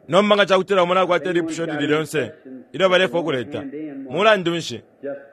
Nomba nga cakutila umo nakwata ilipusho ilili lyonse ilyo balefwaya ukuleta, mulandu nshi,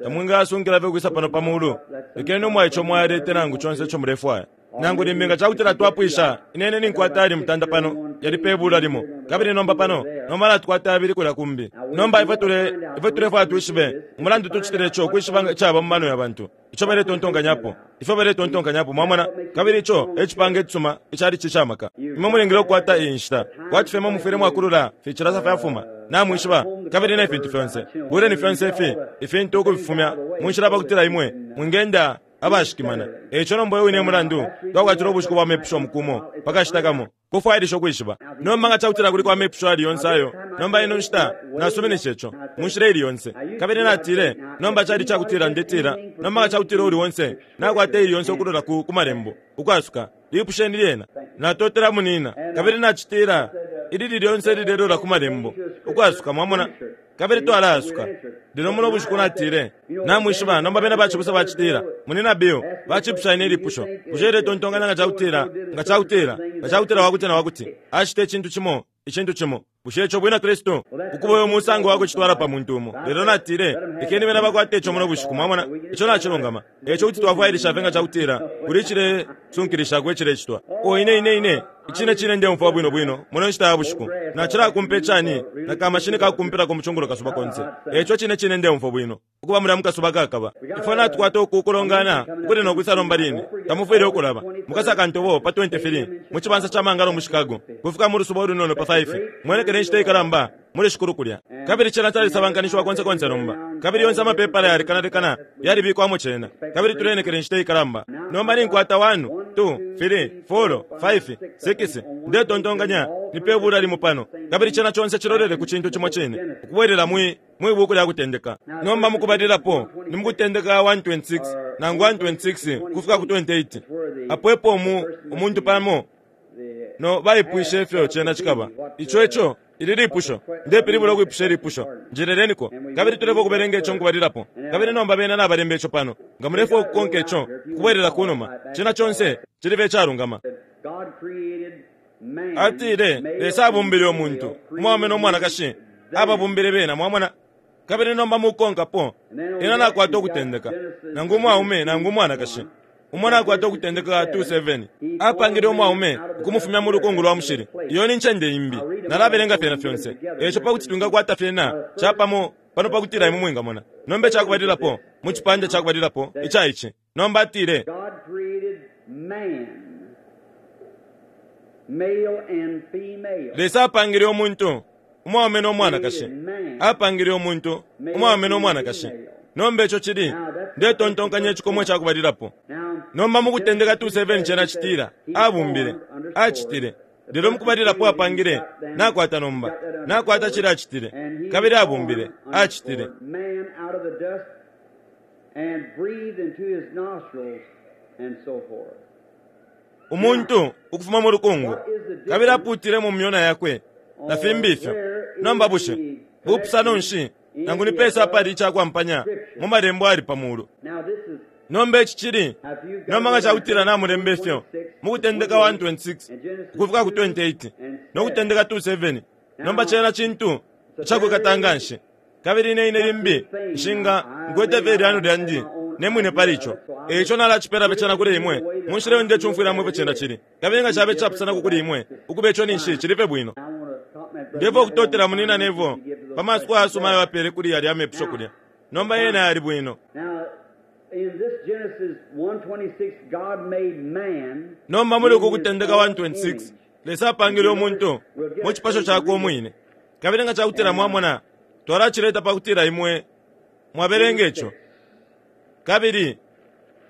tamwingayasunkila fye ukwisa pano pa mulu. Lekeni umwaice umo ayalete nangu conse ico mulefwaya. Nangu limbi nga cakutila twapwisha, ine, ine ninkwata ayali mutanda pano, yali pe bula limo. Kabili nomba pano, nomba natukwata yabili kulya kumbi. Nomba ifwe tule, ifwe tulefwaya twishibe umulandu tucitile ico, ukwishiba icaba mu mano ya bantu. ico baletontonkanyapo, ifyo baletontonkanyapo, mwamona, kabili ico e cipange icisuma icalici ica maka. Imwe mulingile ukukwata iyi nshita, kwati fye imwe mufwile mwakulula ficilasa fyafuma, namwishiba, kabili ne fintu fyonse. Buleni fyonse ifi ifintu ukufifumya mu nshila pakutila imwe mwingenda abashikimana. E ico nomba uyo wine e mulandu twakwatila ubushiku bwa mepusho umuku umo pa kashita kamo. Kufwailisha ukwishiba. Nomba nga cakutila kuliko amepusho ayali yonse ayo, nomba ino nshita nasuminisha ico, mu nshila ili yonse. Kabili natile, Nomba cali icakutila ndetila, nomba nga cakutila uuli onse nakwata ili yonse ukulola ku, ku Malembo, ukwasuka, lipusheni lyena. Natotela munina. Kabili nacitila, Ilili lyonse ililelola ku Malembo, ukwasuka, mwamona. Kabili twalaasuka. Lelo muno bushiku natile, Namwishiba, nomba bena bacibusa bacitila, Munyina Bill, bacipusha ine ilipusho, bushe uletontonkanya nga cakutila, nga cakutila, nga cakutila wakuti na wakuti acita icintu cimo, icintu cimo, bushe ico bwina Kristu? Ukuba uyo musango wa kucitwala pa muntu umo. Lelo natile, Lekeni bena bakwate ico muno bushiku, mwamona, ico nacilungama. Eico kuti twafwailisha fye nga cakutila kuli icilesunkilishako icilecitwa. Oh, ine, ine, ine, icine cine ndeumfwa bwino bwino muno nshita ya bushiku. Nacilakumpa icani na kamashini ka kukumpilako mu cungulo kasuba konse. Eico cine cine ndeumfwa bwino ukuba mulya mu kasuba kakaba. Ifwe natukwata uku kulongana ukuli no kwisa nomba line. Tamufwile ukulaba. Mukasaka ntobo pa 23 mu cibansa ca mangalo mu Chicago, kufika mu lusuba ulunono pa 5. Mwenekele inshita ikalamba. muli Shikulu kulya. Kabili cena calisabankanishiwa konse konse nomba. Kabili yonse amapepala yalekanalekana yalibikwamo cena. Kabili tuleenekela inshita ikalamba. Nomba ninkwata 1, 2, 3, 4, 5, 6, ndetontonkanya ni pe bula limo pano. Kabili cena conse cilolele ku cintu cimo cine, ukubwelela mwi, mwi Buku lya Kutendeka. Nomba mukubalilapo, ni mu Kutendeka 1:26, nangu 1:26 kufika ku 28, apo epo umu, umuntu pamo no baipwishe ifyo cena cikaba. Ico eco ili lipusho. Ndepilibula ukwipusha ilipusho. Njeleleniko. Kabili tulefwa ukubelenga ico mukubalilapo. Kabili nomba bena nabalemba ico pano. Nga mulefwa ukukonka ico, ukubwelela kunuma, cena conse cilibe icalungama. Atile, Lesa abumbile umuntu, umwaume no mwanakashi, ababumbile bena. Mwamona? Kabili nomba mukukonkapo, ena nakwata ukutendeka, nangu umwaume nangu umwanakashi. Umo nakwata Ukutendeka 2:7. Apangile umwaume ukumufumya mu lukungu lwa mushili. Iyo ni ncende imbi. Nalabelenga fyena fyonse. Eico pa kuti twingakwata fyena capamo pano pa kutila imwe mwingamona. Nomba icakubalilapo, mu cipande ca kubalilapo ica ici. Nomba atile. Lesa apangile umuntu. umwaume no mwanakashi. Apangile umuntu, umwaume no mwanakashi. Nomba ico cili, ndetontonkanya icikomo ca kubalilapo. Nomba mu Kutendeka 2:7 cena citila, Abumbile, acitile. Lelo mukubalilapo apangile, nakwata nomba, nakwata cilya acitile. Kabili abumbile, acitile. Umuntu ukufuma mu lukungu, kabili apuutile mu myona yakwe, na fimbi ifyo. Nomba bushe bupusano nshi nangu ni pesa apali ica kwampanya mu malembo ayali pa mulu? Nomba ici cili, nomba nga cakutila namulemba ifyo mu Kutendeka 1:26 ukufika ku 28 no Kutendeka 2:7, nomba cena cintu icakwikata nganshi. Kabili ine, ine limbi nshinga, nkwete fye ilyano lyandi ne mwine pali ico. E ico nalacipela fye cena kuli imwe mu nshila iyo ndecumfwilamo ifyo cena cili. Kabili nga cabe icapusanako kuli imwe, ukuba ico ninshi cili fye bwino. Ndefwaya ukutotela Munyina Neville pa masuko ayasuma ayo apele kuli yalya amepusho kulya. Nomba yena yali bwino. Nomba muli uku Kutendeka 1:26, Lesa apangile umuntu mu cipasho cakwe umwine. Kabili nga cakutila mwamona, twalacileta pa kutila imwe mwabelenga ico. Kabili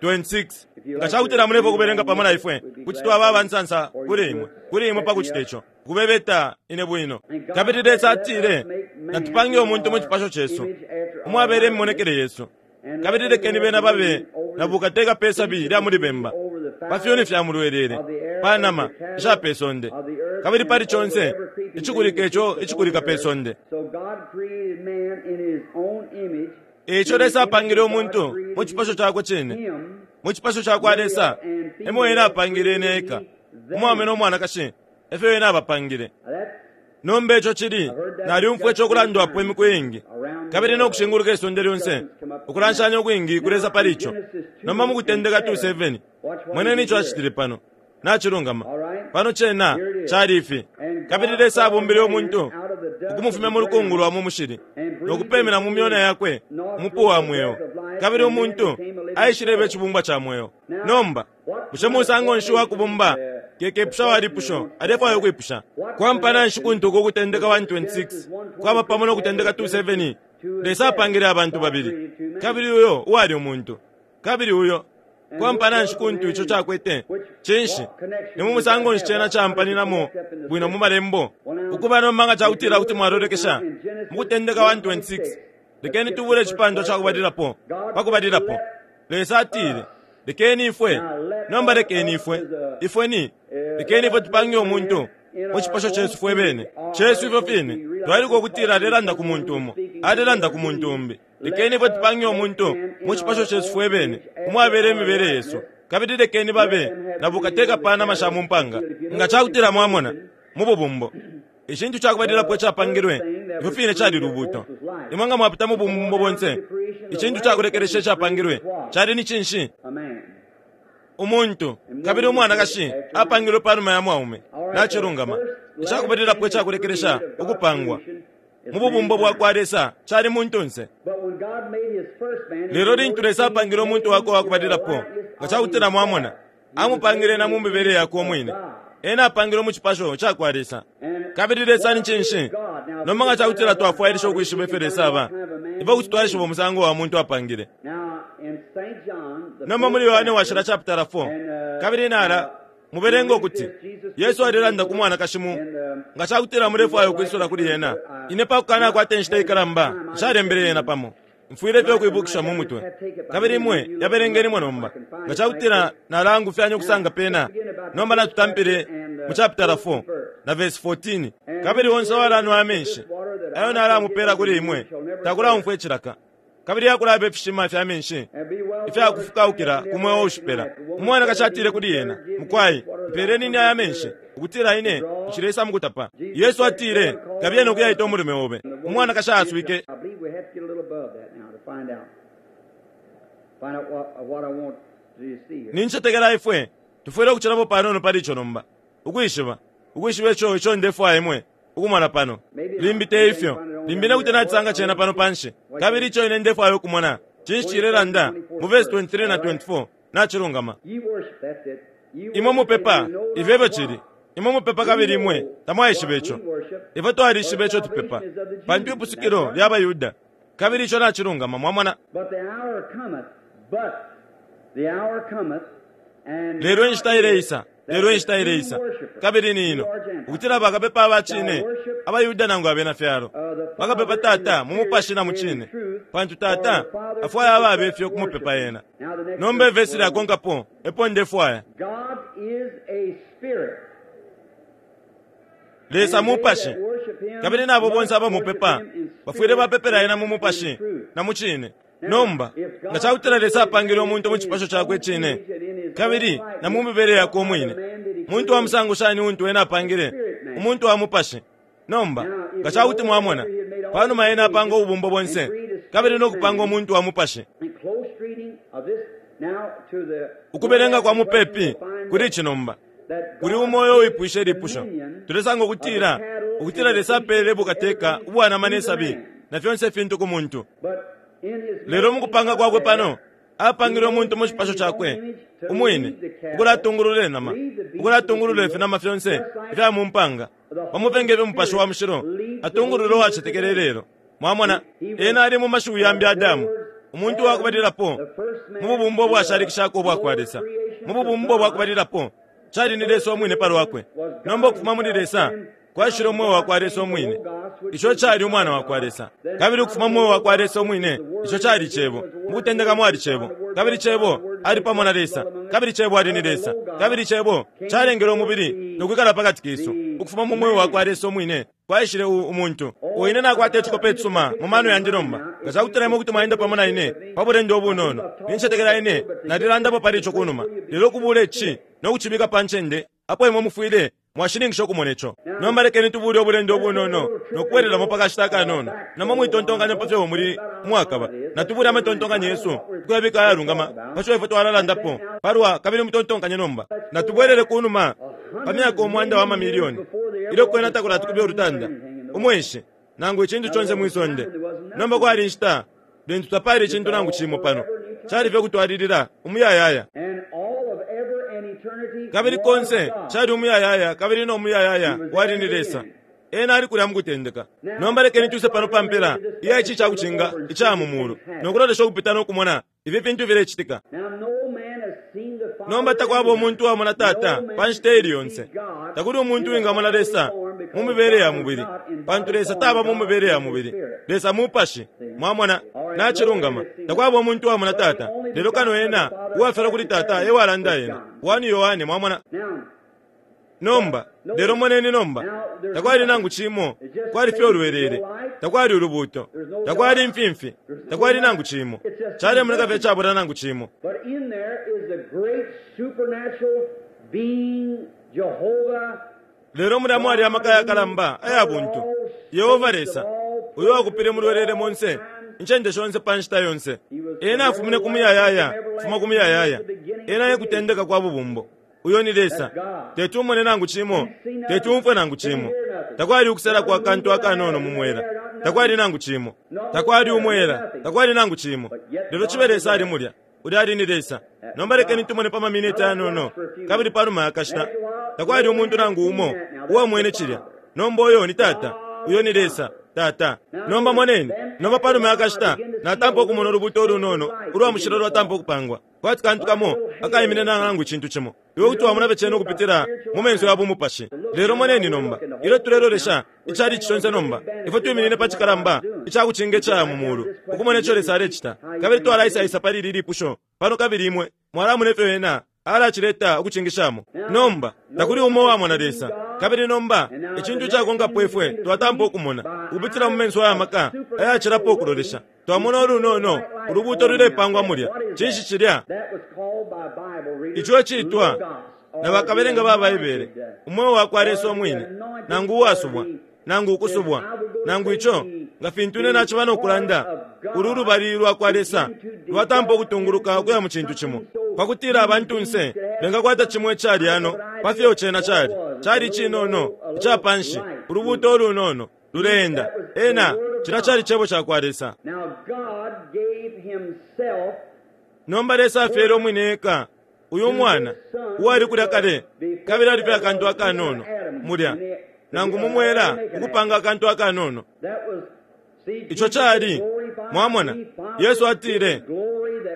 26 nga cakutila mulepo kubelenga pamo na ifwe, kuti twaba abansansa kuli imwe, kuli imwe pa kucita ico, ukubebeta ine bwino. Kabili Lesa atile, Natupange umuntu mu cipasho cesu, umwabele imimonekele yesu. Kabili lekeni bena babe na bukateka pe sabi lya muli bemba, pa fyuni fya mulwelele, pa nama isha pe sonde, kabili pali conse icikulika ico icikulika pe sonde. E ico Lesa apangile umuntu mu cipasho cakwe cine, mu cipasho ca kwa Lesa e mo ena apangile ena eka, umwaume no mwanakashi e fyo ena abapangile. Nomba ico cili, nalyumfwa ico ukulandwapo imiku iingi, kabili no kushinguluka isonde lyonse, ukulanshanya ukwingi kulesa pali ico. Nomba mu Kutendeka 2:7, moneni ico acitile pano. Nacilungama. Pano cena cali ifi. Kabili Lesa abumbile umuntu ukumufumya mu lukungu lwa mu mushili, no kupemena mu myona yakwe umupu wa mweo, kabili umuntu aishileba icibumbwa ca mweo. Nomba, bushe musango nshi wa kubumba? Kekepusha wa lipusho alefwaya ukwipusha. Kwampana nshi kuntu uku Ukutendeka 1:26 kwaba pamo no Kutendeka 2:7? Lesa apangile abantu babili, kabili uyo uwali umuntu, kabili uyo Kwampana nshi kuntu ico cakwete? Cinshi? Ni mu musango nshi cena caampaninamo bwino mu Malembo? Ukuba nomba nga cakutila kuti mwalolekesha mu Kutendeka 1:26, lekeni tubule icipandwa ca kubalilapo, pa kubalilapo. Lesa atile, Lekeni ifwe, nomba lekeni ifwe, ifwe ni, lekeni ifwe tupange umuntu mu cipasho cesu fwe bene, cesu ifyo fine. Twailuka ukutila alelanda ku muntu umo, alelanda ku muntu umbi. Lekeni ifwe tupange umuntu mu cipasho cesu fwe bene, umwabela imibele yesu, kabili lekeni babe na bukateka pa nama sha mu mpanga. Nga ca kutila mwamona, mu bubumbo, icintu ca kubalilapo icapangilwe ifyo fine cali lubuuto. Imwe nga mwapita mu bubumbo bonse, icintu ca kulekelesha icapangilwe cali ni cinshi? Umuntu. Kabili umwanakashi apangilwe pa numa ya mwaume. Nacilungama. Ica kubalilapo ica kulekelesha ukupangwa mu bubumbo bwa kwa Lesa cali muntunse. Lelo lintu Lesa apangile umuntu wakwe wa kubalilapo, nga ca kutila mwamona, amupangile na mu mibele yakwe umwine. Ena apangilwe mu cipasho ca kwa Lesa. Kabili Lesa ni cinshi? Nomba nga ca kutila twafwailisha ukwishiba ifyo Lesa aba, ifwe kuti twaishiba umusango wa muntu apangile. Nomba muli Yohane Washila chapitala 4, kabili nala Mubelenge ukuti Yesu alelanda ku mwanakashi mu nga ca kutila mulefwaya ukwisula kuli ena. Ine pa kukanakwata inshita ikalamba nshalembele yena pamo. Mfwile fye ukuibukisha mu mutwe. Kabili imwe yabelengenimo nomba. Nga ca kutila nalaangufyanya ukusanga pena, nomba natutampile mu chapitala 4 na vesi 14. Kabili onse uwalanwa amenshi ayo nalamupeela kuli imwe takulaumfwa icilaka. Kabili akulaba ifishima fya menshi ifya kufukaukila ku mweo ushipela. Umwanakashi atile kuli ena, Mukwai, mpeeleni ine aya menshi, ukutila ine nshileisa mu kutapa. Yesu atile, Kabiye no kuyaita umulume obe. Umwanakashi ayaswike. Nincetekela ifwe tufwile ukucilapo panono pali ico nomba, ukwishiba, ukwishiba ico, ico ndefwaya imwe ukumona pano. Limbi te ifyo. Limbi ine kuti nacisanga cena pano panshi. Kabili ico ine ndefwaya ukumona, cinshi cilelanda mu vesi 23 na 24. Nacilungama. Imwe mupepa, ifyo efyo cili. Imwe mupepa kabili imwe tamwaishiba ico. Ifwe twalishiba ico tupepa, pantu ipusukilo lya baYuda. Kabili ico nacilungama, mwamona. Lelo inshita ileisa, lelo inshita ileisa, kabili ni ino, ukutila bakapepa aba cine, abaYuda nangu abena fyalo, bakapepa Tata mu mupashi na mu cine, pantu Tata afwaya ababe fyo kumupepa ena. Nomba ivesi lyakonkapo epo ndefwaya. Lesa mupashi, kabili nabo bonse abamupepa bafwile bapepela ena mu mupashi na mu cine. Nomba, nga ca kutila Lesa apangile umuntu mu cipasho cakwe icine kabili na mu mibele yakwe umwine, muntu wa musango shani untu ena apangile? Umuntu wa mupashi. Nomba, nga ca kuti mwamona, pa numa ena apanga ububumbo bonse kabili no kupanga umuntu wa mupashi, ukubelenga kwa mupepi kuli ici nomba, kuli umo uyo uwipwishe ilipusho, tulesanga ukutila, ukutila Lesa apeele bukateka ubwa nama ne sabi na fyonse ifintu ku muntu. Lelo mu kupanga kwakwe pano, apangile umuntu mu cipasho cakwe umwine, ukulatungulula inama, ukulatungulula ifinama fyonse ifya mu mpanga, pamo fye nge fyo Mupashi wa Mushilo atungulula uwacetekela ilelo. Mwamona, ena ali mu mashiwi yambi Adamu, umuntu wa kubalilapo mu bubumbo ubwashalikishako ubwa kwa Lesa. Mu bubumbo bwa kubalilapo, cali ni Lesa umwine pa lwakwe. Nomba ukufuma muli Lesa kwaishile umweo wa kwa Lesa umwine, ico cali Umwana wa kwa Lesa. Kabili ukufuma mu mweo wa kwa Lesa umwine, ico cali Cebo. Mu kutendeka mwali Cebo, kabili Cebo ali pamo na Lesa, kabili Cebo ali ni Lesa. Kabili Cebo calengele umubili no kwikala pa kati kesu. Ukufuma mu mweo wa kwa Lesa umwine kwaishile u, umuntu. O ine nakwata icikope icisuma mu mano yandi nomba. Nga cakutila imwe kuti mwaenda pamo na ine pa bulendo ubunono, nincetekela ine nalilandapo pali ico kunuma. Lelo ukubula ici no kucibika pa ncende apo imwe mufwile. Mwashininkisha ukumona ico. Nomba lekeni tubuule ubulendo ubunono no kubwelelamo pa kashita akanono. Nomba mwitontonkanya pa fyo muli umwakaba. Natubuule amatontonkanyo yesu ukuyabika ayalungama pa fyo ifwe twalalandapo palwa kabili mutontonkanye nomba. Natubwelele ku numa pa myaka umwanda wa mamilioni ilyo kwena takulati kube ulutanda, umweshi, nangu icintu conse mwi sonde. Nomba kwali inshita lintu tapali icintu nangu cimo pano. Cali fye ukutwalilila umuyayaya. Kabili konse cali umuyayaya kabili no muyayaya wali ni Lesa. Ena ali kulya mukutendeka. Nomba lekeni twise pano pa mpela iya ici icakucinga ica mu mulu no kulolesha ukupita no kumona ifi fintu filecitika. Nomba takwaba umuntu uwamona Tata pa nshita iili yonse. Takuli umuntu uwingamona Lesa mu mibele ya mubili, pantu Lesa taba mu mibele ya mubili. Lesa Mupashi. Mwamona? Nacilungama. Takwaba umuntu uwamona Tata, lelo kano ena uwafyalwa kuli Tata e walanda ena. 1 Yohane, mwamona? Nomba, lelo moneni nomba, takwali nangu cimo, kwali fye ulwelele, takwali ulubuuto, takwali imfimfi, takwali nangu cimo. Calemoneka fye icabula nangu cimo. Lelo mulya mwali amaka yakalamba aya buntu, Yehova Lesa, uyo wakupile mulwelele monse, incende shonse pa nshita yonse. Ena afumine ku muyayaya, kufuma ku muyayaya. Ena e kutendeka kwa bubumbo. Uyo ni Lesa. Teti umone nangu cimo, teti umfwe nangu cimo. Takwali ukusela kwa kantu akanono mu mwela. Takwali nangu cimo. Takwali umwela, takwali nangu cimo. Lelo cibe Lesa ali mulya. Ulya ali ni Lesa. Nomba lekeni tumone pa maminiti ayanono, kabili panuma ya kashita. Takwali umuntu nangu umo uwamwene cilya. Nomba uyo ni Tata. Uyo ni Lesa, Tata. Nomba moneni. Nomba panuma ya kashita, natampa ukumona ulubuuto ulunono ulwa mushilo lwatampa ukupangwa. Kwati kantu kamo akaiminina nangu icintu cimo. Iwe kuti wamona fye cena ukupitila mu menso ya bumupashi. Lelo moneni nomba, ilyo tulelolesha ichalichi conse nomba, ifwe twiminine pa cikalamba ica kucinga icaya mu mulu, ukumona ico Lesa alecita. Kabili twalaisaisa pali ili lipusho pano, kabili imwe mwalamona ifyo Ena alacileta ukucingishamo. Nomba, takuli umo uwamona Lesa. Kabili nomba, icintu icakonkapo ifwe twatampa ukumona, ukupitila mu menso aya maka ayacilapo ukulolesha, Twamona ulunono ulubuuto lulepangwa mulya. Cinshi cilya? Ico iciitwa na bakabelenga ba Baibele umweo wa kwa Lesa umwine, nangu uwasubwa, nangu ukusubwa, nangu ico, nga fintu ine naciba no kulanda, ulu lubali lwa kwa Lesa lwatampa ukutunguluka ukuya mu cintu cimo, pa kutila abantunse bengakwata cimo icalyano pa fyo cena cali. Cali icinono, ica panshi, ulubuuto ulunono. Luleenda. Ena, cilya cali Cebo cakwa Lesa. Nomba Lesa afyele Umwine eka, uyu Mwana, uwali kulya kale, kabili ali fye akantu akanono mulya, nangu mu mwela, ukupanga akantu akanono. Ico cali, mwamona, Yesu atile,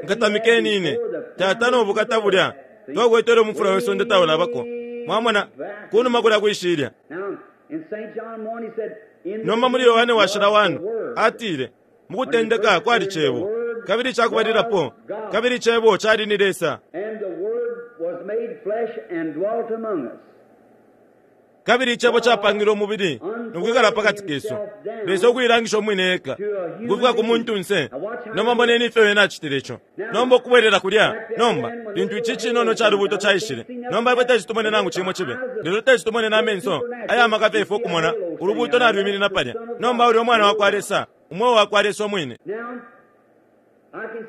Nkatamikeni Ine, Tata, no bukata bulya twakwete ilyo umufula we sonde taulabako. Mwamona, kunuma kulya kwi shilya. Nomba muli Yohane Washila 1, atile, Mu kutendeka kwali Cebo, kabili icakubalilapo, kabili Cebo cali ni Lesa. Kabili Icebo capangilwe umubili no kwikala pakati kesu, Lesa ukuilangisha Umwine eka ukufika ku muntunse. Nomba moneni ifyo Ena acitile ico. Nomba ukubwelela kulya, nomba, lintu ici cinono ica Lubuuto caishile. Nomba ifwe teti tumone nangu cimo cibe, lelo teti tumone na menso aya maka fye ifwe ukumona Ulubuuto nalwiminina palya. Nomba ulya Umwana wakwa Lesa, Umweo wakwa Lesa Umwine.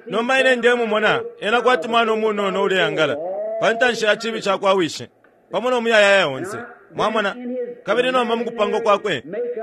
Nomba ine ndemumona Ena kwati mwana umunono uleangala pa ntanshi ya cibi cakwa wishi, pamo no muyayaya onse. Mwamona? Kabili nomba mukupangwa kwakwe,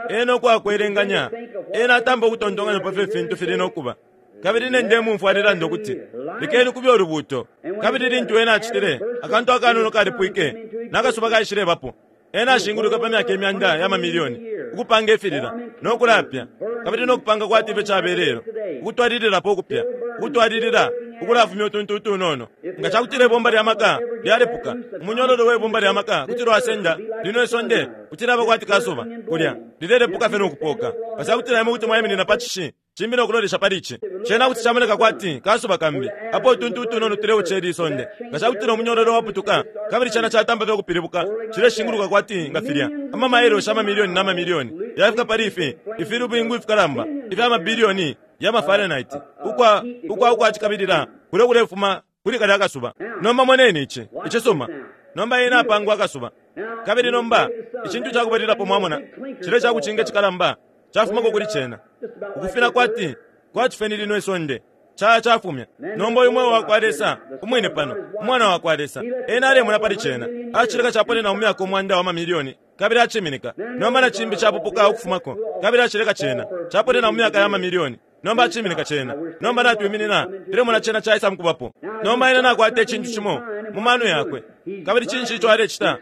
ena ukwakwelenganya, ena atampa ukutontonkanya pa fyo ifintu fili no kuba. Kabili ine ndemumfwa alelanda ukuti, Lekeni kube ulubuuto. Kabili lintu ena acitile, akantu akanono kalipwike, na kasuba kaishilebapo. Ena ashinguluka pa myaka imyanda ya mamilioni, ukupanga ifilila, no kulapya, kabili no kupanga kwati ifyo caba ilelo, ukutwalililapo ukupya, ukutwalilila ukulafumya utuntu utunono. Nga ca kutila ibomba lya maka lyalepuka, umunyololo we bumba lya maka kuti lwasenda lino isonde kuti lyaba kwati kasuba kulya, lilelepuka fye no kupoka. Nga ca kutila imwe kuti mwaiminina pa cishi cimbi no kulolesha pali ici, cena kuti camoneka kwati kasuba kambi, apo utuntu utunono tuleuca ili isonde. Nga ca kutila umunyololo waputuka, kabili cena catampa fye ukupilibuka, cileshinguluka kwati nga filya, ama mailoshi amamilioni na mamilioni yafika pali ifi ifilubingu ifikalamba ifya mabilioni ya ma Fahrenheit, ukwa, ukwa, ukwa cikabilila kulyo kulefuma kuli kalya kasuba. Nomba moneni ici, icisuma. Nomba ena apangwa akasuba. Kabili nomba, icintu cakubalilapo mwamona, cilya icakucinga icikalamba cafumako kuli cena, ukufina kwati, kwati fye ni lino isonde, caya cafumya. Nomba uyu Mweo wakwa Lesa, Umwine pano, Umwana wakwa Lesa, Ena alemona pali cena, acileka caponena mu myaka umwanda wa mamilioni, kabili aciminika. Nomba na cimbi capupuka ukufumako, kabili acileka cena caponena mu myaka ya mamilioni. Nomba aciminika cena. Nomba natwiminina, tulemona cena caisa mukubapo. Nomba ena nakwata icintu cimo mu mano yakwe. Kabili cinshi ico alecita?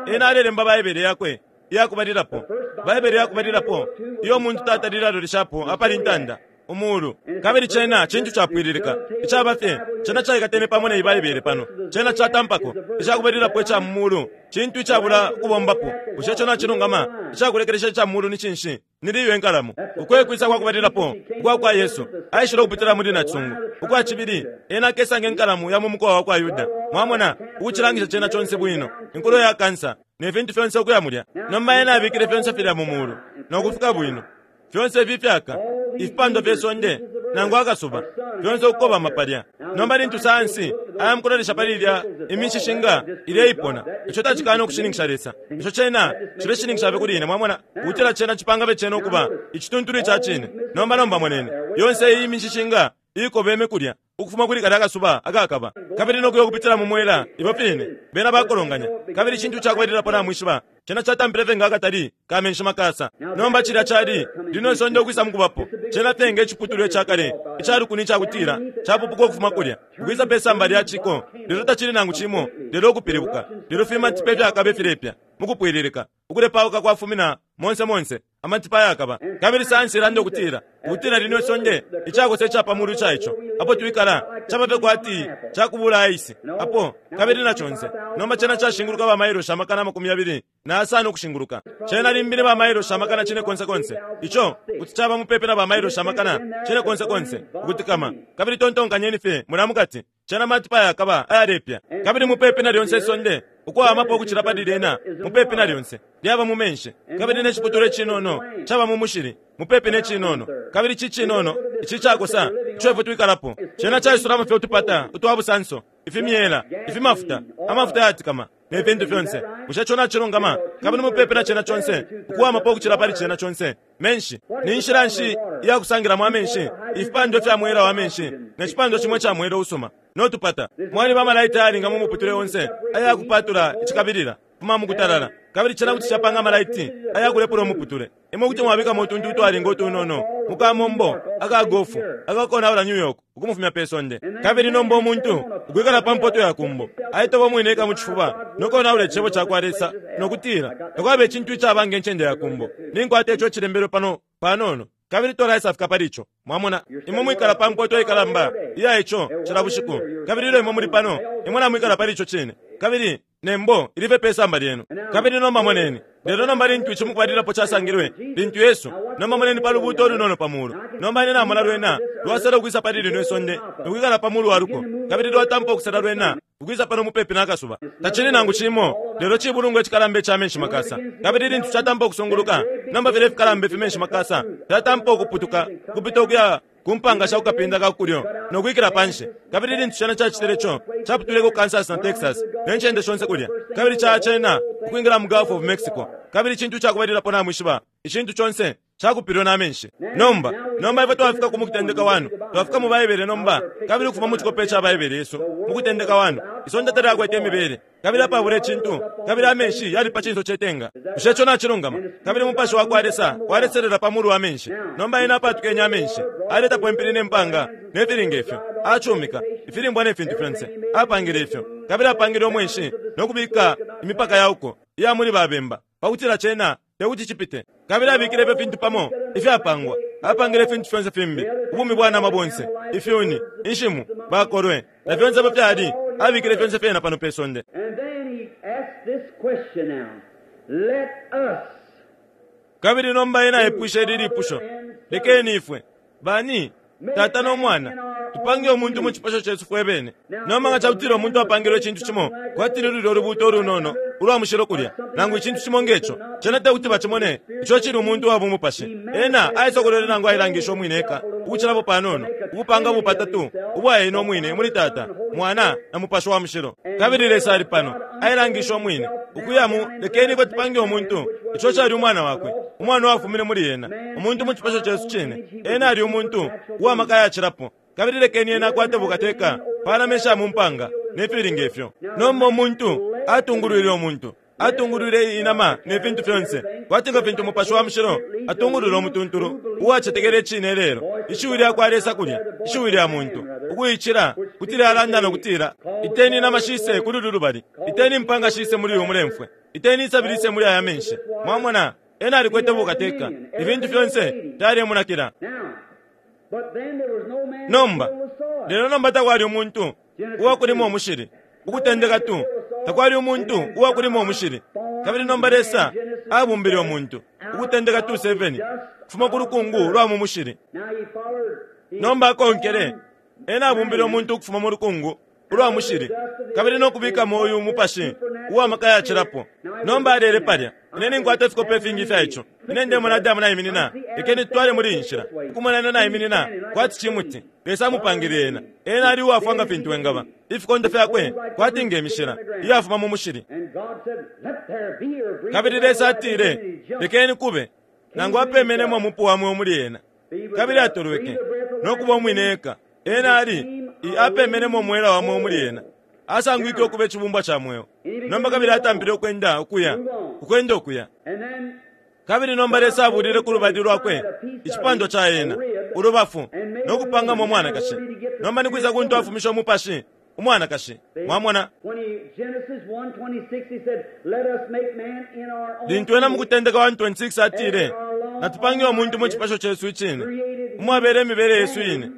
Ena alelemba Baibele yakwe iyakubalilapo, Baibele yakubalilapo iyo umuntu tatalile aloleshapo apali intanda, Umuulu. Kabili cena cintu capwililika, icaba fye, cena caikatene pamo ne Baibele pano. Cena catampako, icakubalilapo ica mu Muulu, cintu icabula ukubombapo. Bushe ico nacilungama? Icakulekelesha ica mu Muulu ni cinshi? Ni liyo inkalamo. Uko e kwisa kwa kubalilapo ukwa kwa Yesu, aishile ukupitila muli nacisungu. Ukwa cibili, Ena akesa nge nkalamu ya mu mukowa wakwa Yuda. Mwamona, ukucilangisha cena conse bwino, inkulo ya kansa, ne fintu fyonse ukuya mulya. Nomba Ena abikile fyonse filya mu Muulu, no kufika bwino. Fyonse ifi ifyaka, ifipandwa fye sonde, nangu akasuba, fyonse ukukobama palya. Nomba lintu sayansi aya mukulolesha pali ilya imishishinga ileipona, ico tacikana ukushininkisha Lesa. Ico cena cileshininkisha fye kuli ine, mwamona, ukutila cena cipanga fye cena ukuba icituntulu ica cine. Nomba, nomba moneni, yonse iyi imishishinga iikobeme kulya, ukufuma kuli kalya kasuba akakaba, kabili no kuya ukupitila mu mwela, ifyo fine, bena bakolonganya. Kabili icintu cakubalilapo namwishiba, cena catampile fye nga akatali ka menshi makasa. Nomba cilya cali lino isonde ukwisa mukubapo, cena fye nge ciputulwa icakale ica lukuni icakutila capupuka ukufuma kulya, ukwisa pe samba lya ciko, lelo tacili nangu cimo lelo ukupilibuka, lelo fimatipa ifyakaba ifilepya mukupwililika, ukulepauka kwafumina monse monse. Amatipa ayakaba. Kabili sayansi ilanda ukutila, ukutila lino isonde, icakosa ica pa mulu ica ico, apo twikala, caba fye kwati cakubula aisi, apo, kabili na conse. Nomba cena cashinguluka ba mailoshi 260,000 ukushinguluka. Cena limbi ni ba mailoshi 400,000 konse. Ico kuti caba mupepi na ba mailoshi 400,000 konse ukutikama. Kabili tontonkanyeni fye mulya mukati. Cena matipa ayakaba ayalepya, kabili mupepi na lyonse isonde, ukuwamapo ukucila pali lyena, mupepi na lyonse, lyaba mu menshi, kabili ne ciputulwa icinono caba mu mushili, mupepi ne cinono. Kabili ici cinono, ici icakosa ico ifwe twikalapo, cena caisulamo fye utupata utwa busanso, ifimyela, ifimafuta, amafuta ayatikama, ne fintu fyonse. Bushe ico nacilungama? Kabili mupepi na cena conse, ukuwamapo ukucila pali cena conse, menshi. Ni nshila nshi iya kusangilamo amenshi? Ifipandwa ifya mwela wa menshi ne cipandwa cimo ica mwela usuma no tupata. Mwaliba amalaiti ayalinga mu muputule onse aya kupatula icikabilila fuma mu kutalala, kabili cena kuti capanga amalaiti aya kulepula umuputule. Imwe kuti mwabikamo utuntu utwalinga utunono mu kamombo aka gofu akakonaula New York ukumufumya pe sonde. Kabili nomba umuntu ukwikala pa mpoto ya kumbo aitoba umwine eka mu cifuba no konaula Icebo ca kwa Lesa no kutila takwaba icintu icaba nge ncende ya kumbo. Ninkwata ico icilembelwe pano panono, kabili twalaisafika pali ico. Mwamona, imwe mwikala pa mpoto ikalamba iya ico cila bushiku, kabili ilyo imwe muli pano, imwe namwikala pali ico cine. Kabili ne mbo ili fye pe samba lyenu. Kabili nomba moneni. Lelo nomba lintu ici mukubalilapo casangilwe, lintu Yesu, nomba moneni pa lubuuto ulunono pa mulu. Nomba ine namona lwena lwasela ukwisa pali lino isonde no kwikala pa mulu wa luko, kabili lwatampa ukusela lwena ukwisa pano mupepi na kasuba. Tacili nangu cimo lelo cibulungwa icikalamba ica menshi makasa. Kabili lintu catampa ukusunguluka, nomba filya ifikalamba ifimenshi makasa fyatampa ukuputuka ukupita ukuya ku mpanga sha ku kapinda ka ku kulyo no kwikila pa nshi. Kabili lintu cena cacitile ico, caputwileko Kansas na Texas ne ncende shonse kulya, kabili caya cena ukwingila mu Gulf of Mexico. Kabili icintu cakubalilapo namwishiba, icintu conse cakupilwe na menshi. Nomba, nomba ifwe twafika ku mukutendeka 1, twafika mu Baibele nomba, kabili ukufuma mu cikope ca Baibele yesu, mu kutendeka 1, isonde talyakwete imibele, kabili apabula icintu, kabili amenshi yali pa cinso ce tenga. Bushe ico nacilungama? Kabili Umupashi wa kwa Lesa waleselela pa mulu wa menshi. Nomba Ena apatukenye amenshi, aletapo impili ne mpanga, ne fili nge fyo, acumika, ifilimbwa ne fintu fyonse. Apangile ifyo. Kabili apangile umwenshi no kubika imipaka ya uko iya muli ba bemba, pa kutila cena te kuti cipite. Kabili abikile ifyo fintu pamo ifyapangwa. Apangile ifintu fyonse fimbi, ubumi bwa nama bonse, ifyuni, inshimu, bakolwe, na fyonse ifyo fyali, abikile fyonse fyena pano pe sonde. Kabili nomba ena aipwishe ili lipusho, Lekeni ifwe, bani? Tata no Mwana, Tupange umuntu mu cipasho cesu fwe bene. Nomba nga ca kutila umuntu apangilwe icintu cimo kwati ni lulyo lubuuto ulunono ulwa mushilo kulya, nangu icintu cimo nge co, cena te kuti bacimone ico cili umuntu wa bumupashi. Ena aisokolwele nangu ailangishe umwine eka ukucilapo panono, ukupanga bupatatu ubwa ena umwine muli Tata, Mwana, na Mupashi wa Mushilo. Kabili Lesa ali pano, ailangishe umwine, ukuya mu, lekeni ifwe tupange umuntu, ico cali Umwana Wakwe, Umwana uwafumine muli Ena, umuntu mu cipasho cesu cine. Ena ali umuntu uwa maka ayacilapo. Kabili lekeni ena akwate bukateka pa nama isha mu mpanga, ne fili nge fyo. Nomba umuntu atungulwile umuntu, atungulwile inama ne fintu fyonse, kwati nga fintu Mupashi wa Mushilo atungulula umutuntulu uwacetekela icine ilelo, Ishiwi lya kwa Lesa kulya, ishiwi lya muntu, ukuicila, kuti lyalanda no kutila, Iteni inama shise kuli ulu lubali, iteni impanga shise muli uyu mulemfwe, iteni isabi lise muli aya menshi. Mwamona, ena alikwete bukateka, ifintu fyonse fyalemunakila. Nomba, lelo nomba takwali umuntu uwakulima umushili. Ukutendeka 2, takwali umuntu uwakulima umushili. Kabili nomba Lesa abumbile umuntu, Ukutendeka 2:7, ukufuma ku lukungu lwa mu mushili. Nomba akonkele, ena abumbile umuntu ukufuma mu lukungu ulwa mushili kabili no kubikamo uyu mupashi uwa maka yacilapo. Nomba alele palya. Ine ninkwata ifikope ifingi ifya ico. Ine ndemona Adamu naiminina, lekeni tutwale muli iyi nshila, ukumona ena naiminina kwati cimuti. Lesa amupangile ena. Ena ali uwafwa nga fintu engaba, ifikondo fyakwe kwati nge mishila iyafuma mu mushili. Kabili Lesa atile, Lekeni kube, nangu apemenemo umupu wa mweo muli ena, kabili atolweke, no kuba umwine eka. Ena ali, i apemenemo umwela wa mweo muli ena. Asangwike ukuba icibumbwa ca mweo. Nomba kabili atampile ukwenda ukuya, ukwenda ukuya. Kabili nomba Lesa abulile ku lubali lwakwe icipandwa ca ena, ulubafu, no kupangamo umwanakashi. Nomba ni kwisa kuntu afumishe umupashi? Umwanakashi. Mwamona? Lintu ena mu Kutendeka 1:26 atile, Natupange umuntu mu cipasho cesu icine, umwabela imibele yesu ine.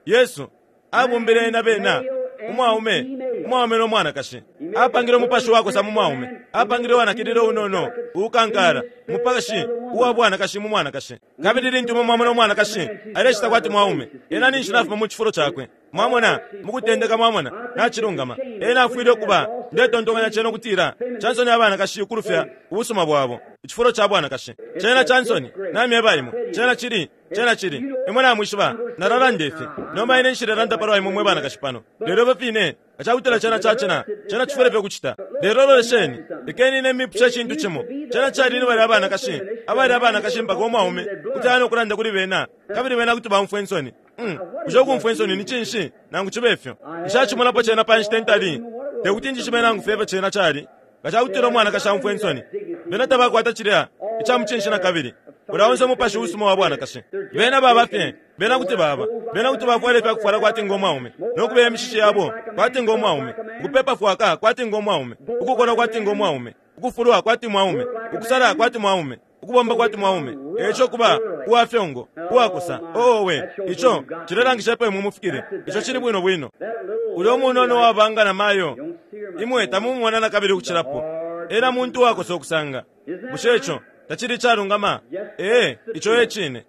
Yesu abumbile ena bena umwaume, umwaume no mwanakashi. Apangile umupashi wakosa mu mwaume, apangile uwanakilila unono, uukankala, umupashi uwa bwanakashi mu mwanakashi. Kabili lintu imwe mwamona umwanakashi alecita kwati mwaume, ena ninshi nafuma mu cifulo cakwe. Mwamona, mukutendeka, mwamona, nacilungama. Ena afwile ukuba, ndetontonkanya cena ukutila, cansoni abanakashi ukulufya ubusuma bwabo, icifulo ca bwanakashi. Cena cansoni, namyeba imwe. Cena cili, cena cili. Imwe namwishiba, nalalanda ifi. Nomba ine nshilelanda palwa imwe mwe banakashi pano. Lelo ifyo fine, nga cakutila cena ca cena, cena cifwile fye ukucita. Lelo lolesheni, lekeni ine mipushe icintu cimo. Cena cali ni balya abanakashi, abali abanakashi mpaka umwaume kuti aya no kulanda kuli bena, kabili bena kuti baumfwa insoni. Mm. Bushe ukumfwa insoni ni cinshi, nangu cibe fyo? Nshacimonapo cena pa nshita intali. Te kuti njishibe nangu fye ifyo cena cali. Nga cakutila umwanakashi aumfwa insoni, bena tabakwata cilya ica mucinshi nakabili. Ulya onse umupashi usuma wa bwanakashi. Bena baba fye, bena kuti baba, bena kuti bafwala ifyakufwala kwati ngo mwaume, no kubeya imishishi yabo kwati ngo mwaume, ukupepa fwaka kwati ngo mwaume, ukukolwa kwati ngo mwaume, ukufulwa kwati mwaume, ukusala kwati mwaume, ukubomba kwati mwaume, eico kuba uwa fyongo, uwakosa. Oo, owe, ico cilelangisha epo imwe mufikile. Ico cili bwino bwino. Ulya umunono uwaba nga namayo, imwe tamumumona nakabili ukucilapo. Ena muntu uwakosa ukusanga. Bushe ico tacili icalungama? Ee, ico e cine.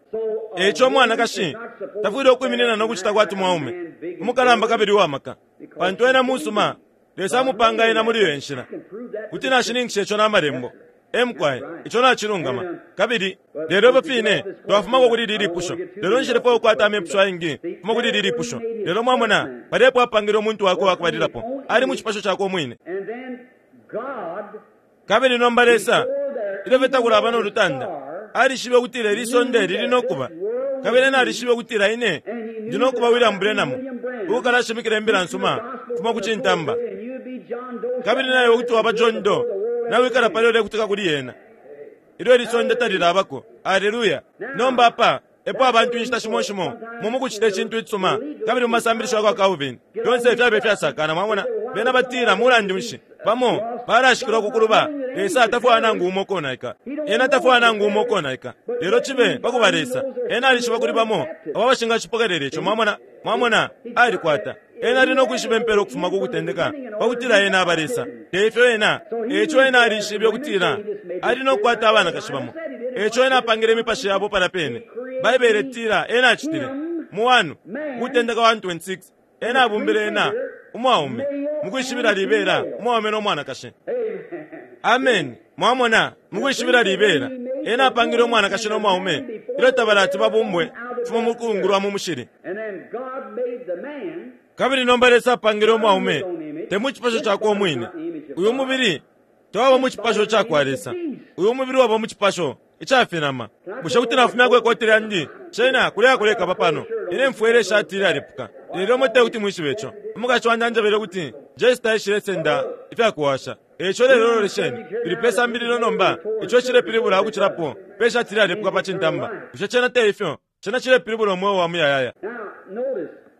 Eico umwanakashi tafwile ukwiminina no kucita kwati mwaume, umukalamba kabili uwa maka, pantu ena musuma. Lesa amupanga ena muli iyo inshila. Kuti nashininkisha ico na Malembo. E mukwai, ico nacilungama. Kabili, lelo ifyo fine, twafumako kuli ili lipusho. Lelo nshilefwaya ukukwata amepusho ayengi kufuma kuli ili lipusho. Lelo mwamona, palya epo apangile umuntu wakwe uwakubalilapo, ali mu cipasho cakwe umwine. Kabili nomba Lesa, ilyo fye takulaba no lutanda, alishibe ukutila ili sonde lili no kuba. Kabili Ena alishibe ukutila ine ndi no kuba William Branham, uukalashimikila Imbila nsuma kufuma ku cintamba. Kabili naiwe kuti waba John Doe, nawikala palya ulekutika kuli yena ilyo ili sonde talilabako. Aleluya! Nomba apa epo abantu inshita shimo shimo mu mukucita icintu icisuma, kabili mu masambilisho yakwa Calvin, fyonse fyabe ifyasakana. Mwamona, bena batila, Mulandu nshi, bamo balashikilwa ku kuluba. Lesa tafwaya nangu umo ukonaika. Ena tafwaya nangu umo ukonaika. Lelo cibe pakuba Lesa, Ena alishiba kuli bamo abo abashingacipokelela ico. Mwamona? Mwamona, Alikwata. Ena ali no kwishiba impela ukufuma ku kutendeka, pa kutila Ena aba Lesa. Te ifyo Ena? Eico Ena alishibe ukutila Ali no kukwata abanakashi bamo, eico Ena apangile imipashi yabo palya pene. Baibele itila Ena acitile. Mu 1 Ukutendeka 1:26, Ena abumbile ena umwaume, mukwishibila libela umwaume no mwanakashi. Ameni. Mwamona, mukwishibila libela, Ena apangile umwanakashi no mwaume ilyo tabalati babumbwe ukufuma mu lukungu lwa mu mushili. Kabili nomba Lesa apangile umwaume, te mu cipasho cakwe umwine. Uyu mubili tawaba mu cipasho ca kwa Lesa. Uyu mubili waba mu cipasho ica finama. Bushe kuti nafumyako ikoti lyandi? Cena kulya kulekaba pano. Ine mfwele ishati ilyalepuka. Lelo imwe te kuti mwishibe ico. Umukashi wandi anjebele ukuti Jesse taishilesenda ifya kuwasha. E ico lelo lolesheni, tuli pe sambililo nomba, ico icilepilibula ukucilapo pe shati ilyalepuka pa cintamba. Bushe cena te ifyo? Cena cilepilibula umweo wa muyayaya.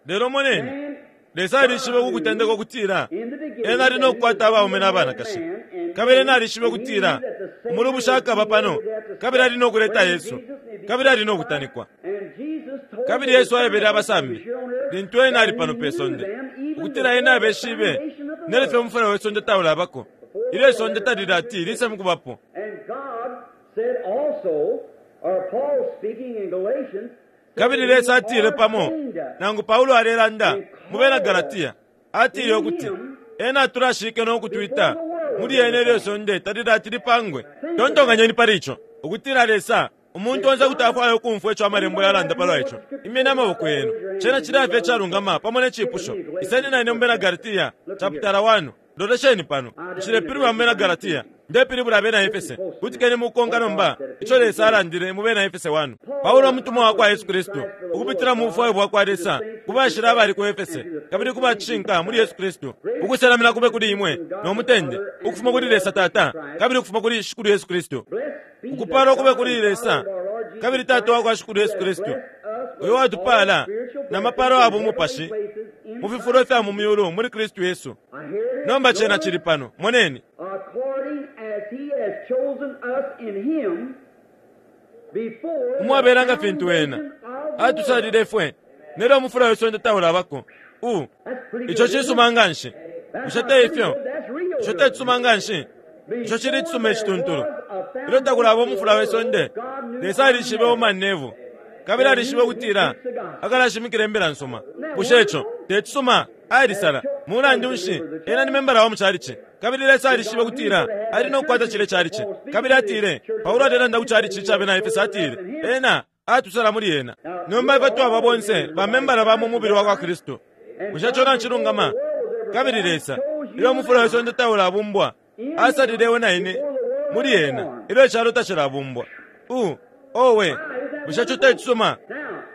Lelo moneni, Lesa alishibe ku kutendeka ukutila Ena ali no kukwata abaume na banakashi. Kabili Ena alishibe ukutila umulubushi akaba pano, kabili ali no kuleta Yesu, kabili ali no kutanikwa. Kabili Yesu aebele abasambi, lintu Ena ali pano pe sonde, ukutila Ena abeshibe nelyo fye umufula we sonde taulabako, ilyo isonde talilati lise mukubapo. Kabili Lesa atile pamo, nangu Paulo alelanda mu bena Galatia, atile ukuti Ena atulashike no kutwita muli Ena ilyo isonde talilati lipangwe. Tontonkanyeni pali ico, ukutila Lesa, umuntu onse kuti afwaya ukumfwa ico Amalembo yalanda palwa ico. Imyeni amaboko yenu. Cena cilya fye icalungama pamo ne cipusho. Iseni na ine mu bena Galatia, chaputala 1. Lolesheni pano. Nshilepilibula mu bena Galatia. Ndepilibula abena Efese. Kutikeni mukukonka nomba ico Lesa alandile mu bena Efese 1. Paulo umutumwa wa kwa Yesu Kristu, ukupitila mu bufwayo bwa kwa Lesa, ku bashila abali ku Efese, kabili ku ba cishinka muli Yesu Kristu, ukuselamina kube kuli imwe no mutende, ukufuma kuli Lesa Tata, kabili ukufuma kuli Shikulu Yesu Kristu. Ukupaalwa kube kuli Lesa kabili Tata wa kwa Shikulu Yesu Kristu, uyo watupaala na mapaalo ya bumupashi mu fifulo ifya mu myulu muli Kristu Yesu. Nomba cena cili pano. Moneni. Umwabela nga fintu Ena atusalile ifwe nelyo umufula we sonde taulabako. U, ico cisuma nganshi. Bushe te ifyo? Ico te cisuma nganshi? Ico cili icisuma icituntulu. Ilyo takulaba umufula we sonde, Lesa alishibe Orman Neville, kabili alishibe ukutila akalashimikila Imbila nsuma. Bushe ico te cisuma? Alisala. Mulandu nshi, ena ni membala wa mu chalichi. Kabili Lesa alishibe ukutila ali no kukwata cilye chalichi. Kabili atile, Paulo alelanda ku chalichi ca bena Efese, atile, Ena atusala muli Ena. Nomba ifwe twaba bonse ba membala ba mu mubili wa kwa Kristu. Bushe ico nacilungama? Kabili Lesa, ilyo umufula we sonde taulabumbwa, asalile iwe na ine muli Ena ilyo icalo tacilabumbwa. Uh, owe, bushe ico te cisuma?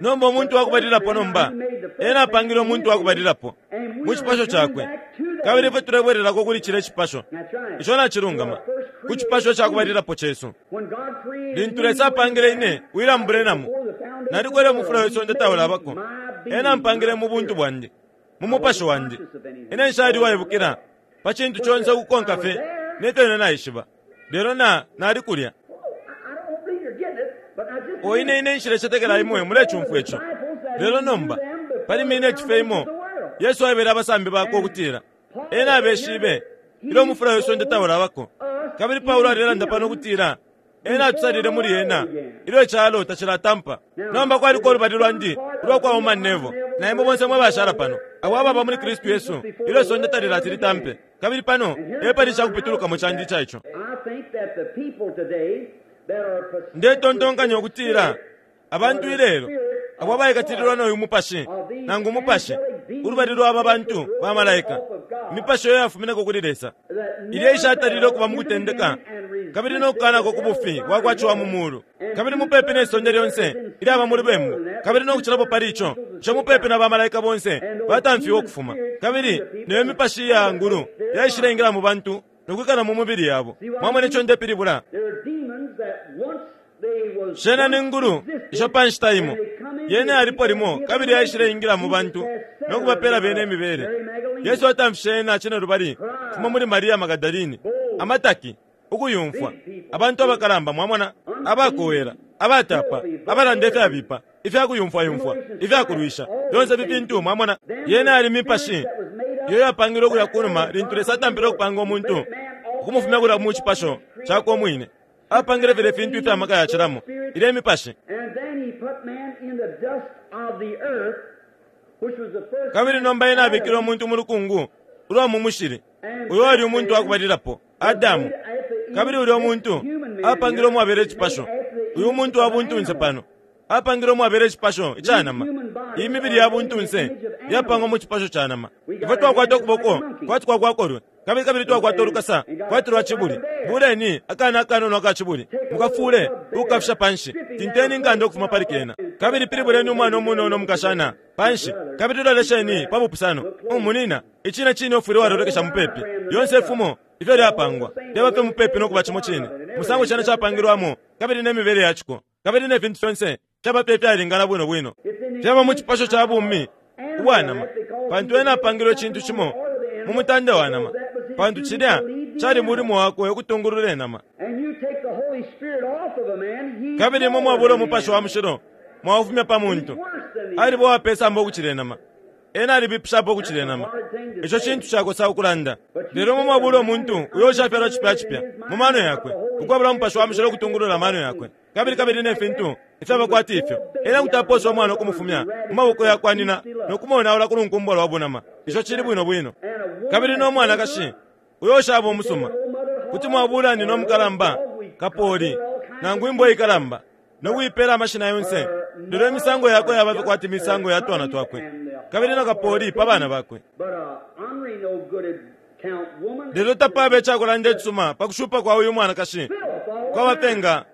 Nomba umuntu wa kubalilapo nomba, Ena apangile umuntu wa kubalilapo mu cipasho Cakwe. Kabili ifwe tulebwelelako kuli cilya cipasho. Ico nacilungama, ku cipasho ca kubalilapo cesu. Lintu Lesa apangile ine, William Branham, nalikwele umufula we sonde taulabako. Ena ampangile mu buntu bwandi, mu mupashi wandi. Ine nshali uwaibukila pa cintu conse ukukonka fye ne fyo ine naishiba, lelo na, nali kulya. O ine, ine nshilecetekela imwe mulecumfwa ico. Lelo nomba, pali mineti fye imo, Yesu aebele abasambi bakwe ukutila Ena abeshibe ilyo umufula we sonde taulabako. Kabili Paulo alelanda pano ukutila Ena atusalile muli Ena ilyo icalo tacilatampa. Nomba kwaliko ulubali lwandi ulwa kwa Orman Neville na imwe bonse mwe bashala pano, abo ababa muli Kristu Yesu ilyo isonde talilati litampe. Kabili pano e pali icakupitulukamo candi ica ico. Ndetontonkanya ukutila Abantu ilelo abo abaikatililwa no yu mupashi, nangu umupashi, ulubali lwa aba bantu ba malaika, imipashi iyo yafumineko kuli Lesa, ilya ishatalile ukuba mu kutendeka kabili no kukanako ku bufi bwa kwa ciwa mu mulu, kabili mupepi ne sonde lyonse ilyaba mu lubembu, kabili no kucilapo pali ico, ico mupepi na ba malaika bonse batamfiwe ukufuma, kabili neyo mipashi iya ngulu yaishileingila mu bantu no kwikala mu mubili yabo. Mwamona ico ndepilibula? Shena ni ngulu isho pa nshita imo yene yalipo limo kabili yaishileingila mu bantu no kubapela bene imibele. Yesu atamfishe yena cinelubali kufuma muli Maria Magadalini, amataki, ukuyumfwa, abantu abakalamba, mwamona, abakowela, abatapa, abalanda ifyabipa, ifya kuyumfwayumfwa, ifya kulwisha, fyonse ifi fintu, mwamona. Yena yali mipashi iyo yapangilwe kulya kunuma lintu Lesa atampile ukupanga umuntu ukumufumya kulya mu cipasho cakwe umwine. Apangile filye fintu ifya maka yacilamo, ilye mipashi. Kabili nomba ena abikile umuntu mu lukungu ulwa mu mushili, uyo wali umuntu wa kubalilapo, Adamu. Kabili ulyo muntu apangilwe umwabela icipasho, uyu muntu wa buntunse pano, apangilwe umwabela icipasho ica nama. Iyi mibili ya buntunse yapangwa mu cipasho ca nama. Ifwe twakwata ukuboko kwati kwa kwa kolwe, kabili kabili twakwata ulukasa kwati lwa cibuli. Buleni akana akanono aka cibuli, mukafuule ukukafisha panshi, tinteni inkanda ukufuma pali kena, kabili pilibuleni umwana umunono umukashana panshi, kabili lolesheni pa bupusano. Munyina, icine cine ufwile walolekesha mupepi. Lyonse ifumo ifyo lyapangwa lyaba fye mupepi no kuba cimo cine, umusango cena capangilwamo kabili ne mibele ya ciko, kabili ne fintu fyonse fyaba fye ifyalingana bwino bwino. Fyaba mu cipasho ca bumi ubwa nama, pantu ena apangilwe icintu cimo mu mutande wa nama, pantu cilya cali mulimo wakwe ukutungulula inama. Kabili imwe mwabula Umupashi wa Mushilo mwaufumya pa muntu, aliba uwa pesamba ukucila inama. Ena alibipishapo ukucila inama. Ico cintu cakosa ukulanda. Lelo imwe mwabula umuntu uyo ushafyalwa cipya cipya mu mano yakwe, ukwabula Umupashi wa Mushilo ukutungulula amano yakwe, kabili kabili ne fintu ifyaba kwati ifyo. Ena kuti aposa umwana ukumufumya mu maboko yakwa nyina no kumonaula ku lunkumbwa lwa bunama. Ico cili bwino bwino. Kabili no mwanakashi uyo ushaba umusuma, kuti mwabula nyina umukalamba, kapoli, nangu imbwa ikalamba, no kuipela amashina yonse, lelo imisango yakwe yaba fye kwati misango ya twana twakwe, kabili na kapoli pa bana bakwe. Lelo tapaba icakulanda icisuma pa kushupa kwa uyu mwanakashi, kwaba fye nga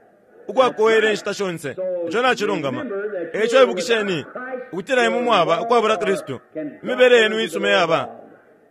ukwakowela inshita shonse. Ico nacilungama. E ico ibukisheni ukutila imwe mwaba ukwabula Kristu, imibele yenu iisuma iyaba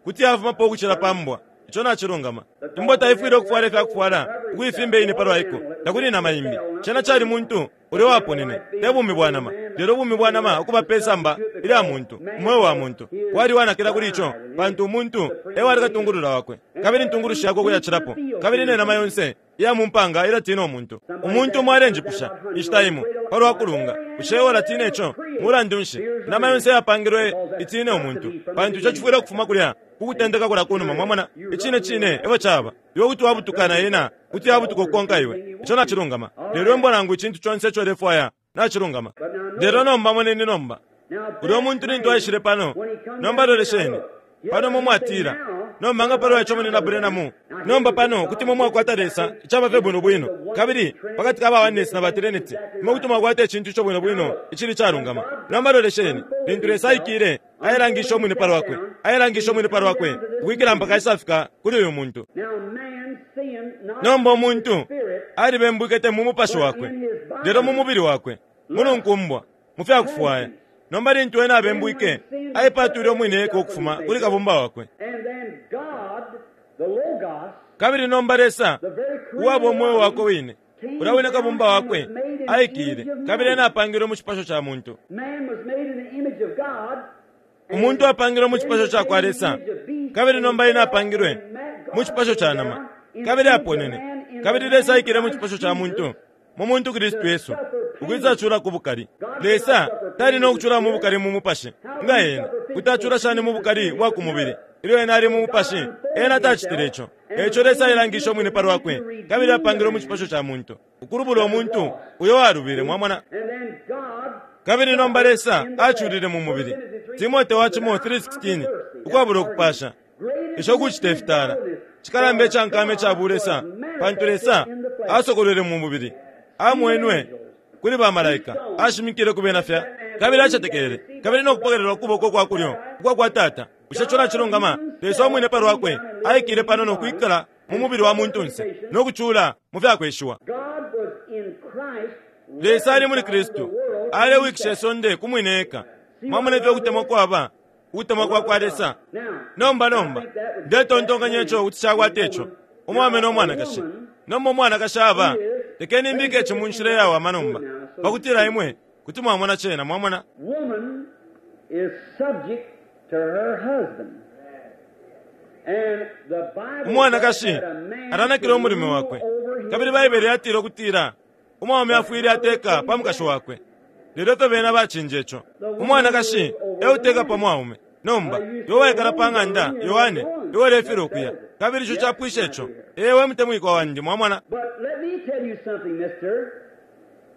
kuti yafumapo ukucila pa mbwa. Ico nacilungama. Imbwa taifwile ukufwala ifya kufwala ukuifimba iine pa lwa iko. Takuli inama imbi. Cena cali muntu ulya uwaponene, te bumi bwa nama, lelo ubumi bwa nama ukuba pe samba ilya muntu, umweo wa muntu. Wali uwanakila kuli ico, pantu umuntu e wali katungulula wakwe, kabili intungulushi yakwe ukuyacilapo, kabili ne nama yonse iya mu mpanga ilatiina umuntu. Umuntu umo alenjipusha, inshita imo, palwa kulunga. Bushe iwe ulatiina ico? Mulandu nshi, inama yonse iyapangilwe itiine umuntu, pantu ico cifwile ukufuma kulya ku kutendeka kulya kunuma. Mwamona? Icine cine efyo caba. Iwe kuti wabutuka na yena kuti yabutuka ukukonka iwe. Ico nacilungama. Lelo imbwa nangu icintu conse ico ulefwaya, nacilungama. Lelo nomba moneni nomba, ulyo muntu lintu aishile pano, nomba lolesheni. Pano imwe mwatila, Nomba nga palwa ico Munyina Branham? Nomba pano kuti imwe mwakwata Lesa, icaba fye bwino bwino. Kabili pakati ka ba Oneness na ba Trinity, imwe kuti mwakwata icintu ico bwino bwino icili icalungama. Nomba lolesheni, lintu Lesa aikile, Ailangishe umwine pa lwakwe, ailangishe umwine pa lwakwe, ukwikila mpaka aisafika kuli uyu muntu. Nomba umuntu alibembwike te mu mupashi wakwe, lelo mu mubili wakwe, mu lunkumbwa, mu fya kufwaya. Nomba lintu ena abembwike, aipatwile umwine eka ukufuma kuli Kabumba wakwe. Kabili nomba Lesa, uwaba umweo wakwe wine, ulya wine Kabumba wakwe, aikile, kabili ena apangilwe mu cipasho ca muntu. Umuntu apangilwe mu cipasho cakwa Lesa, kabili nomba ena apangilwe mu cipasho ca nama, kabili aponene. Kabili Lesa aikile mu cipasho ca muntu, mu muntu Kristu Yesu, ukwisa cula ku bukali. Lesa tali no kucula mu bukali mu mupashi nga ena. Kuti acula shani mu bukali bwa ku mubili ilyo ena ali mu mupashi? Ena tacitile ico. E ico Lesa ailangishe umwine pa lwakwe kabili apangilwe mu cipasho ca muntu, ukulubula umuntu uyo walubile. Mwamona? Kabili nomba Lesa aculile mu mubili. Timote wa cimo 3:16 ukwabula ukupasha. Isho kucita ifitala cikalamba ica nkama ica bulesa, pantu Lesa asokolwele mu mubili, amwenwe kuli ba malaika, ashimikile ku bena fya, kabili acetekele, kabili no kupokelelwa kuboko kwa kulyo ukwa kwa Tata. Bushe ico nacilungama? Lesa umwine pa lwakwe aikile pano no kwikala mu mubili wa muntunse no kucula mu fya kweshiwa. Lesa ali muli Kristu, alewikisha isonde ku mwine eka. Mwamona ifyo ukutemwa kwaba? Ukutemwa kwa kwa Lesa. Nomba, nomba, ndetontonkanya ico kuti cakwata ico, umwaume no mwanakashi. Nomba umwanakashi aba, lekeni mbike ici mu nshila iyawama nomba, pakutila imwe kuti mwamona cena, mwamona. Woman is subject to her husband. And the Bible Umwanakashi says that a man alanakila should umulume rule wakwe. over his Kabili Baibele yatila ukutila umwaume afwile ateka pa mukashi wakwe. Lelo ifyo bena bacinja ico. Umwanakashi e uteka pa mwaume. Nomba, iwe waikala pa ng'anda, Yohane, iwe ulefilwa ukuya. Kabili ico capwisha ico. Ee, we mutemwikwa wandi, mwamona. But let me tell you something, mister.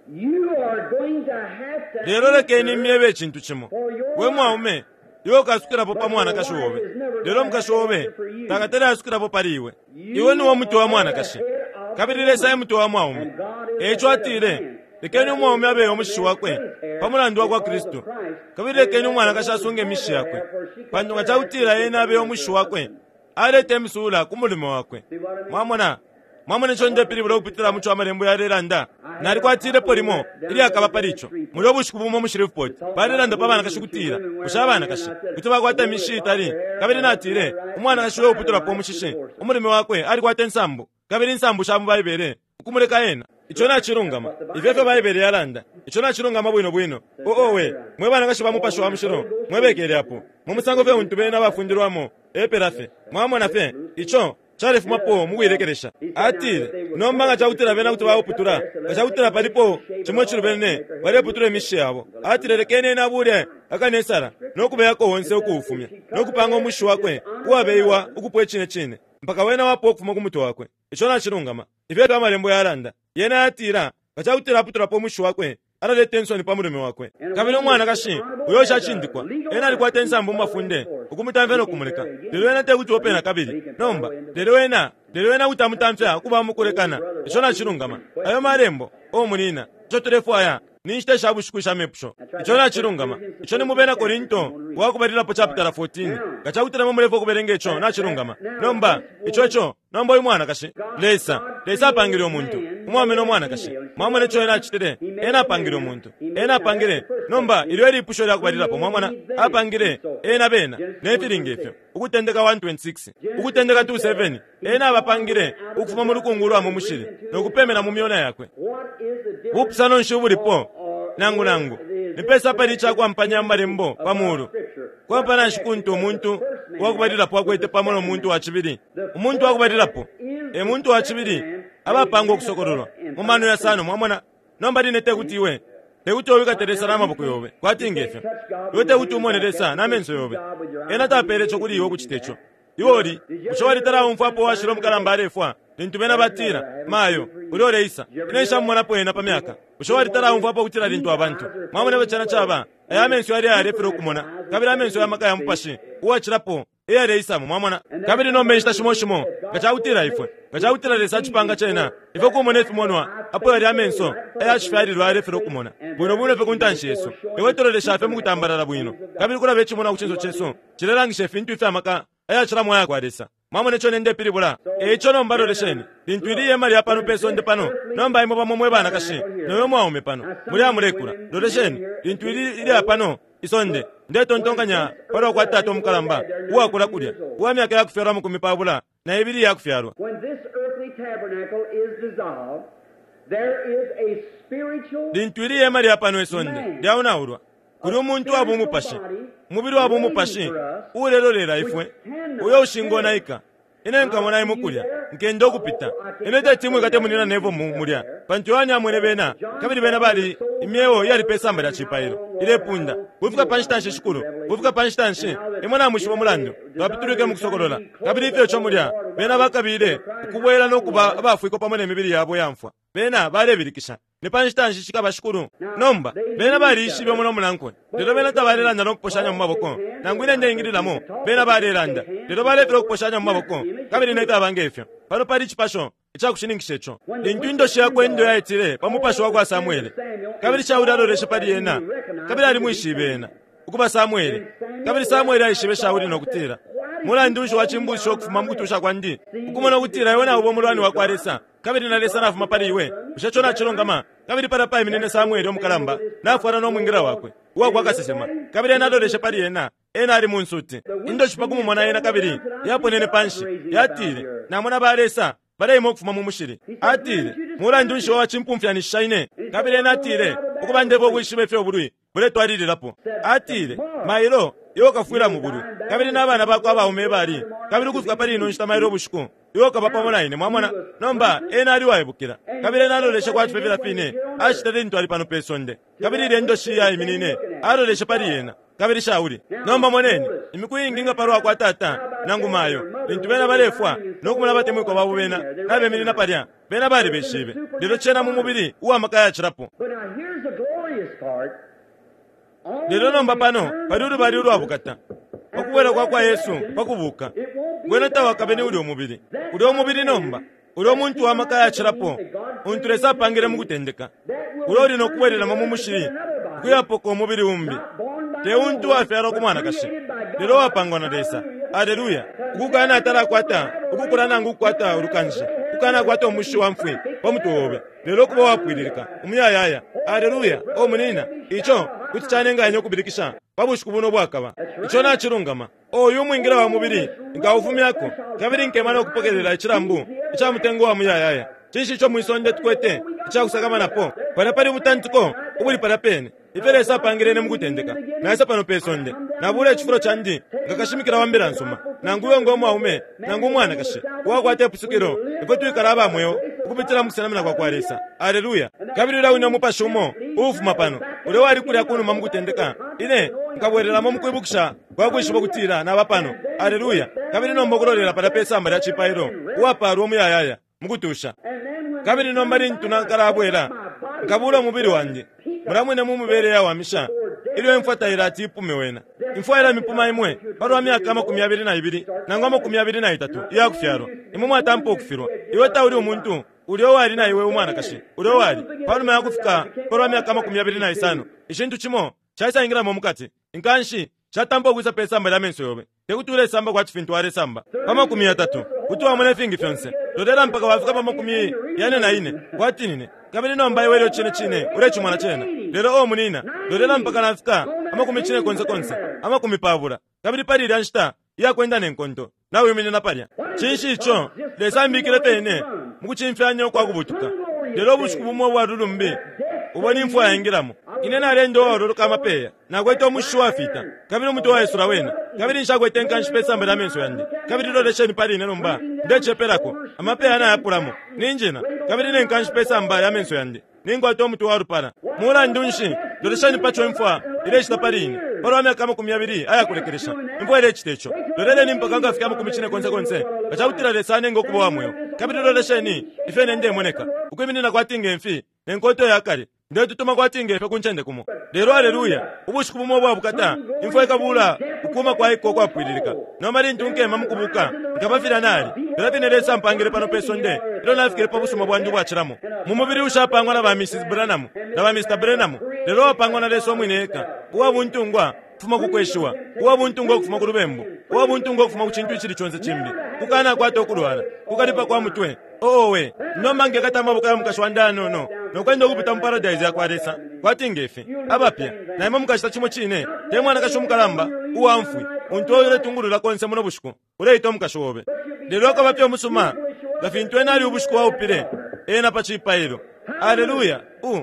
You are going to have to Lelo lekeni answer myebe icintu cimo. We mwaume, iwe ukasukilapo pa mwanakashi obe. Lelo umukashi obe takatale asukilapo pali iwe. Iwe niwe mutwe wa mwanakashi. Kabili Lesa e mutwe wa mwaume. Eico atile, lekeni umwaume abeye umushishi wakwe pa mulandu wa kwa Kristu. Kabili lekeni umwanakashi asunge imishishi yakwe. Pantu nga cakutila ena abeye umushishi wakwe, aleta imisuula ku mulume wakwe. Mwamona? Mwamona ico ndepilibula ukupitila muco amalembo yalelanda? Nalikwatilepo limo ilyakaba pali ico. Mulya ubushiku bumo mu Shreveport, balelanda pa banakashi kutila, bushe abanakashi kuti bakwata imishishi itali? Kabili natile, umwanakashi uyo uputulapo umushishi, umulume wakwe alikwata insambu, kabili insambu sha mu Baibele, ukumuleka ena. Ico nacilungama. Ifyo efyo Baibele yalanda. Ico nacilungama bwino bwino. Oh, owe, mwe banakashi ba Mupashi wa Mushilo, mwebekele apo. Mu musango fye untu bena bafundilwamo, epela fye. Mwamona fye, ico calefumapo mukuilekelesha. Atile, nomba nga cakutila bena kuti bauputula, nga cakutila palipo cimo icilubene, baleputula imishishi yabo. Atile, lekeni ena abule akanesala, no kubeyako onse ukuufumya, no kupanga umushishi wakwe uwabeiwa ukupwa icine cine, mpaka wena wapwa ukufuma ku mutwe wakwe. Ico nacilungama. Ifyo efyo Amalembo yalanda. Yena yatila, nga cakutila aputulapo umushishi wakwe, alaleta insoni pa mulume wakwe. Kabili umwanakashi uyo ushacindikwa, ena alikwata insambu mu mafunde ukumutamfya no kumuleka, lelo ena tekuti ope nakabili. Nomba, lelo ena, lelo ena kuti amutamfya ukuba mukulekana. Ico nacilungama. Ayo Malembo, o munina, ico tulefwaya ni nshita sha bushiku isha mepusho. Ico nacilungama. Ico ni mu Bena Korinto wa kubalilapo chapitala 14. Nga cakutila imwe mulefwaya ukubelenga ico, nacilungama. Nomba, ico, ico, Nomba uyu mwanakashi, Lesa, Lesa apangile umuntu, umwaume no mwanakashi. Mwamona ico Ena acitile? Ena apangile umuntu. Ena apangile, nomba ilyo elipusho lya kubalilapo, mwamona, apangile ena bena, ne fili nge fyo. Ukutendeka 1:26, Ukutendeka 2:7, Ena abapangile ukufuma mu lukungu ulwa mu mushili, no kupemena mu myona yakwe. Bupusano nshi ubulipo? Nangu, nangu, nipesa apali icakwampanya mu Malembo pa mulu? Kwampana nshi kuntu umuntu wa kubalilapo akwete pamo no muntu wa cibili? Umuntu wa kubalilapo e muntu wa cibili abapangwa ukusokololwa mu mano yasano. Mwamona? Nomba line tekuti iwe tekuti wikate Lesa na maboko yobe kwati ngefyo. Iwe tekuti umone Lesa na menso yobe. Ena tapele ico kuli iwe ukucita ico. Iwe uli, bushe walitalaumfwapo uwashila umukalamba alefwa, lintu bena batila, Mayo, ulya uleisa. Ine nshamumonapo ena pa myaka. Bushe walitalaumfwapo ukutila lintu abantu, mwamona ifyo cena caba, aya amenso yali ayalefilwa ukumona, kabili amenso ya maka ya Mupashi uwacilapo eyaleisamo, mwamona. Kabili nomba inshita shimo shimo, nga cakutila ifwe, nga cakutila Lesa acipanga cena, ifwe kumona ifimonwa, apo yalya amenso aya cifyalilwa ayalefilwa ukumona, bwino bwino fye ku ntanshi yesu. Ifwe tulolesha fye mukutambalala bwino, kabili kulaba icimonwa ku cinso cesu, cilelangisha ifintu ifya maka ayacilamo aya kwa Lesa. Mwamona ico ndepilibula? E ico nomba lolesheni, lintu ili ihema lya pano pe sonde pano, nomba imwe bamo mwe banakashi no yo mwaume pano, muli amulekula. Lolesheni, lintu ili ilya pano isonde, ndetontonkanya palwa kwa tata umukalamba uwakula kulya, uwa myaka ya kufyalwa 22 iya kufyalwa. When this earthly tabernacle is dissolved, there is a spiritual Lintu ili ihema lya pano isonde lyaonaulwa, kuli umuntu wa bumupashi, umubili wa bumupashi uulelolela ifwe, uyo ushingonaika. Ine nkamona imwe kulya, nkenda ukupita. Ine teti mwikate munyina Neville mu, mulya, pantu Yohane amwene bena, kabili bena bali imyeo iyali pe samba lya cipailo, ilepunda, Kufika pa nshita nshi, Shikulu? Kufika pa nshita nshi? Imwe namwishiba umulandu twapitulwike mu Kusokolola, kabili ifyo ico mulya, bena bakabile ukubwela no kuba abafwikwa pamo ne mibili yabo iyamfwa. Bena balebilikisha, Ni pa nshita nshi cikaba, Shikulu? Nomba, bena baliishibe umo no munankwe, lelo bena tabalelanda no kuposhanya mu maboko. Nangu ine ndeingililamo, bena balelanda, lelo balefilwa ukuposhanya mu maboko, kabili ne fyaba nge fyo. Pano pali icipasho ica kushininkisha ico. Lintu indoshi yakwe indo yaitile pa mupashi wa kwa Samwele, kabili Shauli aloleshe pali ena, kabili alimwishibe ena ukuba Samwele. Kabili Samwele aishibe Shauli no kutila, Mulandu nshi wacimbushisha ukufuma mu kutusha kwandi, ukumona ukutila iwe nauba umulwani wa kwa Lesa, kabili na Lesa nafuma pali iwe? Bushe ico nacilungama? Kabili palya paiminine Samwele umukalamba, nafwala no mwingila wakwe uwa kwa kasesema, kabili ena aloleshe pali ena. Ena ali mu nsuti. Indoshi pa kumumona ena kabili yaponene panshi, yatile, Namona ba lesa baleima ukufuma mu mushili. Atile, Mulandu nshi wacimpumfyanishisha ine? Kabili ena atile, Ukuba ndefwaya ukwishiba ifyo ubulwi buletwalililapo. Atile, Mailo iwe ukafwila mu bulwi, kabili na bana bakwe abaume ebali, kabili ukufika pali ino nshita mailo ubushiku iwe ukaba pamo na ine. Mwamona? Nomba, ena ali uwaibukila. Kabili ena aloleshe kwati fye filya fine acitile lintu ali pano pe sonde. Kabili ilya indoshi iyaiminine, aloleshe pali yena. Kabili Shauli. Nomba moneni, imiku iingi nga palwa kwa tata, nangu mayo, lintu bena balefwa no kumona abatemwikwa babo bena nabeminina palya, bena balibeshibe. Lelo cena mu mubili uwa maka yacilapo. Lelo nomba pano pali ulubali ulwa bukata, pa kubwela kwa kwa Yesu pa kubuka. Wena tawakabe ni ulyo mubili. Ulyo mubili nomba, ulyo muntu wa maka yacilapo untu Lesa apangile mu kutendeka, ulo uli no kubwelelamo mu mushili ukuyapoka umubili umbi, te untu wafyalwa ku mwanakashi, lelo wapangwa na Lesa. Aleluya! Ukukana atalakwata ukukula nangu ukukwata ulukanshi, ukukanakwata umushi wa mfwi pa mutwe obe, lelo ukuba uwapwililika umuyayaya. Aleluya! O munina, ico kuti canenga ine ukubilikisha pa bushiku buno ubwakaba. Ico nacilungama. O uyu mwingila wa mubili nkaufumyako, kabili nkema no kupokelela icilambu ica mutengo wa muyayaya. Cinshi ico mwi sonde tukwete ica kusakamanapo? Palya pali ubutantiko ubuli palya pene. Ifyo Lesa apangile ine mukutendeka, naisa pano pe sonde, nabuula icifulo candi nga kashimikila wa mbila nsuma, nangu iwe ngo mwaume nangu umwanakashi uwakwata ipusukilo, ifwe twikala aba mweo ukupitila mu kusenamina kwa kwa Lesa. Aleluya! Kabili ulya wine Umupashi umo uufuma pano, ulya wali kulya kunuma mukutendeka, ine nkabwelelamo mukwibukisha kwa kwishiba ukutila naba pano. Aleluya! Kabili nomba ukulolela palya pe samba lya cipailo, uwapaalwa umuyayaya, mukutusha. Kabili nomba lintu Nkalabwela, nkabuula umubili wandi mulya mwine mu mibele iyawamisha, ilyo imfwa tailati ipume wena. Imfwa ilamipuma imwe palwa myaka 22 nangu 23 iyakufyalwa. Imwe mwatampa ukufilwa. Iwe tauli umuntu ulya uwali na iwe umwanakashi, ulya uwali, panuma yakufika palwa myaka 25, icintu cimo caisaingilamo mukati, inkanshi shatampa ukwisa pe samba lya menso yobe. Te kuti ulesamba kwati fintu walesamba pa 30. Kuti wamona ifingi fyonse. Lolela mpaka wafika pa 44, kwati nine, kabili nomba iwe ilyo cine cine ulecimona cena. Lelo, oh, munina, lolela mpaka nafika 90, 20, kabili pali ilya nshita iyakwenda ne nkonto, nawiminina palya. Cinshi ico? Lesa ambikile fye ine mukucimfyanya ukwa kubutuka. Lelo ubushiku bumo ubwa lulumbi ubo ni mfwa yaingilamo, ine naleenda uwaololoka amapeya, nakwete umushishi uwafita, kabili umutwe waisula wena, kabili nshakwete inkanshi pe samba lya menso yandi. Kabili lolesheni pali ine nomba, ndecepelako, amapeya nayapulamo, ninjina, kabili ne nkanshi pe samba lya menso yandi. Ninkwata umutwe walupala. Mulandu nshi, lolesheni pa co imfwa ilecita pali ine, palwa myaka 20 ayakulekelesha. Imfwa ilecita ico. Loleleni mpaka nkafike 40, nga cakutila Lesa anenga ukuba uwa mweo. Kabili lolesheni ifyo ine ndemoneka, ukwiminina kwati nge mfi, ne nkoto ya kale, ndetutuma kwati nge fyo ku ncende kumo. Lelo, aleluya, ubushiku bumo ubwa bukata, imfwa ikabuula ukuuma kwa iko ukwapwililika. Nomba lintu nkema mu kubuuka, nkaba filya nali, filya fine Lesa ampangile pano pe sonde ilyo nafikile pa busuma bwandi ubwacilamo, mu mubili ushapangwa na ba Mrs. Branham na ba Mr. Branham, lelo uwapangwa na Lesa umwine eka, uwa buntungwa ukufuma ku kweshiwa, uwa buntungwa ukufuma ku lubembu, uwa buntungwa ukufuma ku cintu icili conse cimbi, kukanakwata ukulwala, kukalipa kwa mutwe. Owe, nomba nkekata amaboko ya mukashi wandi ayanono no kwenda ukupita mu paradise yakwa Lesa, kwati nge fi, abapya. Na imwe mukacita cimo cine, te mwanakashi umukalamba uwa mfwi untu iwe uletungulula konse muno bushiku, uleita umukashi obe. Lelo akaba fye umusuma nga fintu ena ali ubushiku waupile ena pa cipailo. Aleluya! Uh!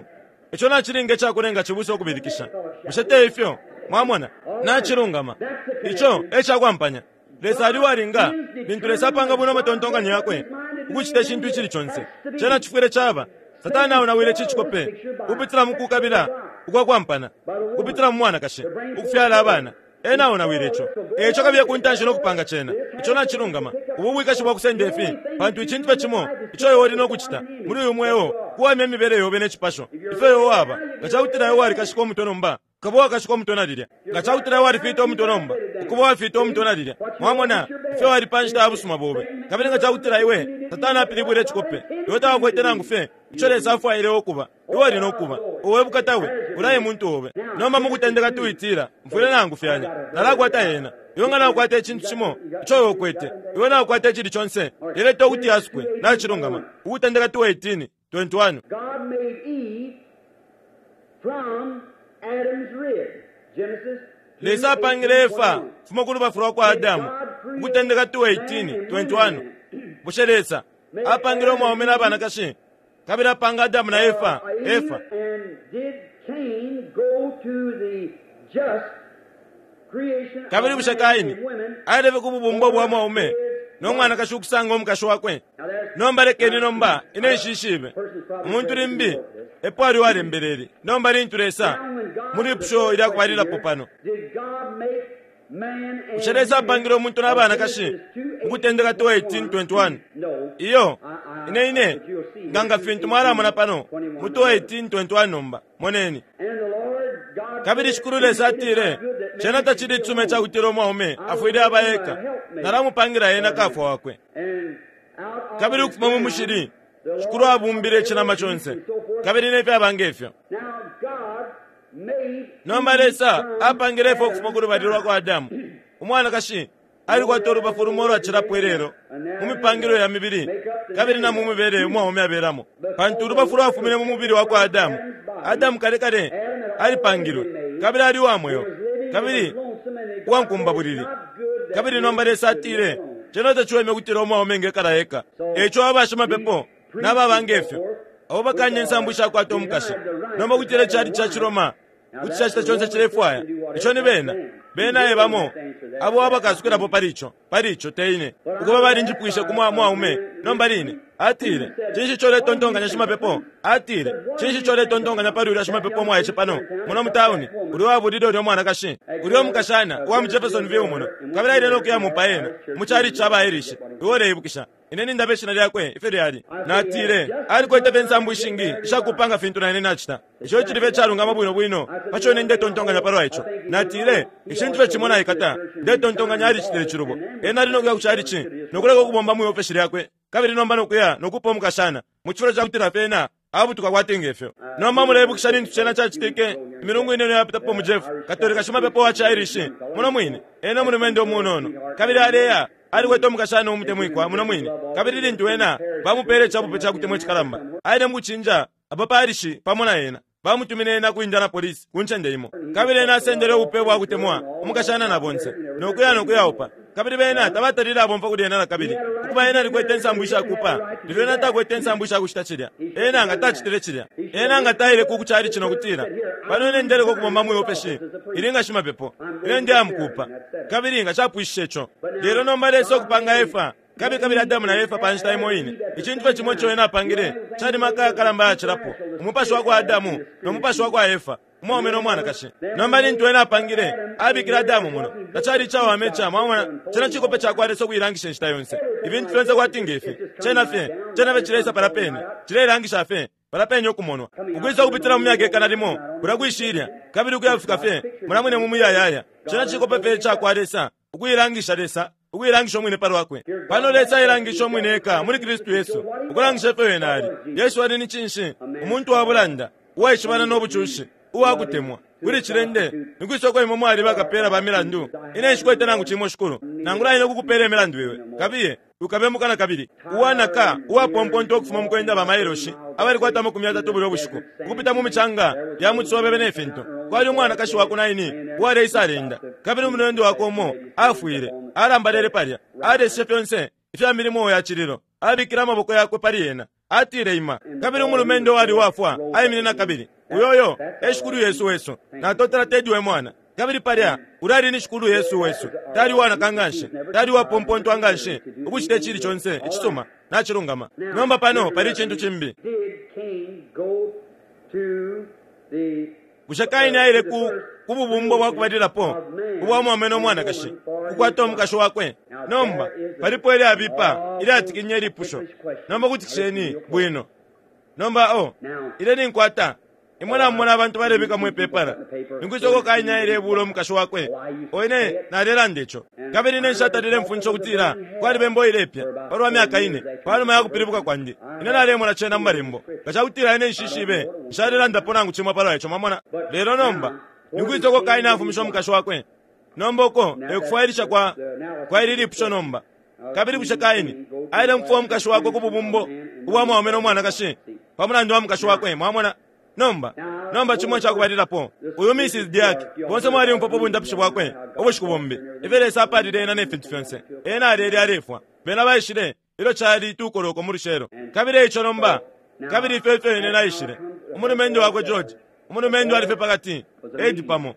Ico nacilinga icakulenga cibusa ukubilikisha, bushe te ifyo? Mwamona? Nacilungama. Ico e cakwampanya. Lesa ali uwalinga lintu Lesa apanga bwino amatontonkanyo yakwe ukucita icintu icili conse. Cena cifwile caba. Satana aonawile ici cikope ukupitila mu kukabila ukwa kwampana, ukupitila mu mwanakashi, ukufyala abana. Ena aonawile ico. Eico kabiye ku ntanshi no kupanga cena. Ico nacilungama. Ubu bwikashi bwa kusenda ifi, pantu icintu fye cimo ico iwe uli no kucita muli uyu mweo kuwamya imibele yobe ne cipasho ifyo iwe waba. Nga cakutila iwe walikashika umutwe nomba, Ukaba uwakashika umutwe na lilya. Nga ca kutila walifita umutwe nomba, ukuba uwafita umutwe na lilya. Mwamona ifyo wali pa nshita ya busuma bobe. Kabili nga ca kutila iwe, Satana apilibwile icikope, iwe tawakwete nangu fye ico Lesa afwaile iwe ukuba. Iwe uli no kuba. Owe bukata we! Ulya e muntu obe. Nomba mukutendeka tuitila, Mfwile na-angufyanya. Nalakwata yena. Iwe nga naukwata icintu cimo ico iwe ukwete, iwe naukwata icili conse, yeleta ukuti yasukwe. Nacilungama. Ukutendeka 2:18, 21. God made Eve from Adam's rib. Genesis Lesa apangile Efa ukufuma ku lubafu lwa kwa Adamu. Ukutendeka 2:18, 21. Bushe Lesa apangile umwaume na banakashi kabili apanga Adamu na Efa? Efa. And did Cain go to the just creation of Kabili bushe man Kaini and women? ailebe ku bubumbo bwa mwaume no mwanakashi ukusanga umukashi wakwe? Nomba lekeni nomba ine nshishibe. Umuntu limbi epo ali uwalembele ili. Nomba lintu Lesa, mu lipusho ilya kubalilapo pano. Did God make Bushe Lesa apangile umuntu na banakashi mu Kutendeka 2:18-21? Iyo, ine ine, nga nga fintu mwalamona pano mu 2:18-21 nomba. Moneni. Kabili Shikulu Lesa atile, Cena tacili icisuma icakutila umwaume afwile aba eka. Nalamupangila ena kafwa wakwe. Kabili ukufuma mu mushili, Shikulu abumbile icinama conse, kabili ne fyaba nge fyo. Nomba Lesa apangile Efa ukufuma ku lubali lwa kwa Adamu. Umwanakashi alikwata ulubafu lumo ulwacilapo ilelo mu mipangilwe ya mibili kabili na mu mibele umwaume abelamo, pantu ulubafu lwafumine mu mubili wa kwa Adamu. Adamu kale kale alipangilwe kabili ali uwa mweo kabili uwa nkumbabulili. Kabili nomba Lesa atile, Cena taciweme ukutila umwaume engekala eka. E ico aba bashimapepo na baba nge fyo, abo bakanya insambu ishakwata umukashi, nomba ukutila icali ca ciRoma kuti cacita conse cilefwaya, ico ni bena. Bena e bamo abo abakasukilapo pali ico, pali ico, te ine. Ukuba balinjipwishe ku mwa, mwaume nomba line. Atile, Cinshi ico uletontonkanya, shimapepo? Atile, Cinshi ico uletontonkanya pali ulya shimapepo umwaice pano, muno mu tauni, ulya uwabulile ulya umwanakashi, ulya umukashana uwa mu Jeffersonville muno, kabili aile no kuya mupa ena mu chalichi ca ba Irish? Iwe uleibukisha. Ine nindaba ishina lyakwe ifyo lyali. Natile, Alikwete fye insambu ishingi ishakupa nga fintu na ine nacita. Ico icili fye icalungama bwino bwino pa co ine ndetontonkanya palwa ico. Natile, Icintu fye cimo naikata, ndetontonkanya alicitile icilubo. Ena ali no kuya ku chalichi no kuleka ukubomba mwi ofeshi lyakwe, kabili nomba no kuya no kupa umukashana, mu cifulo ca kutila fye ena abutuka kwati nge fyo. Nomba muleibukisha lintu cena cacitike imilungu inono iyapitapo mu Jeff, Katolika shimapepo wa ci Irish, muno mwine, ena umulumendo umunono, kabili aleya, alikwete umukashana umutemwikwa muno mwine, kabili lintu ena bamupele icabupe ca kutemwa icikalamba, aile mukucinja aba parishi pamo na ena, bamutumine ena ku Indianapolis ku ncende imo, kabili ena asendele ubupe bwa kutemwa umukashana na bonse, no kuya no kuyaupa. Kabili bena tabatalile abomfwa kuli ena nakabili. Ukuba ena alikwete insambu ishakupa, lelo ena takwete insambu ishakucita cilya. Ena nga tacitile cilya. Ena nga taile ku kucalici no kutila, Pano ine ndeleka ukubomba mwi ofeshi ili nga shimapepo. Ine ndeya mukuupa. Kabili nga capwishishe ico. Lelo nomba Lesa ukupanga Efa, kabili kabili Adamu na Efa pa nshita imo ine, icintu fye cimo ico ena apangile cali maka ayakalamba ayacilapo, umupashi wa kwa Adamu no mupashi wa kwa Efa. umwaume no mwanakashi. Nomba lintu Ena apangile, abikile Adamu muno, tacali icawama ica, mwamona, cena cikope cakwa Lesa ukuilangisha inshita yonse. Ifintu fyonse kwati nge fi, cena fye, cena fye cileisa palya pene, cileilangisha fye palya pene ukumonwa. Ukwisa ukupitila mu myaka ikana limo, kulya kwishilya, kabili ukuya kufika fye mulya mwine mu Muyayaya. Cena cikope fye icakwa Lesa ukuilangisha, Lesa ukuilangisha Umwine palwakwe. Pano Lesa ailangishe Umwine eka muli Kristu Yesu, ukulangisha ifyo Wene ali. Yesu ali ni cinshi? Umuntu wa bulanda. uwaishibana no bucushi, uwa kutemwa. Kuli cilende, ni kwisa uko imwe mwali bakapeela ba milandu? Ine nshikwete nangu cimo, Shikulu, nangula ine ukukupeela imilandu iwe. Kabiye, wikabembuka na kabili. Uwanaka, uwapompontwa ukufuma mu kwenda ba mailoshi abalikwata 30 bulya bushiku, ukupita mu micanga ya mu ciswebebe ne fintu. Kwali umwanakashi wa ku Naini uwaleisa aleenda, kabili umulumendo wakwe umo afwile, alambalele palya, aleseshe fyonse ifya milimo ya cililo, abikile amaboko yakwe pali ena. Atile, Ima. Kabili umulumendo uwali uwafwa aimine na kabili. Uyoyo e Shikulu Yesu wesu. Natotela Teddy we mwana. Kabili palya, ulya ali ni Shikulu Yesu wesu. Tali uwanaka nganshi, tali uwapompontwa nganshi ukucita icili conse icisuma. Nacilungama. Nomba pano pali icintu cimbi. Bushe Kaini aile ku, ku bubumbo bwa kubalilapo ubwa mwaume no mwanakashi, kukwata umukashi wakwe? Nomba, palipo ilyabipa, ilyatikinya ilipusho. Nomba kutikisheni bwino. Nomba, oh, ine ninkwata. Imwe namumona abantu balebika mwi pepala. Nikwisa uko Kaini ailebuula umukashi wakwe? Oh, ine nalelanda ico. Kabili ine nshatalile mfundisha ukutila kwaliba imbo ilepya palwa myaka ine panuma ya kupilibuka kwandi. Ine nalemona cena mu Malembo. Nga cakutila ine nshishibe, nshalelandapo nangu cimo palwa ico, mwamona. Lelo nomba, ni kwisa uko Kaini afumishe umukashi wakwe? Nomba uko e kufwailisha kwa, kwa ili lipusho nomba. Kabili bushe Kaini aile mukufwa umukashi wakwe ku bubumbo ubwa mwaume no mwanakashi, pa mulandu wa mukashi wakwe? Mwamona? Nomba, nomba cimo icakubalilapo, uyu Mrs. DeArk, bonse mwalyumfwapo ubundapishi bwakwe ubushiku bumbi, ifyo Lesa apalile ena ne fintu fyonse. Ena alele alefwa. Bena baishile ilyo cali tukoloko mu lucelo. Kabili eico nomba, kabili ifyo ifyo ine naishile, umulumendo wakwe George, umulumendo ali fye pakati, Ed pamo,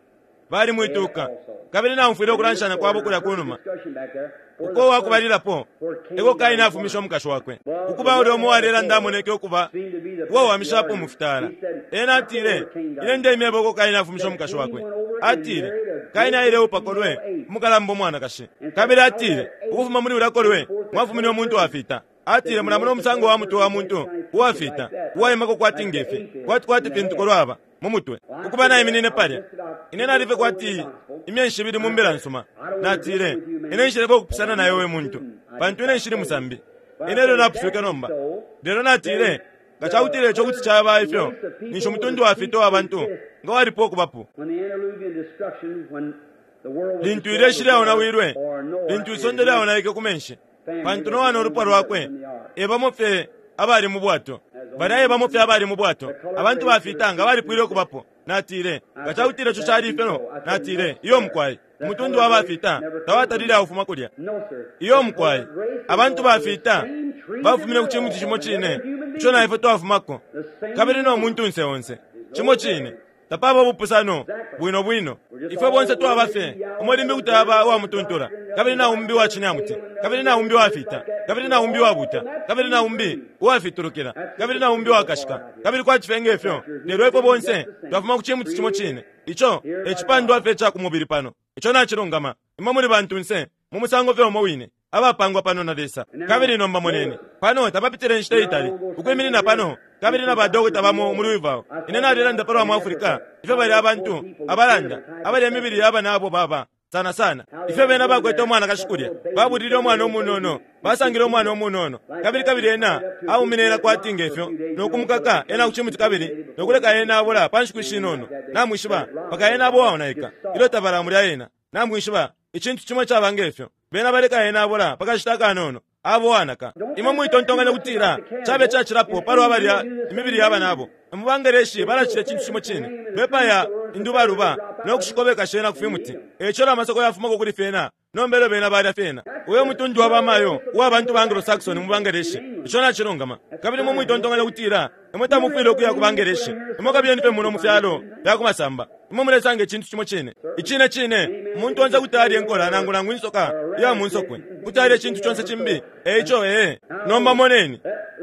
bali mwituka. Kabili naumfwile ukulanshanya kwabo kulya kunuma. Uko uwakubalilapo eko Kaini afumishe umukashi wakwe. Ukuba ulya umo uwalelanda amoneke ukuba uwawamishapo mu fitala. Ena atile, Ine ndemyeba uko Kaini afumishe umukashi wakwe. Atile, Kaini aileupa kolwe umukalamba umwanakashi. Kabili atile, Ukufuma muli ulya kolwe mwafumine umuntu wafita. Atile, Mulamona umusango wa mutwe wa muntu uwafita, uwaimako kwati nge fi, kwati kwati fintu kolwe aba mu mutwe. Ukuba naiminine palya, ine nali fye kwati imyeshi ibili mu mbila nsuma. Natile, Ine nshilefwaya ukupusana na iwe we muntu, pantu ine nshili musambi. Ine elyo napuswike nomba. Lelo natile, Nga ca kutila ico kuti caba ifyo, ninshi umutundu wa fita uwa bantu nga walipo ukubapo. Lintu ilyeshi lyaonawilwe, lintu isonde lyaonaike ku menshi, pantu Noa no lupwa lwakwe e bamo fye abali mu bwato. Balya e bamo fye abali mu bwato. Abantu bafita nga balipwile ukubapo. Natile, Nga ca kutila ico cali ifyo, natile, Iyo mukwai. Umutundu wa bafita tawatalile aufuma kulya. Iyo mukwai. Abantu bafita bafumine ku cimuti cimo cine ico na ifwe twafumako, kabili no muntunse onse. Cimo cine. Tapaba ubupusano, bwino bwino. Ifwe bonse twaba fye umo limbi kuti aba uwa mutuntula, kabili na umbi uwa cinyamuti, kabili na umbi uwafita, kabili na umbi uwabuta, kabili na umbi uwafitulukila, kabili na umbi uwakashika, kabili kwati fye nge fyo. Lelo ifwe bonse twafuma ku cimuti cimo cine. Ico e cipandwa fye ca ku mubili pano. Ico nacilungama. Imwe muli bantunse mu musango fye umo wine, abapangwa pano na Lesa. Kabili nomba moneni, pano tapapitile inshita itali, ukwiminina pano, kabili na badokota bamo mu Louisville. Ine nalelanda palwa mu Africa, ifyo balya abantu abalanda, abalya imibili ya banabo baba, sana sana. Ifyo bena bakwete umwanakashi kulya, babulile umwana umunono, basangile umwana umunono, kabili, kabili ena aumine ena kwati nge fyo, no kumukaka ena ku cimuti kabili no kuleka ena abola pa nshiku ishinono, namwishiba, mpaka ena aba uwaonaika ilyo tabalamulya ena. Namwishiba, icintu cimo icaba nge fyo. Bena baleka ena abola pa kashita akanono, aba uwanaka. Imwe mwitontonkanya ukutila cabe cacilapo palwa balya imibili ya banabo. Mu Bangeleshi balacita icintu cimo cine. Bepaya indubaluba no kushikobeka shena ku fimuti. E ico ilyo amasako yafumako kuli fyena, nomba elyo bena balya fyena. Uyo mutundu wa bamayo uwa bantu ba Anglo-Saxon mu Bangeleshi. Ico nacilungama. Kabili imwe mwitontonkanya ukutila imwe tamufwile ukuya ku Bangeleshi. Imwe kabiyeni fye muno mu fyalo fya ku masamba. Imwe mulesanga icintu cimo cine. Icine cine, umuntu onse kuti alya inkola nangu nangu insoka iya mu nsokwe. Kuti alya icintu conse cimbi. E ico, ee. Nomba moneni.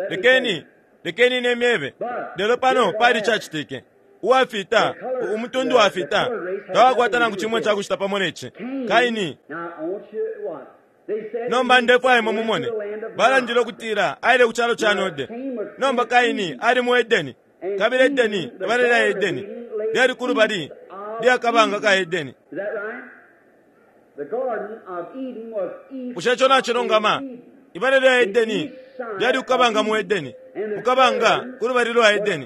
Lekeni, lekeni ine myebe. Lelo pano pali icacitike. Uwafita, umutundu wafita, tawakwata nangu cimo icakucita pamo ne ci. Kaini. Nomba ndefwaya imwe mumone. Balandile ukutila aile ku calo ca Node. Nomba Kaini ali mu Edeni. Kabili Edeni, ibala lya Edeni, lyali ku lubali lya kabanga ka Edeni. Bushe ico nacilungama? Ibala lya Edeni lyali ku kabanga mu Edeni, ku kabanga ku lubali lwa Edeni.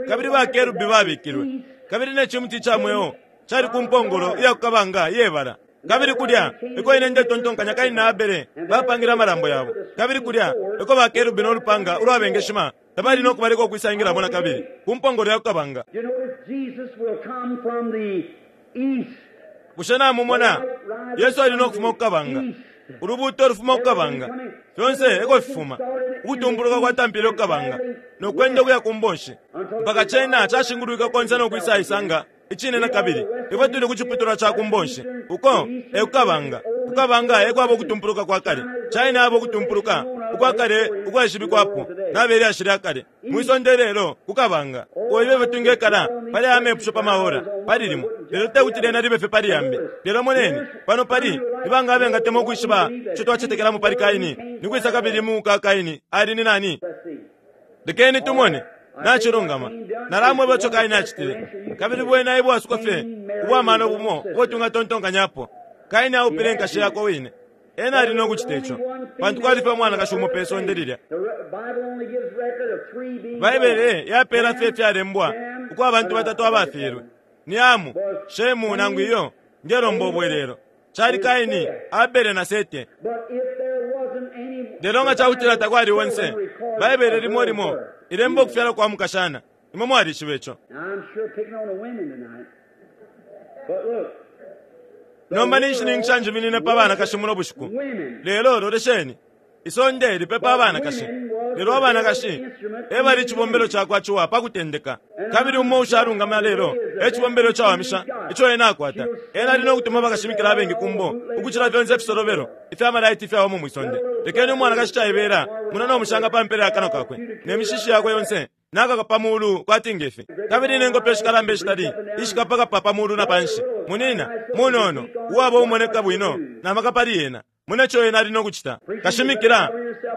Kabili ba kerubi babikilwe, kabili ne cimuti ca mweo cali ku mpongolo iya ku kabanga iye bala. Kabili kulya eko ine ndetontonkanya Kaini na Abele bapangile amalambo yabo. Kabili kulya eko ba kerubi no lupanga ulwabengeshima tabali no kubaleka ukwisaingilamo na kabili ku mpongolo ya ku kabanga. Bushe namumona? Yesu ali no kufuma ku kabanga. Ulubuuto lufuma ku kabanga. Fyonse eko fifuma. Ukutumpuluka kwatampile ku kabanga, no kwenda ukuya ku mbonshi, mpaka cena cashingulwike konse no kwisaisanga Icine na kabili, ifwe tuli ku ciputulwa ca ku mbonshi, uko e ku kabanga. Ku kabanga e kwaba ukutumpuluka kwa kale. China aba ukutumpuluka ukwa kale ukwaishibikwapo na be lyashi lya kale mwi sonde ilelo, ku kabanga. O iwe ifyo twingekala pali aya mepusho pa maora, pali limo, lelo te kuti lyena libe fye pali yambi. Lelo moneni, pano pali, ni banga abengatemwa ukwishiba ico twacetekelamo pali Kaini? Ni kwisa kabili muka Kaini ali ni nani? Lekeni tumone. Nacilungama. Nalamweba ico Kaini acitile. Kabili bwena e bwasuko fye ubwa mano bumo ubo twingatontonkanyapo. Kaini aupile nkashi yakwe wine. Ena ali no kucita ico, pantu kwali fye umwanakashi umo pe sonde lilya. Baibele yapeela fye ifyalembwa uko abantu batatu abafyelwe ni Hamu, Shemu nangu iyo, ndelomba ubwelelo. Cali Kaini, Abele na Sete. Lelo nga ca kutila takwali onse, Baibele limo limo ilemba ukufyalwa kwa mukashana. Imwe mwalishiba ico. Nomba ninshininkisha njiminine pa banakashi muno bushiku. Lelo lolesheni. Isonde lipepa abanakashi, lelo abanakashi e bali icibombelo ca kwa Ciwa pa kutendeka. Kabili umo ushalungama lelo e cibombelo icawamisha ico ena akwata. Ena ali no kutuma bakashimikila abengi ku mbo ukucila fyonse ifisolobelo ifya malaiti ifyabamo mwi sonde. Lekeni umwanakashi caibela muna no mushanga pa mpela ya kanwa kakwe, ne mishishi yakwe yonse. Nakaka pa mulu kwati ngefi, kabili ne ngopyo shikalamba ishitali ishikapakapa pa mulu na panshi. Munina, munono, uwaba umoneka bwino, na maka pali ena. Mune co ena ali no kucita. Kashimikila,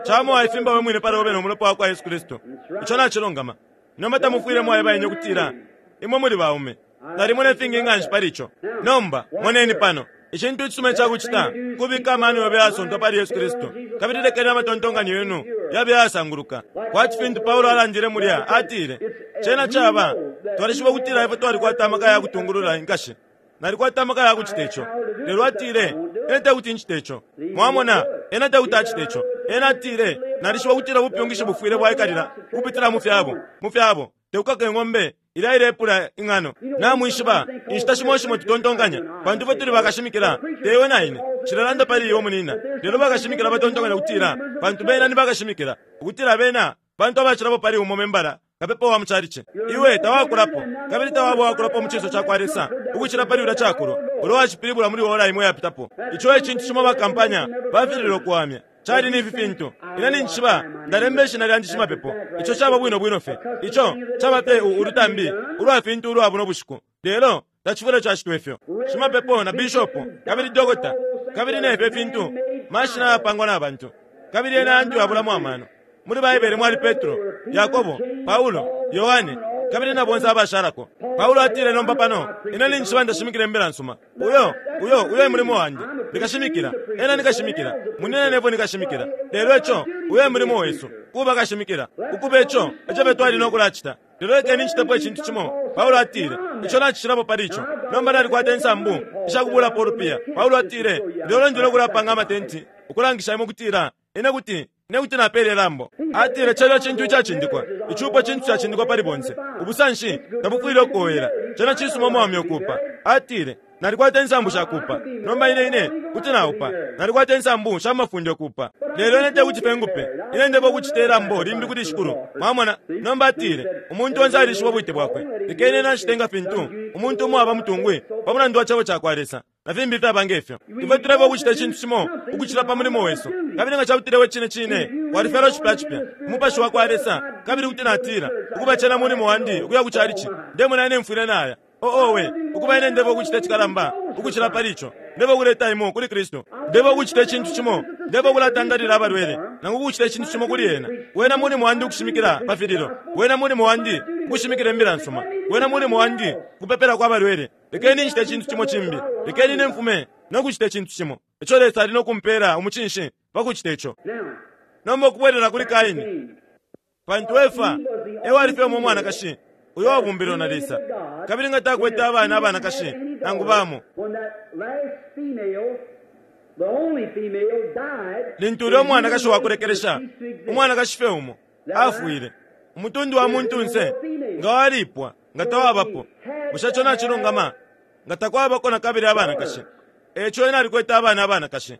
camo waifimba we mwine pali obe no mulopa wa kwa Yesu Kristu. Ico nacilungama. Nomba tamufwile mwaeba ine ukutila, Imwe muli baume. Nalimona ifingi nganshi pali ico. Nomba, moneni pano. Icintu icisuma ica kucita kubika amano yobe ayasontwa pali Yesu Kristu, kabili lekeni amatontonkanyo yenu yabe ayasanguluka. Kwati fintu Paulo alandile mulya, atile, Cena caba, twalishiba ukutila ifwe twalikwata amaka ya kutungulula inkashi. Nalikwata amaka ya kucita ico. Lelo atile, Ine tekuti ncite ico. Mwamona, ena tekuti acite ico. Ena atile, Nalishiba ukutila ubupyungishi bufwile bwaikalila ukupitila mu fyabo, mu fyabo. Tekukaka ing'ombe ilya ilepula ing'ano. Namwishiba, inshita shimo shimo tutontonkanya, pantu ifwe tuli bakashimikila, te iwe na ine, nshilelanda pali iwe munina, lelo bakashimikila batontonkanya ukutila, pantu bena ni bakashimikila, ukutila bena bantu abacilapo pali umo membala, kapepa wa mu calici. Iwe tawakulapo, kabili tawaba uwakulapo mu cinso cakwa Lesa ukucila pali ulya cakolwa ulo wacipilibula muli ora imo iyapitapo. Ico e cintu cimo bakampanya bafililwe ukuwamya. Cali ni ifi fintu. Ine ninjishiba ndalemba ishina lyandi shimapepo. Ico caba bwino bwino fye. Ico caba fye u, ulutambi ulwa fintu ulwa buno bushiku. Lelo tacifwile cacitwa ifyo. Shimapepo na bishopo, kabili dokota, kabili ne fyo fintu, mashina ayapangwa na bantu, kabili yena yantu yabulamo amano. Muli Baibele mwali Petro, Yakobo, Paulo, Yohane, kabili na bonse abashalako. Paulo atile nomba pano, Ine ninjishiba ndashimikila Imbila nsuma. Uyo, uyo, uyo e mulimo wandi. Ndi kashimikila. Ena ni kashimikila. Munyina nebo ni kashimikila. Lelo ico, uyo e mulimo wesu, kuba kashimikila. Ukuba ico, eco fye twali no kulacita. Lelo lekeni ncitepo icintu cimo. Paulo atile, Ico nacicilapo pali ico. Nomba nalikwata insambu ishakubulapo ulupiya. Paulo atile, Lelo ndi no kulapanga amatenti, ukulangisha imwe ukutila Ine kuti, ine kuti napela ilambo. Atile, Cena cintu icacindikwa. Icupo cintu cacindikwa pali bonse. Ubusanshi tabufwile ukukowela. Cena cisuma umwaume ukuupa. Atile, Nalikwata insambu sha kuupa. Nomba ine, ine kuti naupa. Nalikwata insambu sha mafunde ukuupa. Lelo ine tekuti fye ngupe. Ine ndeba ukucita ilambo limbi kuli Shikulu. Mwamona? Nomba atile, Umuntu onse alishiba ubwite bwakwe. Lekeni ena acite nga fintu umuntu umo aba mutungwi pa mulandu wa Cebo cakwa Lesa. na fimbi ifyaba nge fyo. Ifwe tuleba ukucita icintu cimo ukucila pa mulimo wesu. Kabili nga cakutila iwe cine cine walifyalwa cipya cipya ku Mupashi wa kwa Lesa, kabili kuti natila, Ukuba cena mulimo wandi ukuya ku chalichi, ndemona ine mfwile naya. Oh, owe, ukuba ine ndeba ukucita icikalamba ukucila pali ico. Ndeba ukuleta imwe kuli Kristu. Ndeba ukucita icintu cimo. Ndeba ukulatandalila abalwele, nangu ukucita icintu cimo kuli ena. Wena mulimo wandi ukushimikila pa fililo. Wena mulimo wandi ukushimikila Imbila nsuma. Wena mulimo wandi ukupepelako abalwele. Lekeni ncite icintu cimo cimbi. Lekeni ine mfume no kucita icintu cimo ico Lesa ali no kumpela umucinshi pa kucita ico. Nomba ukubwelela kuli Kaini, pantu Efa e wali fye umo umwanakashi uyo wabumbilwe na Lesa, kabili nga takwete abana abanakashi nangu bamo. Lintu ulya umwanakashi wa kulekelesha, umwanakashi fye umo, afwile, umutundu wa muntunse nga walipwa. Nga tawabapo. Bushe ico nacilungama? Nga takwabako na kabili abanakashi. E ico ena alikwete abana abanakashi.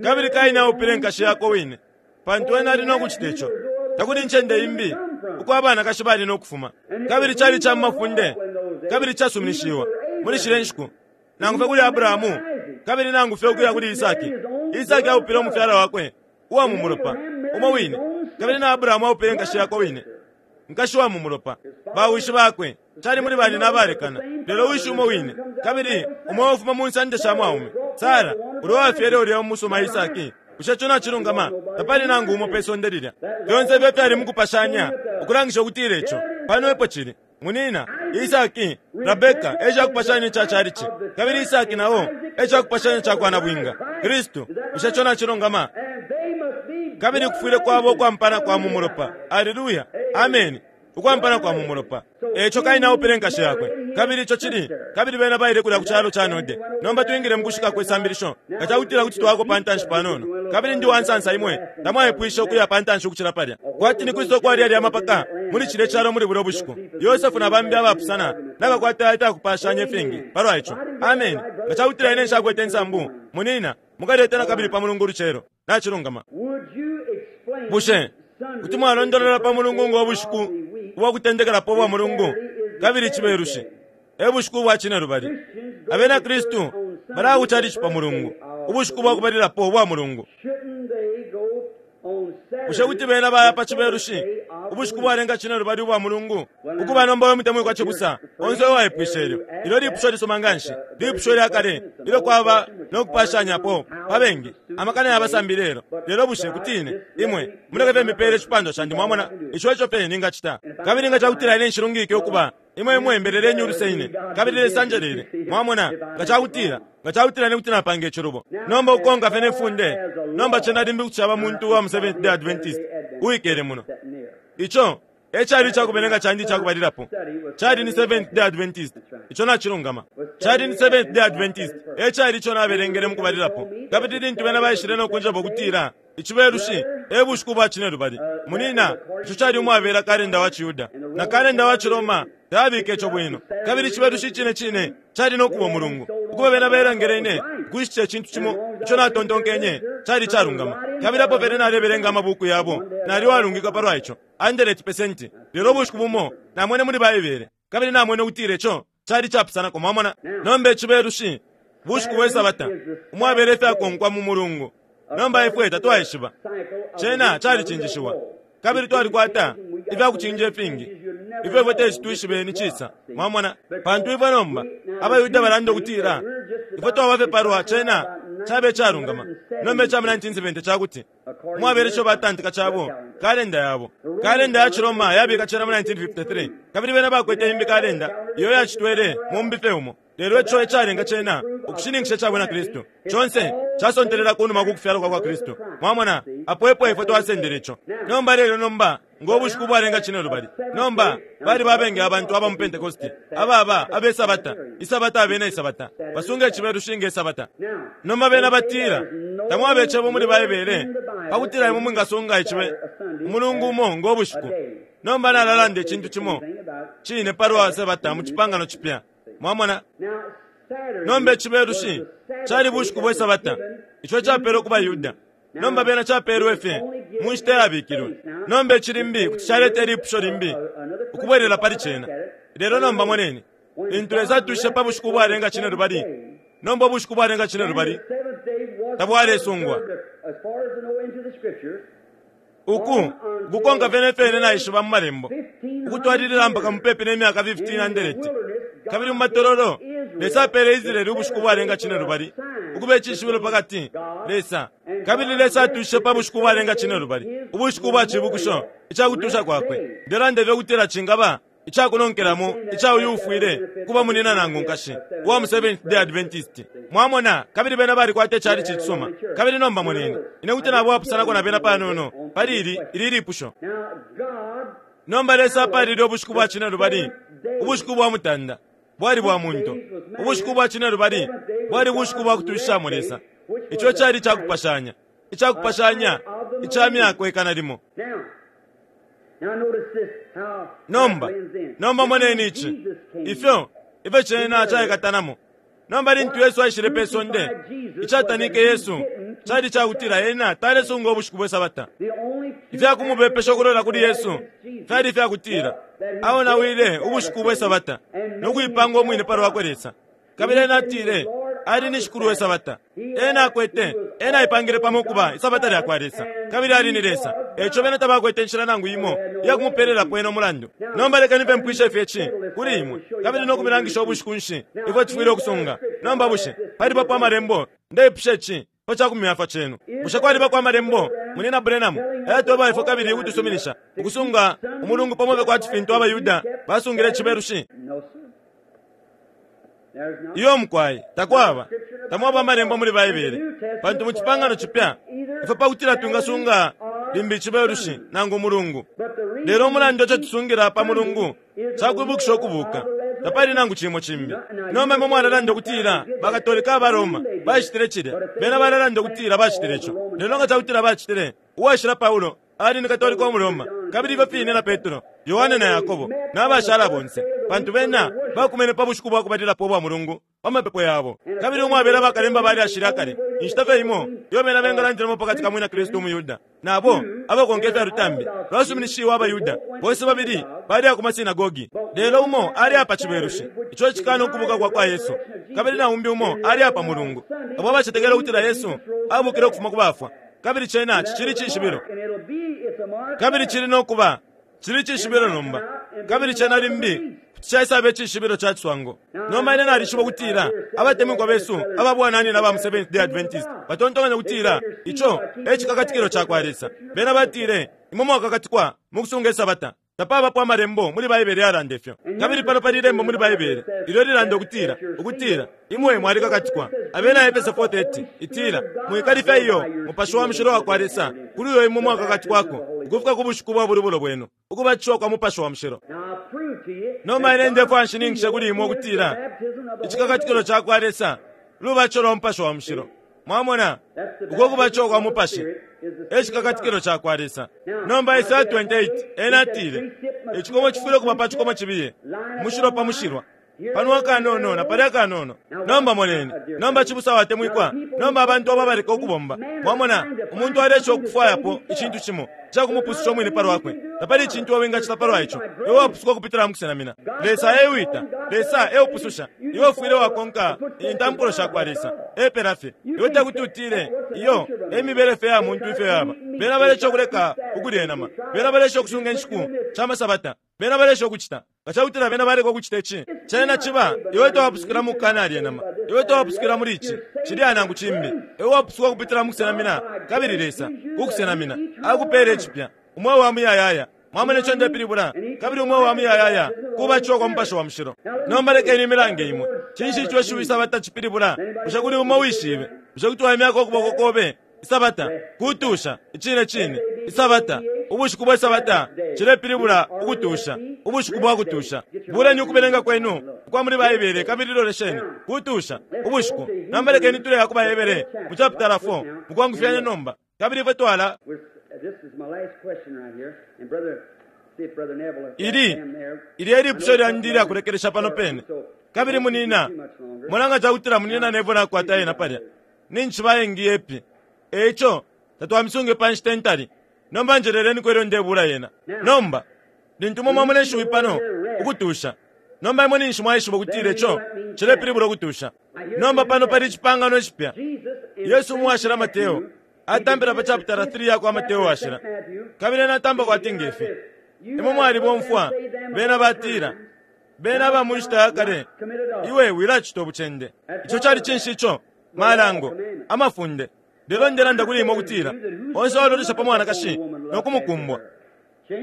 Kabili Kaini aupile nkashi yakwe wine, pantu ena ali no kucita ico. Takuli incende imbi uko abanakashi bali no kufuma. Kabili cali ca mu mafunde kabili icasuminishiwa muli shilya nshiku, nangu fye kuli Abrahamu, kabili nangu fye ukuya kuli Isaki. Isaki aupile umufyala wakwe uwa mu mulopa umo wine, kabili na Abrahamu aupile nkashi yakwe wine. nkashi wa mu mulopa, bawishi bakwe, cali muli banyina abalekana, lelo wishi umo wine, kabili umo ufuma mu nsande sha mwaume, Sara, ulya uwafyele ulya umusuma Isaki. Bushe ico nacilungama? Tapali nangu umo pe sonde lilya. Fyonse ifyo fyali mukupashanya, ukulangisha ukutila ico pano epo cili. Munyina, Isaki, Rabeka e cakupashanya ica chalichi, kabili Isaki na o e cakupashanya ca kwa nabwinga, Kristu. Bushe ico nacilungama? Kabili kufwile kwaba ukwampana kwa mu mulopa. Aleluya! Ameni! Ukwampana kwa mu mulopa. E ico Kaini aupile nkashi yakwe, kabili ico cili, kabili bena baile kulya ku calo ca Node. Nomba twingile mukushika kwe sambilisho, nga cakutila kuti twako pa ntanshi panono. Kabili ndi uwansansa imwe tamwaipwishe ukuya pa ntanshi ukucila palya. Kwati ni kwisa ukwali yalya amapaka muli cilye calo muli bulya bushiku, Yosefu na bambi abapusana nabakwata ifyakupaashanya ifingi palwa ico. Ameni! Nga cakutila ine nshakwete insambu, munyina, mukalete nakabili pa Mulungu ulucelo. Nacilungama. Bushe kuti mwalondolola pa Mulungu ngo bushiku ubwa kutendekelapo ubwa mulungu, kabili Icibelushi e bushiku ubwa cinelubali? Abena Kristu balaya ku calici pa Mulungu, ubushiku bwa kubalilapo ubwa mulungu. Bushe kuti bena baya pa Cibelushi, Ubushiku bwalenga cinelubali ubwa mulungu? Ukuba nomba, we mutemwikwa cibusa, onse uwaipwishe ilyo, ilyo lipusho lisuma nganshi, lipusho lya kale ilyo kwaba no kupashanyapo pa bengi, amakana ya basambi lelo. Lelo bushe kuti ine, imwe, muleke fye mipele icipandwa candi, mwamona, ico eco fye ningacita. Kabili nga cakutila ine nshilungike ukuba, imwe, imwe mbeleleni uluse ine, kabili Lesa anjelele, mwamona, nga cakutila, nga cakutila ine kuti napanga icilubo. Nomba ukukonka fye ne funde, nomba cena limbi kuti caba muntu uwa mu Seventh-day Adventist uwikele muno. Ico e cali icakubelenga candi icakubalilapo, cali ni Seventh-day Adventist. Ico nacilungama. Cali ni Seventh-day Adventist e cali ico nabelengele mukubalilapo. Kabili lintu bena baishile no kunjeba ukutila Icibelushi e bushiku bwa cinelubali, munina, ico cali umwabela kalenda wa ciYuda na kalenda wa ciRoma tayabika ico bwino. Kabili Icibelushi icine cine cali no kuba umulungu. Ukuba bena bailangele ine ukushitisha icintu cimo ico natontonkenye cali icalungama. Kabili apo pene nalebelenga amabuku yabo, nali uwalungika palwa ico, andeleti pesenti. Lelo ubushiku bumo namwene muli Baibele, kabili namwene ukutila ico cali icapusanako. Mwamona? Nomba Icibelushi bushiku bwe Sabata, umwabela ifyakonkwa mu mulungu. Nomba ifwe tatwaishiba. Cena calicinjishiwa. Kabili twalikwata ifya kucinja ifingi ifyo ifwe teti twishibe ni cisa. Mwamona? Pantu ifwe nomba, abaYuda balanda ukutila ifwe twaba fye palwa cena cabe icalungama. Nomba ica mu 1970 cakuti umwabela ico batantika cabo, kalenda yabo. Kalenda ya ciRoma yabika cena mu 1953, kabili bena bakwete imbi kalenda iyo yacitwele mumbi fye umo. Lelo ico ecalenga cena ukushininkisha ica bwina Kristu. Conse casontelela kunuma ku kufyalwa kwa kwa Kristu. Mwamona, apo epo ifwe twasendele ico. Nomba, lelo nomba, ngo bushiku ubwalenga cinelubali. Nomba, baliba abengi abantu aba mu Pentekoste ababa abe sabata, isabata abena isabata, basunga icibelushi nge sabata. Nomba bena batila, Tamwaba icebo muli Baibele pakutila imwe mwingasunga icibe umulungu umo ngo bushiku. Nomba nalalanda icintu cimo cine palwa sabata mu Cipangano Cipya. Mwamona? Nomba Icibelushi cali bushiku bwe Sabata, ico icapelwe ku baYuda. Nomba bena capelwe fye mu nshita iyabikilwe. Nomba ici limbi kuti caleta ilipusho limbi ukubwelela pali cena. Lelo nomba moneni, lintu Lesa atushishe pa bushiku ubwalenga cinelubali, nomba ubushiku ubwalenga cinelubali tabwalesungwa. Uku kukonka fye ne fyo ine naishiba mu Malembo, ukutwalilila mpaka mupepi ne myaka 1500. Kabili mu matololo, Lesa apeele Israele ubushiku bwalenga cinelubali ukuba icishibilo pa kati, Lesa. Kabili Lesa atushishe pa bushiku bwalenga cinelubali, ubushiku bwa cibukisho ica kutusha kwakwe. Ndelanda ifyo kutila cingaba ica kunonkelamo ica uyu ufwile kuba munina nangu nkashi uwa mu Seventh Day Adventist. Mwamona, kabili bena balikwata icalici icisuma. Kabili nomba moneni, ine kuti naba uwapusanako na bena panono pali ili, ili lipusho. Nomba Lesa apalile ubushiku bwa cinelubali, ubushiku bwa mutanda, bwali bwa muntu. Ubushiku bwa cinelubali bwali bushiku bwa kutushishamo Lesa. Ico cali icakupashanya, icakupashanya ica myaka ikana limo. Nomba, nomba moneni ici, ifyo, ifyo cena caikatanamo. Nomba lintu Yesu aishile pe sonde, icatanike Yesu cali cakutila Ena talesunga ubushiku bwe Sabata. Ifya kumubepesha ukulola kuli Yesu fyali ifya kutila aonawile ubushiku bwe Sabata no kuipanga umwine pa lwakwe Lesa. Kabili ena atile ali ni Shikulu we Sabata. Ena akwete, ena aipangile pamo ukuba Isabata lya kwa Lesa, kabili ali ni Lesa. Eico bena tabakwete inshila nangu imo iya kumupelelapo ena umulandu. Nomba lekeni fye mpwishe fye ici kuli imwe, kabili no kumilangisha ubushiku nshi ifwe tufwile ukusunga. Nomba bushe palibapo Amalembo? Ndeipusha ici pa ca kumyafwa cenu. Bushe kwalibako Amalembo, Munyina Branham, ayatweba ifwe kabili ukutusuminisha ukusunga umulungu pamo fye kwati fintu abaYuda basungile Icibelushi? Iyo mukwai, takwaba. Tamwaba amalembo muli Baibele. Pantu mu Cipangano Cipya, ifwe pa kutila twingasunga limbi Icibelushi nangu Umulungu. Lelo umulandu ico tusungila pa Mulungu ca kwibukisha ukubuka, tapali nangu cimo cimbi. Nomba imwe mwalalanda ukutila baKatolika aba Roma bacitile cilya. Bena balalanda ukutila bacitile ico. Lelo nga cakutila bacitile, Uwashila Paulo Ali ni Katolika umuRoma, kabili ifyo fine na Petro, Yohane na Yakobo, na bashala bonse, pantu bena bakumene pa bushiku bwa kubalilapo ubwa mulungu pa mapepo yabo. Kabili umwabela bakalemba ba lyashi lya kale, inshita fye imo iyo bena bengalandilamo pa kati ka Mwina Kristu umuYuda na abo abakonka ifya lutambi lwasuminishiwe abaYuda, bonse babili baleya ku masinagogi. Lelo umo aleya pa Cibelushi, ico icikaana ukubuuka kwa kwa Yesu, kabili na umbi umo aleya pa Mulungu, abo abacetekela ukutila Yesu abukile ukufuma ku bafwa. Kabili cena cicili cishibilo. Kabili cili no kuba. Cili cishibilo nomba. Kabili cena limbi kuti caisaba icishibilo ca ciswango. Nomba ine nalishiba ukutila abatemwikwa besu aba bwananyina aba mu Seventh-day Adventist batontonkanya ukutila ico e cikakatikilo ca kwa Lesa. Bena batile, Imwe mwakakatikwa mu kusunga Isabata. Tapabapo Amalembo muli Baibele yalanda ifyo. Kabili pano pali Ilembo muli Baibele ilyo lilanda ukutila, ukutila, Imwe mwalikakatikwa. Abena Efese 4:30 itila, Mwikalifya iyo, Mupashi wa Mushilo wakwa Lesa, kuli uyo imwe mwakakatikwako, ukufika ku bushiku bwa bulubulo bwenu, ukubatishiwa kwa Mupashi wa Mushilo. Nomba ine ndefwaya nshininkishe kuli imwe ukutila icikakatikilo cakwa Lesa lubatisho lwa Mupashi wa Mushilo. Mwamona? Uko kubatishiwa kwa Mupashi e cikakatikilo cakwa Lesa. Nomba Esaya 28, ena atile, Icikomo cifwile ukuba pa cikomo cibiye, mushilwa pa mushilwa, pano akanono na palya akanono. Nomba moneni. Nomba cibusa watemwikwa, nomba abantu abo abaleka ukubomba. Mwamona, umuntu aleesha ukufwayapo icintu cimo ica kumupususha umwine pa lwakwe. Tapali icintu iwe wingacita palwa ico. Iwe wapusuka ukupitila mu kusenamina. Lesa e wita. Lesa e upususha. Iwe ufwile wakonka intampulo shakwa Lesa. Epela fye. Iwe tekuti utile, Iyo, e mibele fye ya muntu ifyo yaba. Bena balesha ukuleka ukulya inama. Bena balesha ukusunga inshiku sha masabata. Bena balesha ukucita. Nga cakutila bena baleka ukucita ici, cena ciba, iwe tawapusukila mu kukanalya inama. Iwe tawapusukila muli ici, cilya nangu cimbi. Iwe wapusuka ukupitila mu kusenamina, kabili Lesa, ku kusenamina, akupela icipya, Umweo wa Muyayaya. Mwamona ico ndepilibula? Kabili Umweo wa Muyayaya kubatishiwa kwa Mupashi wa Mushilo. Nomba lekeni imilange imwe. Cinshi ico ishiwi Isabata cipilibula? Bushe kuli umo uwishibe? Bushe kuti waimyako ukuboko kobe? Isabata, kutusha. Icine cine. Isabata, ubushiku bwe Sabata, cilepilibula ukutusha, ubushiku bwa kutusha. Buleni ukubelenga kwenu ukwa muli Baibele kabili lolesheni. Kutusha, ubushiku. Nomba lekeni tuleya ku baHebere mu chapitala 4, mukwangufyanya nomba. Kabili ifwe twala. Ili, ili e lipusho lyandi ilya kulekelesha pano pene. Kabili munina, mona nga cakutila munina Neville nakwata yena palya. Ninshi bayengi yepi. E ico, tatwamisunge pa nshita intali. Nomba njeleleniko ilyo ndebula yena. Nomba, lintu imwe mwamona ishiwi pano, ukutusha, nomba imwe ninshi mwaishiba ukutila ico cilepilibula ukutusha. Nomba pano pali icipangano icipya. Yesu mu Washila Mateo, atampila pa chapitala 3 yakwa Mateo Washila. Kabili ena atamba kwati nge fi. Imwe mwalibomfwa, bena batila, Bena aba mu nshita ya kale, iwe wilacita ubucende. Ico cali cinshi ico? Malango, amafunde. Lelo ndelanda kuli imwe ukutila, onse uwalolesha pa mwanakashi no kumukumbwa,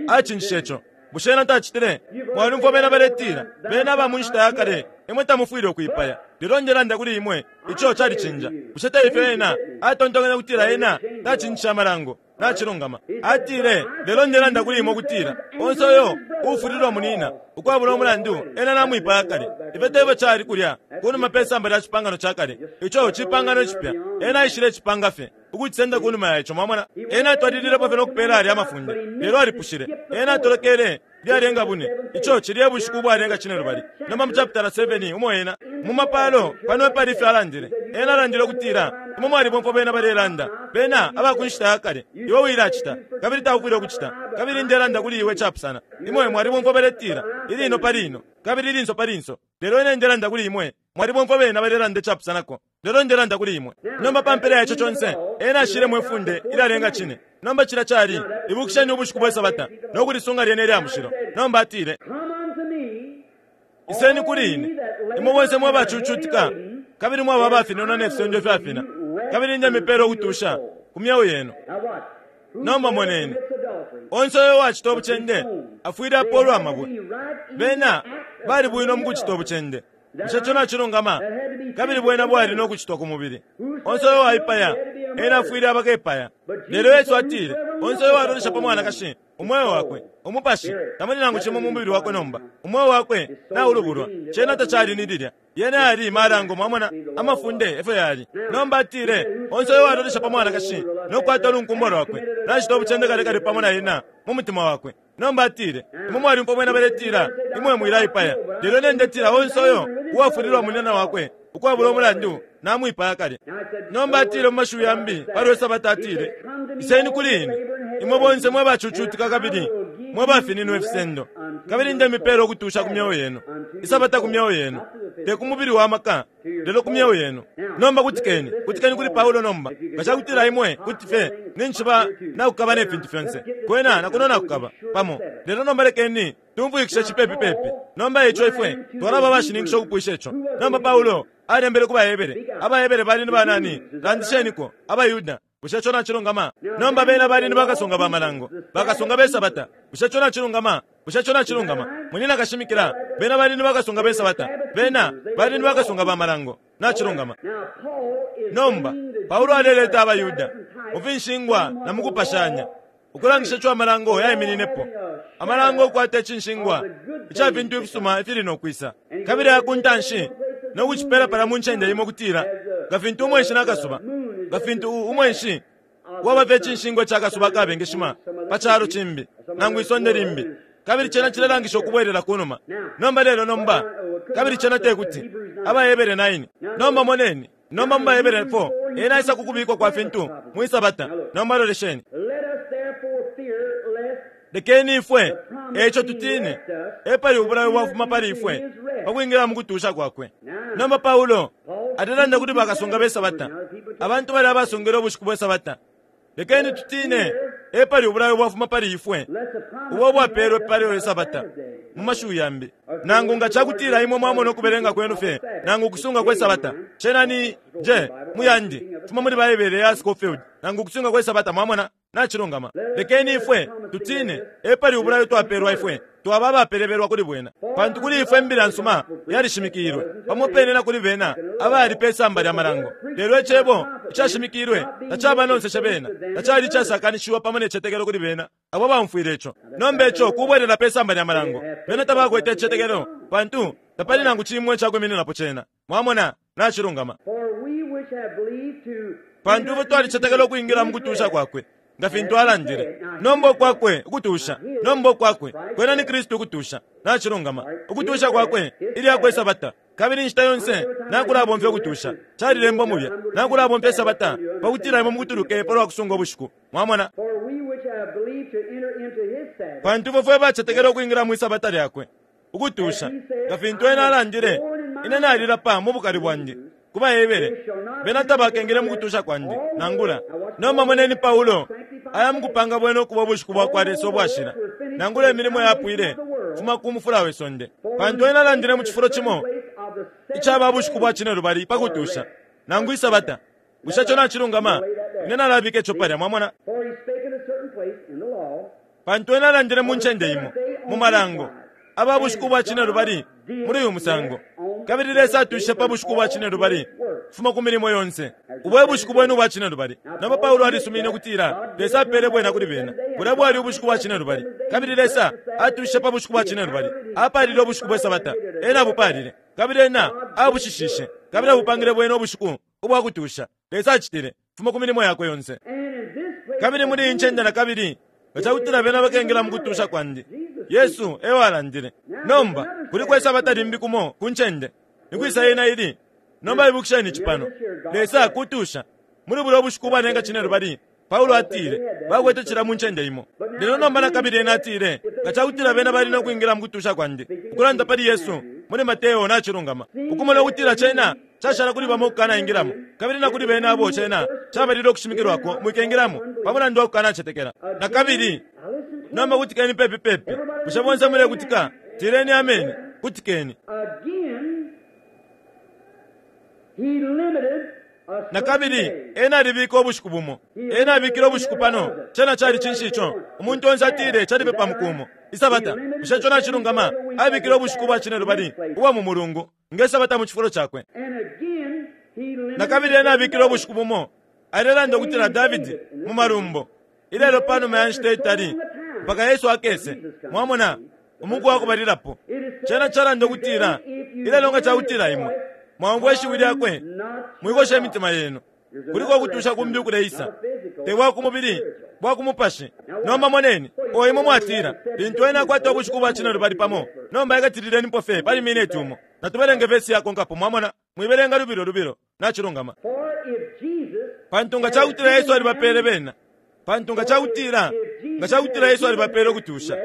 acinjishe ico. Bushe ena tacitile? Mwalyumfwa bena baletila, Bena aba mu nshita ya kale, imwe tamufwile ukwipaya. Lelo ndelanda kuli imwe, ico calicinja. Bushe teifyo ena atontonkanya ukutila ena tacinjishe amalango? Nacilungama. Atile, Lelo ndelanda kuli imwe ukutila, onse uyo uufulilwa munina ukwabula umulandu, ena namwipaya kale. Ifyo tefyo cali kulya kunuma pe samba lya cipangano ca kale. Ico cipangano icipya. Ena aishile cipanga fye, ukucisenda kunuma ya ico. Mwamona? Ena atwalililepo fye no kupela alya amafunde, lelo alipushile. Ena atolokele lyalenga bune. Ico cili e bushiku ubwalenga cinelubali. Nomba mu chapitala 7 umo ena, mu mapalo, pano epali ifyo alandile. Ena alandile ukutila, Imwe mwalibomfwa bena balelanda, bena aba ku nshita ya kale, Iwe wilacita, kabili taufwile ukucita. Kabili ndelanda kuli iwe icapusana. Imwe mwalibomfwa baletila, Ilino pa lino, kabili ilinso pa linso. Lelo ine ndelanda kuli imwe, mwalibomfwa bena balelanda icapusanako. Lelo ndelanda kuli imwe. Nomba pa mpela ya ico conse, ena ashilemo ifunde ilyalenga cine. Nomba cilya cali, Ibukisheni ubushiku bwe sabata, no kulisunga lyena ilya mushilo. Nomba atile, Iseni kuli ine, imwe bonse mwe bacucutika kabili mwaba abafinenwa ne fisendo ifyafina, kabili ndemipela ukutusha ku myeo yenu. Nomba moneni, onse uyo uwacita ubucende afwile apoolwa amabwe. Bena bali bwino mu kucita ubucende. Bushe ico nacilungama? Kabili bwena bwali no kucitwa ku mubili. Onse uyo waipaya, ena afwile aba kepaya. Lelo Yesu atile, Onse uyo walolesha pa mwanakashi, umweo wakwe, umupashi, tamuli nangu cimo mu mubili wakwe nomba. Umweo wakwe naulubulwa. Cena tacali ni lilya. Yena yali malango, mwamona, amafunde efyo yali. Nomba atile, Onse uyo walolesha pa mwanakashi no kukwata ulunkumbwa lwakwe, nacita ubucende kale kale pamo na ena mu mutima wakwe. Nomba atile, Imwe mwalyumfwa bena baletila, Imwe mwilaipaya. Lelo ine ndetila onse uyo uwafulilwa munyina wakwe ukwabula umulandu namwipaya kale. Nomba atile mu mashiwi yambi palwe Sabata atile, Iseni kuli ine, imwe bonse mwe bacucutika kabili mwe bafininwa ifisendo, kabili ndemipela ukutusha ku myeo yenu. Isabata ku myeo yenu, te ku mubili wa maka. lelo ku myeo yenu. Nomba kutikeni, kutikeni kuli Paulo nomba. Nga cakutila imwe kuti fye ninshi ba nakukaba ne fintu fyonse, kwena na kuno nakukaba, pamo. Lelo nomba lekeni tumfwikishe cipepi pepi. Nomba eico ifwe twalaba abashininkisha ukupwisha ico. Nomba Paulo alembele ku baHebere. AbaHebere bali ni banani? Landisheniko. AbaYuda. Bushe ico nacilungama? Nomba bena bali ni bakasunga ba malango, bakasunga be sabata. Bushe ico nacilungama? Bushe ico nacilungama? Munyina kashimikila, bena bali ni bakasunga be sabata. Bena bali ni bakasunga ba malango. Nacilungama. Nomba, Paulo aleleta abaYuda mu finshingwa na mu kupashanya, ukulangisha ico amalango yaimininepo. Amalango ukukwata icinshingwa ica fintu ifisuma ifili no kwisa, kabili aya ku ntanshi, no kucipela palya mu ncende imo ukutila, nga fintu umweshi na kasuba, nga fintu u, umweshi waba fye icinshingwa ica kasuba akabengeshima pa calo cimbi, nangu isonde limbi, kabili cena cilelangisha ukubwelela kunuma. Nomba, lelo nomba, kabili cena tekuti. AbaHebere 9. Nomba moneni. Nomba mu baHebere 4, ena aisa ku kubikwa kwa fintu mwi sabata. Nomba lolesheni. Lekeni ifwe, eico tutine, epali ubulayo bwafuma pali ifwe pa kwingila mu kutusha kwakwe. Nomba Paulo alelanda kuli bakasunga be sabata, abantu balya abasungile ubushiku bwe sabata. Lekeni tutine, epali ubulayo bwafuma pali ifwe, ubo ubwapelwe pali Isabata, mu mashiwi yambi. Nangu nga cakutila imwe mwamona ukubelenga kwenu fye, nangu ukusunga kwe Sabata, cena ni J mu yandi, fuma muli Baibele ya Scofield, nangu ukusunga kwe Sabata, mwamona, nacilungama. Lekeni ifwe tutine, epali ubulayo twapelwa ifwe twaba abapelebelwa kuli bwena, pantu kuli ifwe imbila nsuma yalishimikilwe, pamo pene na kuli bena abali pe samba lya malango. Lelo icebo icashimikilwe tacabanonseshe bena, tacali icasakanishiwa pamo ne citetekelo kuli bena abo abaumfwile ico. Nomba ico kubwelela pe samba lya malango. Bena tabakwete icitetekelo, pantu tapali nangu cimo icakwimininapo cena. Mwamona? Nacilungama. Pantu ifwe twalicetekela ukwingila mu kutusha kwakwe, nga fintu alandile. Nomba ukwakwe ukutusha, nomba ukwakwe, kwena ni Kristu ukutusha. Nacilungama. Ukutusha kwakwe, ilyakwe Sabata. Kabili inshita yonse nakulabomfya ukutusha, calilembwa mulya, nakulabomfya Isabata pa kutila imwe mukutuluke palwa kusunga ubushiku. Mwamona? Pantu ifwe fwe bacetekela ukwingila mwi Sabata lyakwe. ukutusha, nga fintu ena alandile, Ine nalilapa mu bukali bwandi ku baHebere, bena tabakengile mu kutusha kwandi, nangula. Nomba moneni Paulo aya mukupanga bwena ukuba ubushiku bwakwa Lesa ubwashila, nangula imilimo yapwile kufuma ku mufula we sonde. Pantu ena alandile mu cifulo cimo icaba bushiku bwa cinelubali pa kutusha, nangu isabata. Bushe ico nacilungama? Ine nalabika ico palya, mwamona. Pantu ena alandile mu ncende imo, mu malango, aba bushiku bwa cinelubali muli uyu musango. Kabili Lesa atushishe pa bushiku bwa cinelubali kufuma ku milimo yonse. Ubo e bushiku bwenu ubwa cinelubali. Nomba Paulo alisumine ukutila Lesa apele bwena kuli bena. Bulya bwali ubushiku bwa cinelubali. Kabili Lesa atushishe pa bushiku bwa cinelubali. Apalile ubushiku bwe sabata. Ena abupalile. Kabili Ena abushishishe. Kabili abupangile bwena ubushiku ubwa kutusha. Lesa acitile, fuma ku milimo yakwe yonse. Kabili muli iyi ncende na kabili, nga ca kutila bena bakengila mu kutusha kwandi. Yesu e walandile. Nomba, kuliko isabata limbi kumo ku ncende. Ni kwisa yena ili? Nomba ibukisheni ici pano. Lesa kutusha. Muli bulya ubushiku ubwalenga cinelubali, Paulo atile, bakwete cilya mu ncende imo. Lelo nomba na kabili ena atile, Nga ca kutila bena bali no kwingila mu kutusha kwandi, ukulanda pali Yesu, muli Mateo nacilungama, ukumona ukutila cena cashala kuli bamo ukukanaingilamo, kabili na kuli bena abo cena cabalile ukushimikilwako, mwikengilamo, pa mulandu wa kukanacetekela. Na kabili, nomba kutikeni pepi pepi. Bushe bonse mulekutika? Tileni ameni. Kutikeni. Na kabili, ena alibika ubushiku bumo. Ena abikile ubushiku pano. Cena cali cinshi ico? Umuntu onse atile cali fye pa muku umo. Isabata. Bushe ico nacilungama? Abikile ubushiku ubwa cinelubali ubwa mu mulungu nge sabata mu cifulo cakwe. Na kabili ena abikile ubushiku bumo. Alelanda ukutila Davidi, mu Malumbo, ilelo panuma ya nshita itali mpaka Yesu akese. Mwamona, umuku wa kubalilapo. Cena calanda ukutila, Ilelo nga cakutila imwe mwaumfwa ishiwi lyakwe, mwikosha imitima yenu. Kuliko ukutusha kumbi ukuleisa, te bwa ku mubili, bwa ku mupashi. Nomba moneni, o imwe mwatila, lintu ena akwata ubushiku bwa cinelubali pamo. Nomba ikatililenipo fye pali mineti umo. Natubelenge vesi yakonkapo, mwamona. Mwibelenga lubilo lubilo. Nacilungama. Pantu nga cakutila Yesu alibapele bena, pantu nga cakutila, nga cakutila Yesu alibapele ukutusha,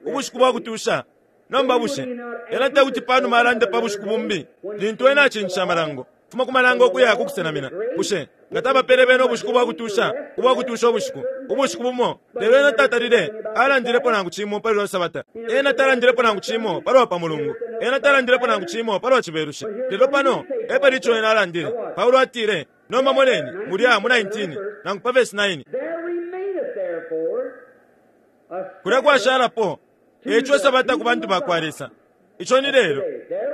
ubushiku bwa kutusha, nomba bushe Ena tekuti panuma alande pa bushiku bumbi, lintu Ena acincishe amalango? Fuma ku malango ukuya ku kusenamina. Bushe nga tabapele bena ubushiku bwa kutusha, ubwa kutusha ubushiku, ubushiku bumo? Lelo ena tatalile alandilepo nangu cimo pali lwa Sabata. Ena talandilepo nangu cimo palwa pa Mulungu. Ena talandilepo nangu cimo palwa Cibelushi. Lelo pano epali ico ena alandile. Paulo atile, nomba moneni, mulya mu 19, nangu pa verse 9. There remaineth therefore a Kulya kwashalapo, eco Isabata ku bantu ba kwa Lesa. Ico ni lelo,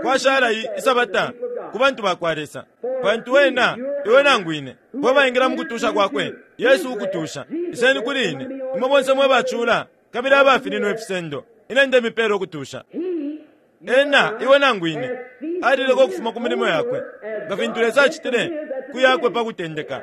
kwashala Isabata ku bantu ba kwa Lesa. Pantu ena, iwe nangu ine, fwe baingila mu kutusha kwakwe, Yesu ukutusha. Iseni kuli ine, imwe bonse mwe bacula, kabili abafininwa ifisendo, ine ndemipela ukutusha. Ena, iwe nangu ine, alileka ukufuma ku milimo yakwe, nga fintu Lesa acitile ku yakwe pa kutendeka.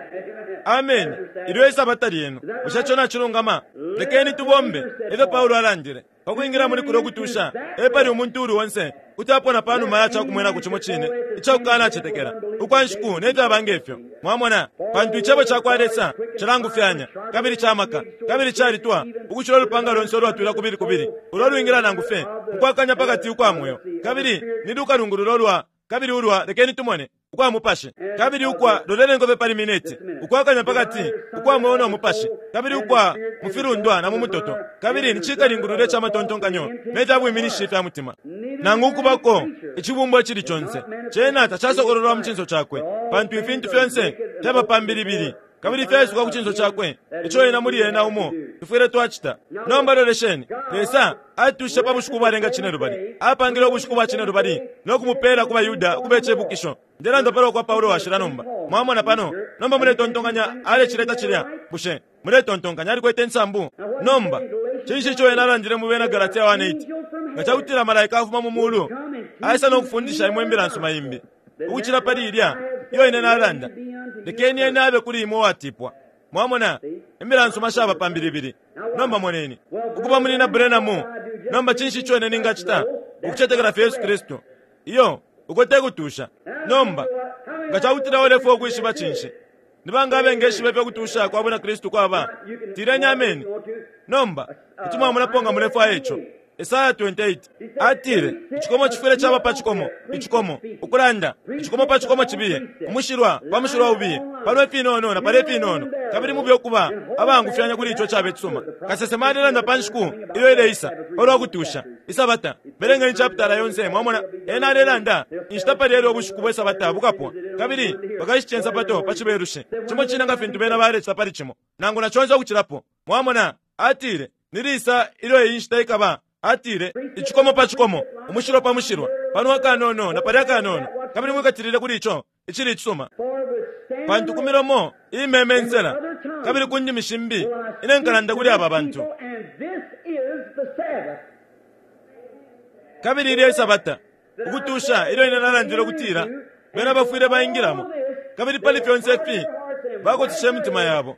Ameni. Ilyo Isabata lyenu. Bushe ico nacilungama? Lekeni tubombe, efyo Paulo alandile. Pa kwingila muli kulyo kutusha, epali umuntu uuli onse kuti apona pa numa ya ca kumwenako cimo cine ica kukanacetekela ukwa nshiku ne fyaba nge fyo. Mwamona? Pantu Icebo ca kwa Lesa cilangufyanya, kabili ca maka, kabili calitwa ukucila ulupanga lonse ulwatwila kubili kubili, ulo lwingila nangu fye mu kwakanya pa kati ukwa mweo, kabili ni lukalungululo lwa, kabili ulwa, lekeni tumone, ukwa mupashi, kabili ukwa, loleleni fye pali mineti, ukwakanya pa kati ukwa mweo no mupashi, kabili ukwa mu filundwa na mu mutoto, kabili ni cikalingulula ica matontonkanyo ne fya bwiminishi ifya mutima. Nangu ukubako icibumbwa icili conse, cena tacasokololwa mu cinso cakwe, pantu ifintu fyonse fyaba pa mbilibili kabili fyaisuka ku cinso cakwe, ico ena muli ena umo tufwile twacita. Nomba lolesheni, Lesa atushishe pa bushiku ubwalenga cinelubali, apangile ubushiku bwa cinelubali no kumupela ku baYuda ukuba icibukisho. Ndelanda palwa kwa Paulo Washila nomba. Mwamona pano? Nomba muletontonkanya alecileta cilya? Bushe muletontonkanya alikwete insambu? Nomba, cinshi ico ena alandile mu Bena Galatia 1:8? Nga ca kutila malaika afuma mu mulu aisa no kufundisha imwe imbila nsuma imbi ukucila pali ilya iyo ine nalanda, lekeni ena abe kuli imwe uwatipwa. Mwamona, imbila nsuma shaba pa mbilibili. Nomba moneni. Ukuba Munyina Branham, nomba cinshi ico ine ningacita? Ukucetekela fye Yesu Kristu. Iyo, uko te kutusha. Nomba, nga ca kutila ulefwaya ukwishiba cinshi, ni banga abengeshiba ifyo kutusha kwa Bwina Kristu kwaba? Tileni ameni. Nomba, kuti mwamonapo nga mulefwaya ico. Esaya 28 atile, Icikomo cifwile caba pa cikomo, icikomo, ukulanda, icikomo pa cikomo cibiye, umushilwa pa mushilwa ubiye, pano ifinono na palya ifinono, kabili mube ukuba abaangufyanya kuli ico cabe cisuma. Kasesema alelanda pa nshiku ilyo ileisa, palwa kutusha, Isabata. Belengeni chapitala yonse, mwamona. Ena alelanda inshita pali elyo ubushiku bwe Sabata bukapwa, kabili bakashice nsapato pa Cibelushi, cimo cine nga fintu bena balecita pali Cimo, nangu na conse ukucilapo. Mwamona? Atile, Ni lisa ilyo iyi nshita ikaba? Atile, Icikomo pa cikomo, umushilwa pa mushilwa, pano akanono na palya akanono, kabili mwikatilile kuli ico icili icisuma. Pantu ku milomo iimemensela kabili ku ndimi shimbi ine nkalanda kuli aba bantu. Kabili ilyo Isabata, ukutusha ilyo ine nalandile ukutila bena bafwile baingilamo, kabili pali fyonse ifi bakotisha imitima yabo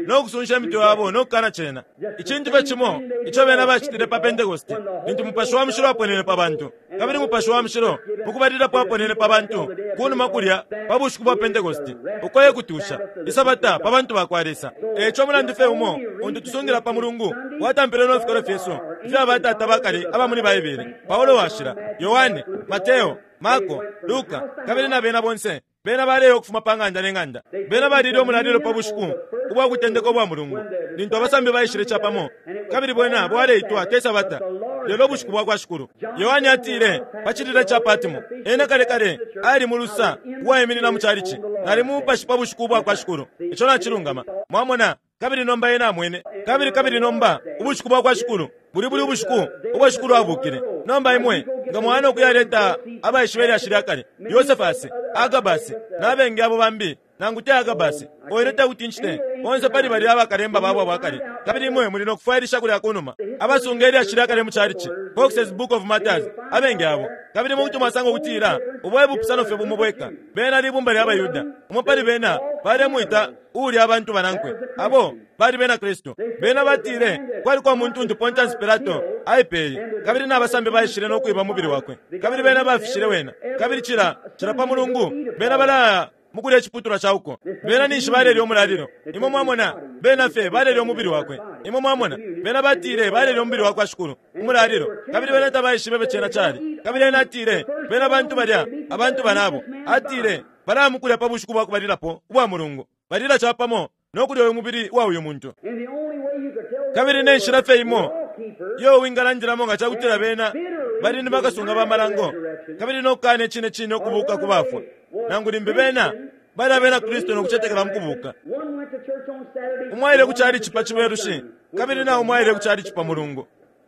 no kusunsha imitwe yabo no kukana cena. Icintu fye cimo ico bena bacitile pa Pentekoste, lintu Mupashi wa Mushilo aponene pa bantu, kabili Mupashi wa Mushilo mukubalilapo aponene pa bantu kunuma kulya pa bushiku bwa Pentekoste, uko e kutusha, Isabata pa bantu bakwa Lesa. E ico mulandu fye umo untu tusungila pa Mulungu watampile no fikolwe fyesu ifya batata bakale aba muli Baibele, Paulo Washila, Yohane, Mateo, Marko, Luka, kabili na bena bonse. Bena baleya ukufuma pa ng'anda ne ng'anda. Bena balile umulalilo pa bushiku ubwa kutendeka ubwa mulungu, lintu abasambi baishile capamo, kabili bwena bwaleitwa te Sabata, lelo ubushiku bwa kwa Shikulu. Yohane atile, pa cilila ca Patmo, ena kale kale ali mu lusa uwaiminina mu calici, Nali mu Mupashi pa bushiku ubwa kwa Shikulu. Ico nacilungama. Mwamona? Kabili nomba ena amwene, kabili, kabili nomba ubushiku bwa kwa Shikulu buli buli ubushiku ubo Shikulu abukile. Nomba imwe nga mwaya no kuyaleta abaishiba ilyashi lya kale, Yosefasi, Agabasi, na bengi abo bambi, nangu te Agabasi, oine te kuti ncite, bonse pali balya abakalemba babo aba kale, kabili imwe muli no kufwailisha kulya kunuma, abasunga ilyashi lya kale mu chalichi, Foxe's Book of Martyrs, abengi abo, kabili imwe kuti mwasanga ukutila ubo e bupusano fye bumo bweka. Bena libumba lya baYuda. Umo pali bena balemwita uuli abantu banankwe, abo bali bena Kristu. Bena batile kwaliko umuntu untu Pontius Pilato aipeye, kabili na basambi baishile no kwiba umubili wakwe, kabili bena bafishile wena. Kabili cila, cila pa Mulungu bena balaya mukulya iciputulwa ca uko. Bena ninshi balelya umulalilo. Imwe mwamona, bena fye balelya umubili wakwe. Imwe mwamona, bena batile balelya umubili wakwa Shikulu, umulalilo, kabili bena tabaishibe ifyo cena cali. Kabili ena atile, Bena bantu balya, abantu banabo. Atile, Balaya mukulya pa bushiku bwa kubalilapo ubwa mulungu, balila capamo no kulya uyu mubili wa uyu muntu. Kabili ne nshila fye imo iyo wingalandilamo nga ca kutila bena bali ni bakasunga ba malango kabili no kukana icine cine ukubuuka ku bafwa, nangu limbi bena bali abena Kristu no kucetekela mu kubuuka. Umo aile ku calici pa Cibelushi kabili na umo aile ku calici pa Mulungu.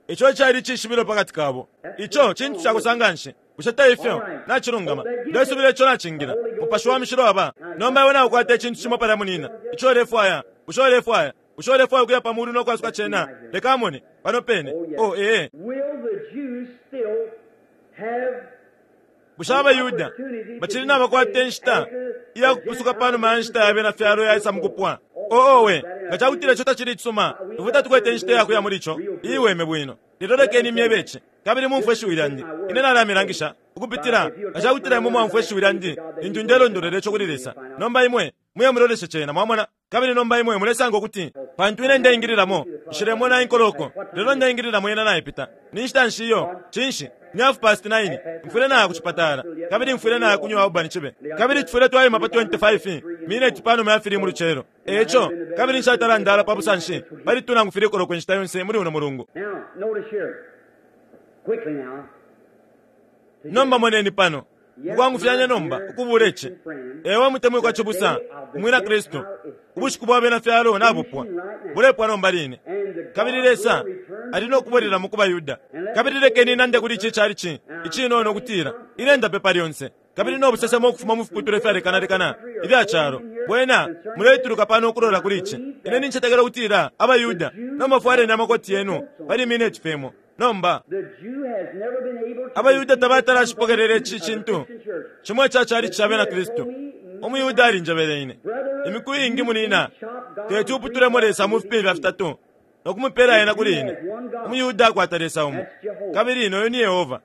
Ico cali icishibilo pa kati kabo. Ico cintu cakosa nganshi. Bushe te ifyo? Nacilungama. Ndesubila ico nacingila. Mupashi wa Mushilo aba. Nomba iwe naukwata icintu cimo palya, munina, ico ulefwaya. Bushe ulefwaya? Bushe ulefwaya ukuya pa mulu no kwasuka cena? Leka amone. Pano pene. Oh, ee. Bushe abaYuda bacili nabakwata inshita iya kupusuka pa numa ya nshita ya Bena fyalo yaisa mu kupwa? Oh, owe, nga ca kutila ico tacili icisuma, ifwe tatukwete inshita iya kuya muli co iiweme bwino. Lelo lekeni imyebe ici, kabili mumfwe ishiwi lyandi. Ine nalamilangisha, ukupitila, nga ca kutila imwe mwaumfwa ishiwi lyandi lintu ndelondolwela ico kuli Lesa. Nomba imwe muye muloleshe cena, mwamona. Kabili nomba imwe mulesanga ukuti, pantu ine ndeingililamo, nshilemona inkoloko, lelo ndeingililamo yena naipita. Ni nshita nshi iyo? Cinshi? Ni 9:30. Mfwile naya ku cipatala, kabili mfwile naya ku New Albany cibe. Kabili tufwile twaima pa 25 mineti panuma ya 3 mu lucelo. E ico, kabili nshatala ndala pa busanshi pali 2 nangu 3 koloko inshita yonse muli uno mulungu. Nomba moneni pano, mukwangufyanya nomba, ukubuula ici. Ee, we mutemwikwa cibusa Umwina Kristu, ubushiku bwa bena fyalo nabupwa, bulepwa nomba line. Kabili Lesa ali no kubwelelamo ku baYuda. Kabili lekeni nande kuli ici calici icinono ukutila ine ndapepa lyonse. Kabili no busesemo ukufuma mu fiputulwa ifyalekanalekana ifya calo, bwena muletuluka pano ukulola kuli ici. Ine nincetekela ukutila abaYuda, nomba fwaleni amakoti yenu pali mineti fye imo. Nomba, abaYuda tabatala ashipokelela ici cintu cimo ica calici ca Bena Kristu. UmuYuda alinjebele ine imiku iingi, Munina, teti uputulemo Lesa mu fipimfya fitatu no kumupela ena kuli ine. UmuYuda akwata Lesa umo, kabili noyo ni Yehova.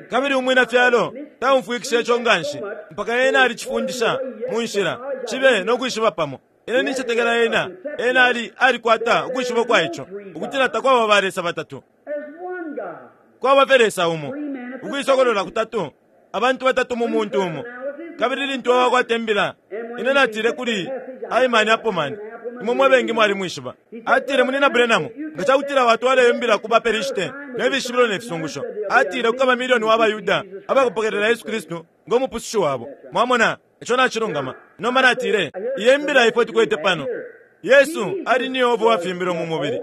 Kabili umwina fyalo taumfwikisha ico nganshi mpaka ena alicifundisha mu nshila cibe no kwishiba pamo. Ine nincetekela ena, ena ali, alikwata ukwishiba ukwa ico, ukutila takwaba ba Lesa batatu. Kwaba fye Lesa umo. Ukuisokolola kutatu, abantu batatu mu muntu umo. Kabili lintu wakwata imbila, ine natile kuli Hyman Appleman, imwe mwe bengi mwalimwishiba. Atile, Munina Branham, nga cakutila watwala iyo mbila ku baPelishite ne fishibilo ne fisungusho, atile kukaba milioni wa baYuda abakupokelela Yesu Kristu ngo Mupusushi wabo. Mwamona? Ico nacilungama. Nomba natile, Iyi mbila ifwe tukwete pano. Yesu ali ni Yehova uwafimbilwe mu mubili.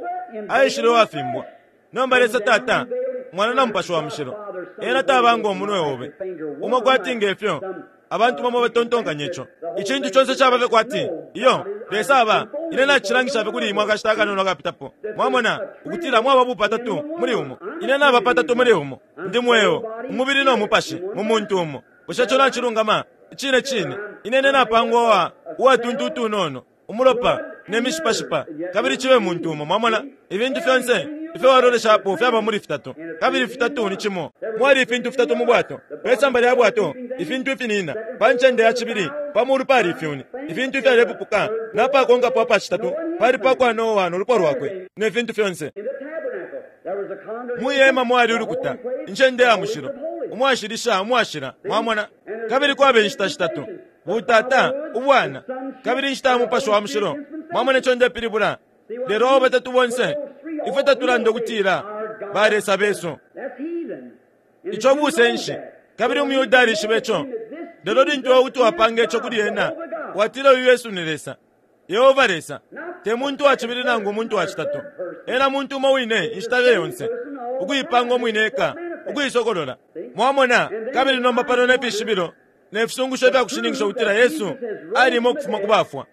Aishile uwafimbwa. Nomba Lesa Tata, Mwana na Mupashi wa Mushilo, Ena taba ngo munwe obe umo kwati nge fyo abantu bamo batontonkanya ico. Icintu conse caba fye kwati, iyo, Lesa aba, ine nacilangisha fye kuli imwe akashita akanono akapitapo, mwamona, ukutila mwaba bupatatu muli umo. Ine naba patatu muli umo. Ndi mweo, umubili no mupashi, mu muntu umo. Bushe ico nacilungama? Icine cine. Ine ine napangwa uwa, uwatuntu utunono, umulopa, ne mishipashipa, kabili cibe muntu umo. Mwamona? Ifintu fyonse ifyo waloleshapo fyaba muli fitatu, kabili fitatu ni cimo. Mwali ifintu fitatu mu bwato. Pe samba lya bwato, ifintu ifinina. Pa ncende ya cibili, pa mulu pali ifyuni, ifintu ifyalepupuka, na pakonkapo apa citatu pali pa kwa Noa no lupwa lwakwe, ne fintu fyonse. Mwi hema mwali ulukuta, incende ya mushilo, umwashilisha umwashila, mwamona. Kabili kwaba inshita shitatu, butata, ubwana, kabili inshita ya Mupashi wa Mushilo. Mwamona ico ndepilibula? Lelo abo batatu bonse, ifwe tatulanda ukutila ba Lesa besu. Ico busenshi, kabili umuYuda alishiba ico. Lelo lintu iwe kuti wapanga ico kuli ena, watila uyu Yesu ni Lesa. Yehova Lesa, te muntu wa cibili nangu umuntu wa citatu. Ena muntu umo wine inshita fye yonse, ukuipanga umwine eka, ukuisokolola. Mwamona? Kabili nomba pano ne fishibilo ne fisungusho ifya kushininkisha ukutila Yesu alimo ukufuma ku bafwa.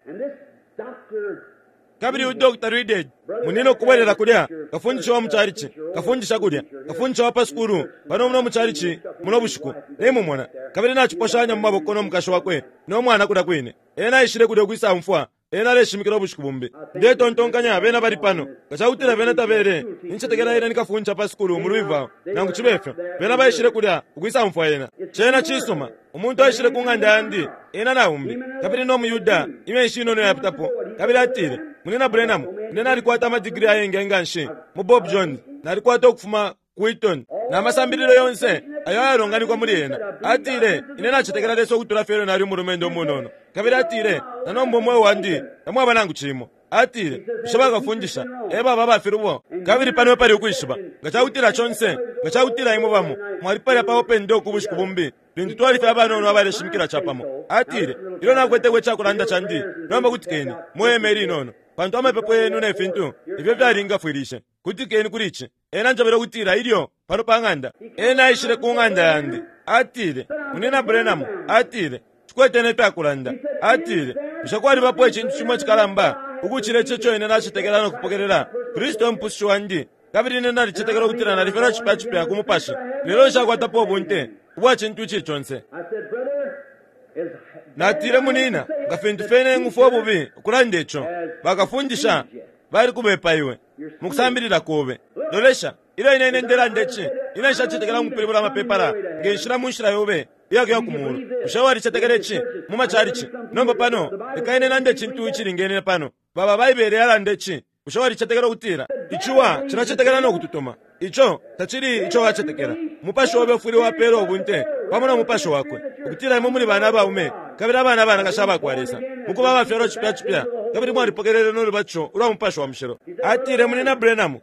Kabili uyu Dr. Reedhead, munina ukubwelela kulya, kafundisha wa mucalici, kafundisha kulya, kafundisha wa pa sukulu, pano muno mucalici muno bushiku, nimumona. Kabili naciposhanya mu maboko no mukashi wakwe no mwana kulya kwine. Ena aishile kulya ukwisaumfwa ena aleshimikila ubushiku bumbi. Ndetontonkanya bena bali pano. Nga cakutila bena tabele, nincetekela ena ni kafundisha pa sukulu mu Louisville, nangu cibe fyo. Bena baishile kulya ukwisaumfwa ena. Cena cisuma. Umuntu aishile ku ng'anda yandi, ena na umbi, kabili no muYuda, imyeshi inono iyapitapo, kabili atile, Munyina Branham, ine nalikwata ama digiri ayengi nganshi mu Bob Jones. Nalikwata ukufuma ku Wheaton, na masambililo yonse. ayo ayalonganikwa muli ena. Atile, Ine nacetekela Lesa ukutula fye ilyo nali umulumendo umunono. Kabili atile, Na nomba umweo wandi tamwaba nangu cimo. Atile, Bushe bakafundisha e baba aba filubo? Kabili pano epali ukwishiba, nga cakutila conse, nga cakutila imwe bamo mwali palya pa Open Door ku bushiku bumbi, lintu twali fye abanono abaleshimikila capamo. Atile, Ilyo nakweteko icakulanda candi, nomba kutikeni, mwe hema ilinono, pantu amapepo yenu ne fintu ifyo fyalingafwilishe. Kutikeni kuli ici. Ena anjebele ukutila ilyo, pano pa ng'anda, ena aishile ku ng'anda yandi, atile, Munyina Branham, atile, Nshikwete ne fyakulanda. Atile, Bushe kwalibapo icintu cimo icikalamba ukucila ico ico ine nacetekela no kupokelela? Kristu e Mupusushi wandi, kabili ine nalicetekela ukutila nalifyalwa cipya cipya ku Mupashi, lelo nshakwatapo ubunte ubwa cintu icili conse. Natile, Munyina, nga fintu fye ine ng'umfwa ububi ukulanda ico, bakafundisha balikubepa iwe mukusambilila kobe. Lolesha, ilyo ine ine ndelanda ici, ine nshacetekela mukupilibula amapepala nge nshila mu nshila yobe iyakuya ku mulu. Bushe walicetekela ici mu machalichi? Nomba pano, leka ine nande icintu icilingene pano. Baba Baibele yalanda ici. Bushe walicetekela ukutila iciwa cilacetekela no kututuma? Ico tacili ico wacetekela. Umupashi obe ufwile wapela ubunte pamo no Mupashi Wakwe ukutila imwe muli bana abaume kabili abana abanakashi aba kwa Lesa, mukuba abafyalwa cipya cipya, kabili mwalipokelele no lubatisho ulwa Mupashi wa Mushilo. Atile, Munyina Branham,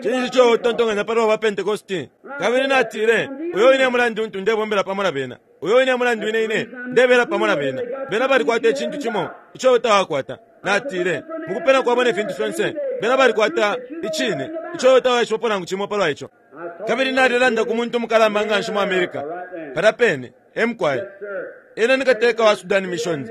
cinshi ico utontonkanya palwa ba Pentecosti? Kabili natile, Uyo wine e mulandu untu ndebombela pamo na bena. Uyo wine e mulandu ine ine ndebela pamo na bena. Bena balikwata icintu cimo ico iwe tawakwata. Natile, Mukupena kwabo ne fintu fyonse, bena balikwata Icine ico iwe tawaishibapo nangu cimo palwa ico. Kabili nalelanda ku muntu umukalamba nganshi mu America, palya pene, e mukwai. Ena ni kateka wa Sudan Missions.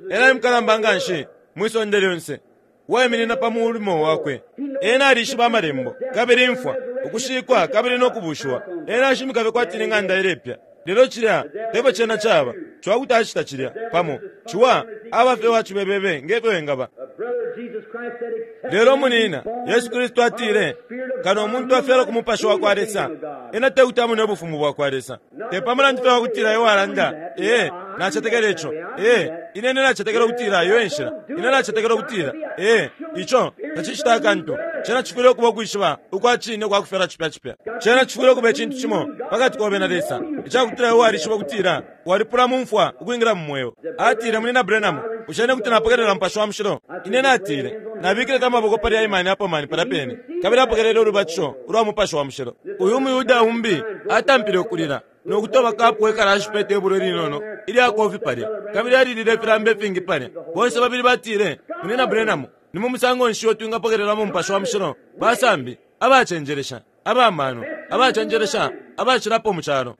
Ena e mukalamba nganshi mwi sonde lyonse, uwaiminina pa mulimo wakwe. Ena alishiba Amalembo, kabili imfwa, ukushikwa, kabili no kubushiwa. Ena ashimika fye kwati ni ng'anda ilepya. Lelo cilya tefyo cena caba. Ciwa kuti acita cilya, pamo. Ciwa aba fye uwa cibebebe nge fyo engaba. Lelo, munina, Yesu Kristu atile, Kano umuntu afyalwa ku Mupashi wakwa Lesa, ena tekuti amone Ubufumu bwakwa Lesa. Te pa mulandu fye wakutila iwe walanda, Ee, nacetekela ico. Ee, ine, ine nacetekela ukutila iyo e nshila. Ine nacetekela ukutila. Ee, ico tacicita akantu. Cena cifwile ukuba ukwishiba ukwa cine ukwa kufyalwa cipya cipya. Cena cifwile ukuba icintu cimo pakati kobe na Lesa, icakutila iwe walishiba ukutila walipula mu mfwa ukwingila mu Mweo. Atile, Munyina Branham, bushe ine kuti napokelela Mupashi wa Mushilo? Ine natile, Nabikileko amaboko pali Hyman Appleman palya pene, kabili apokelele ulubatisho ulwa Mupashi wa Mushilo. Uyu umuYuda umbi atampile ukulila no kutoba kapu we kalashi pe tebulo ilinono ilya kofi palya, kabili alilile ifilamba ifingi palya. Bonse babili batile, Munyina Branham, ni mu musango nshi uo twingapokelelamo Mupashi wa Mushilo? Basambi, abacenjelesha, aba mano, abacenjelesha, abacilapo mu calo.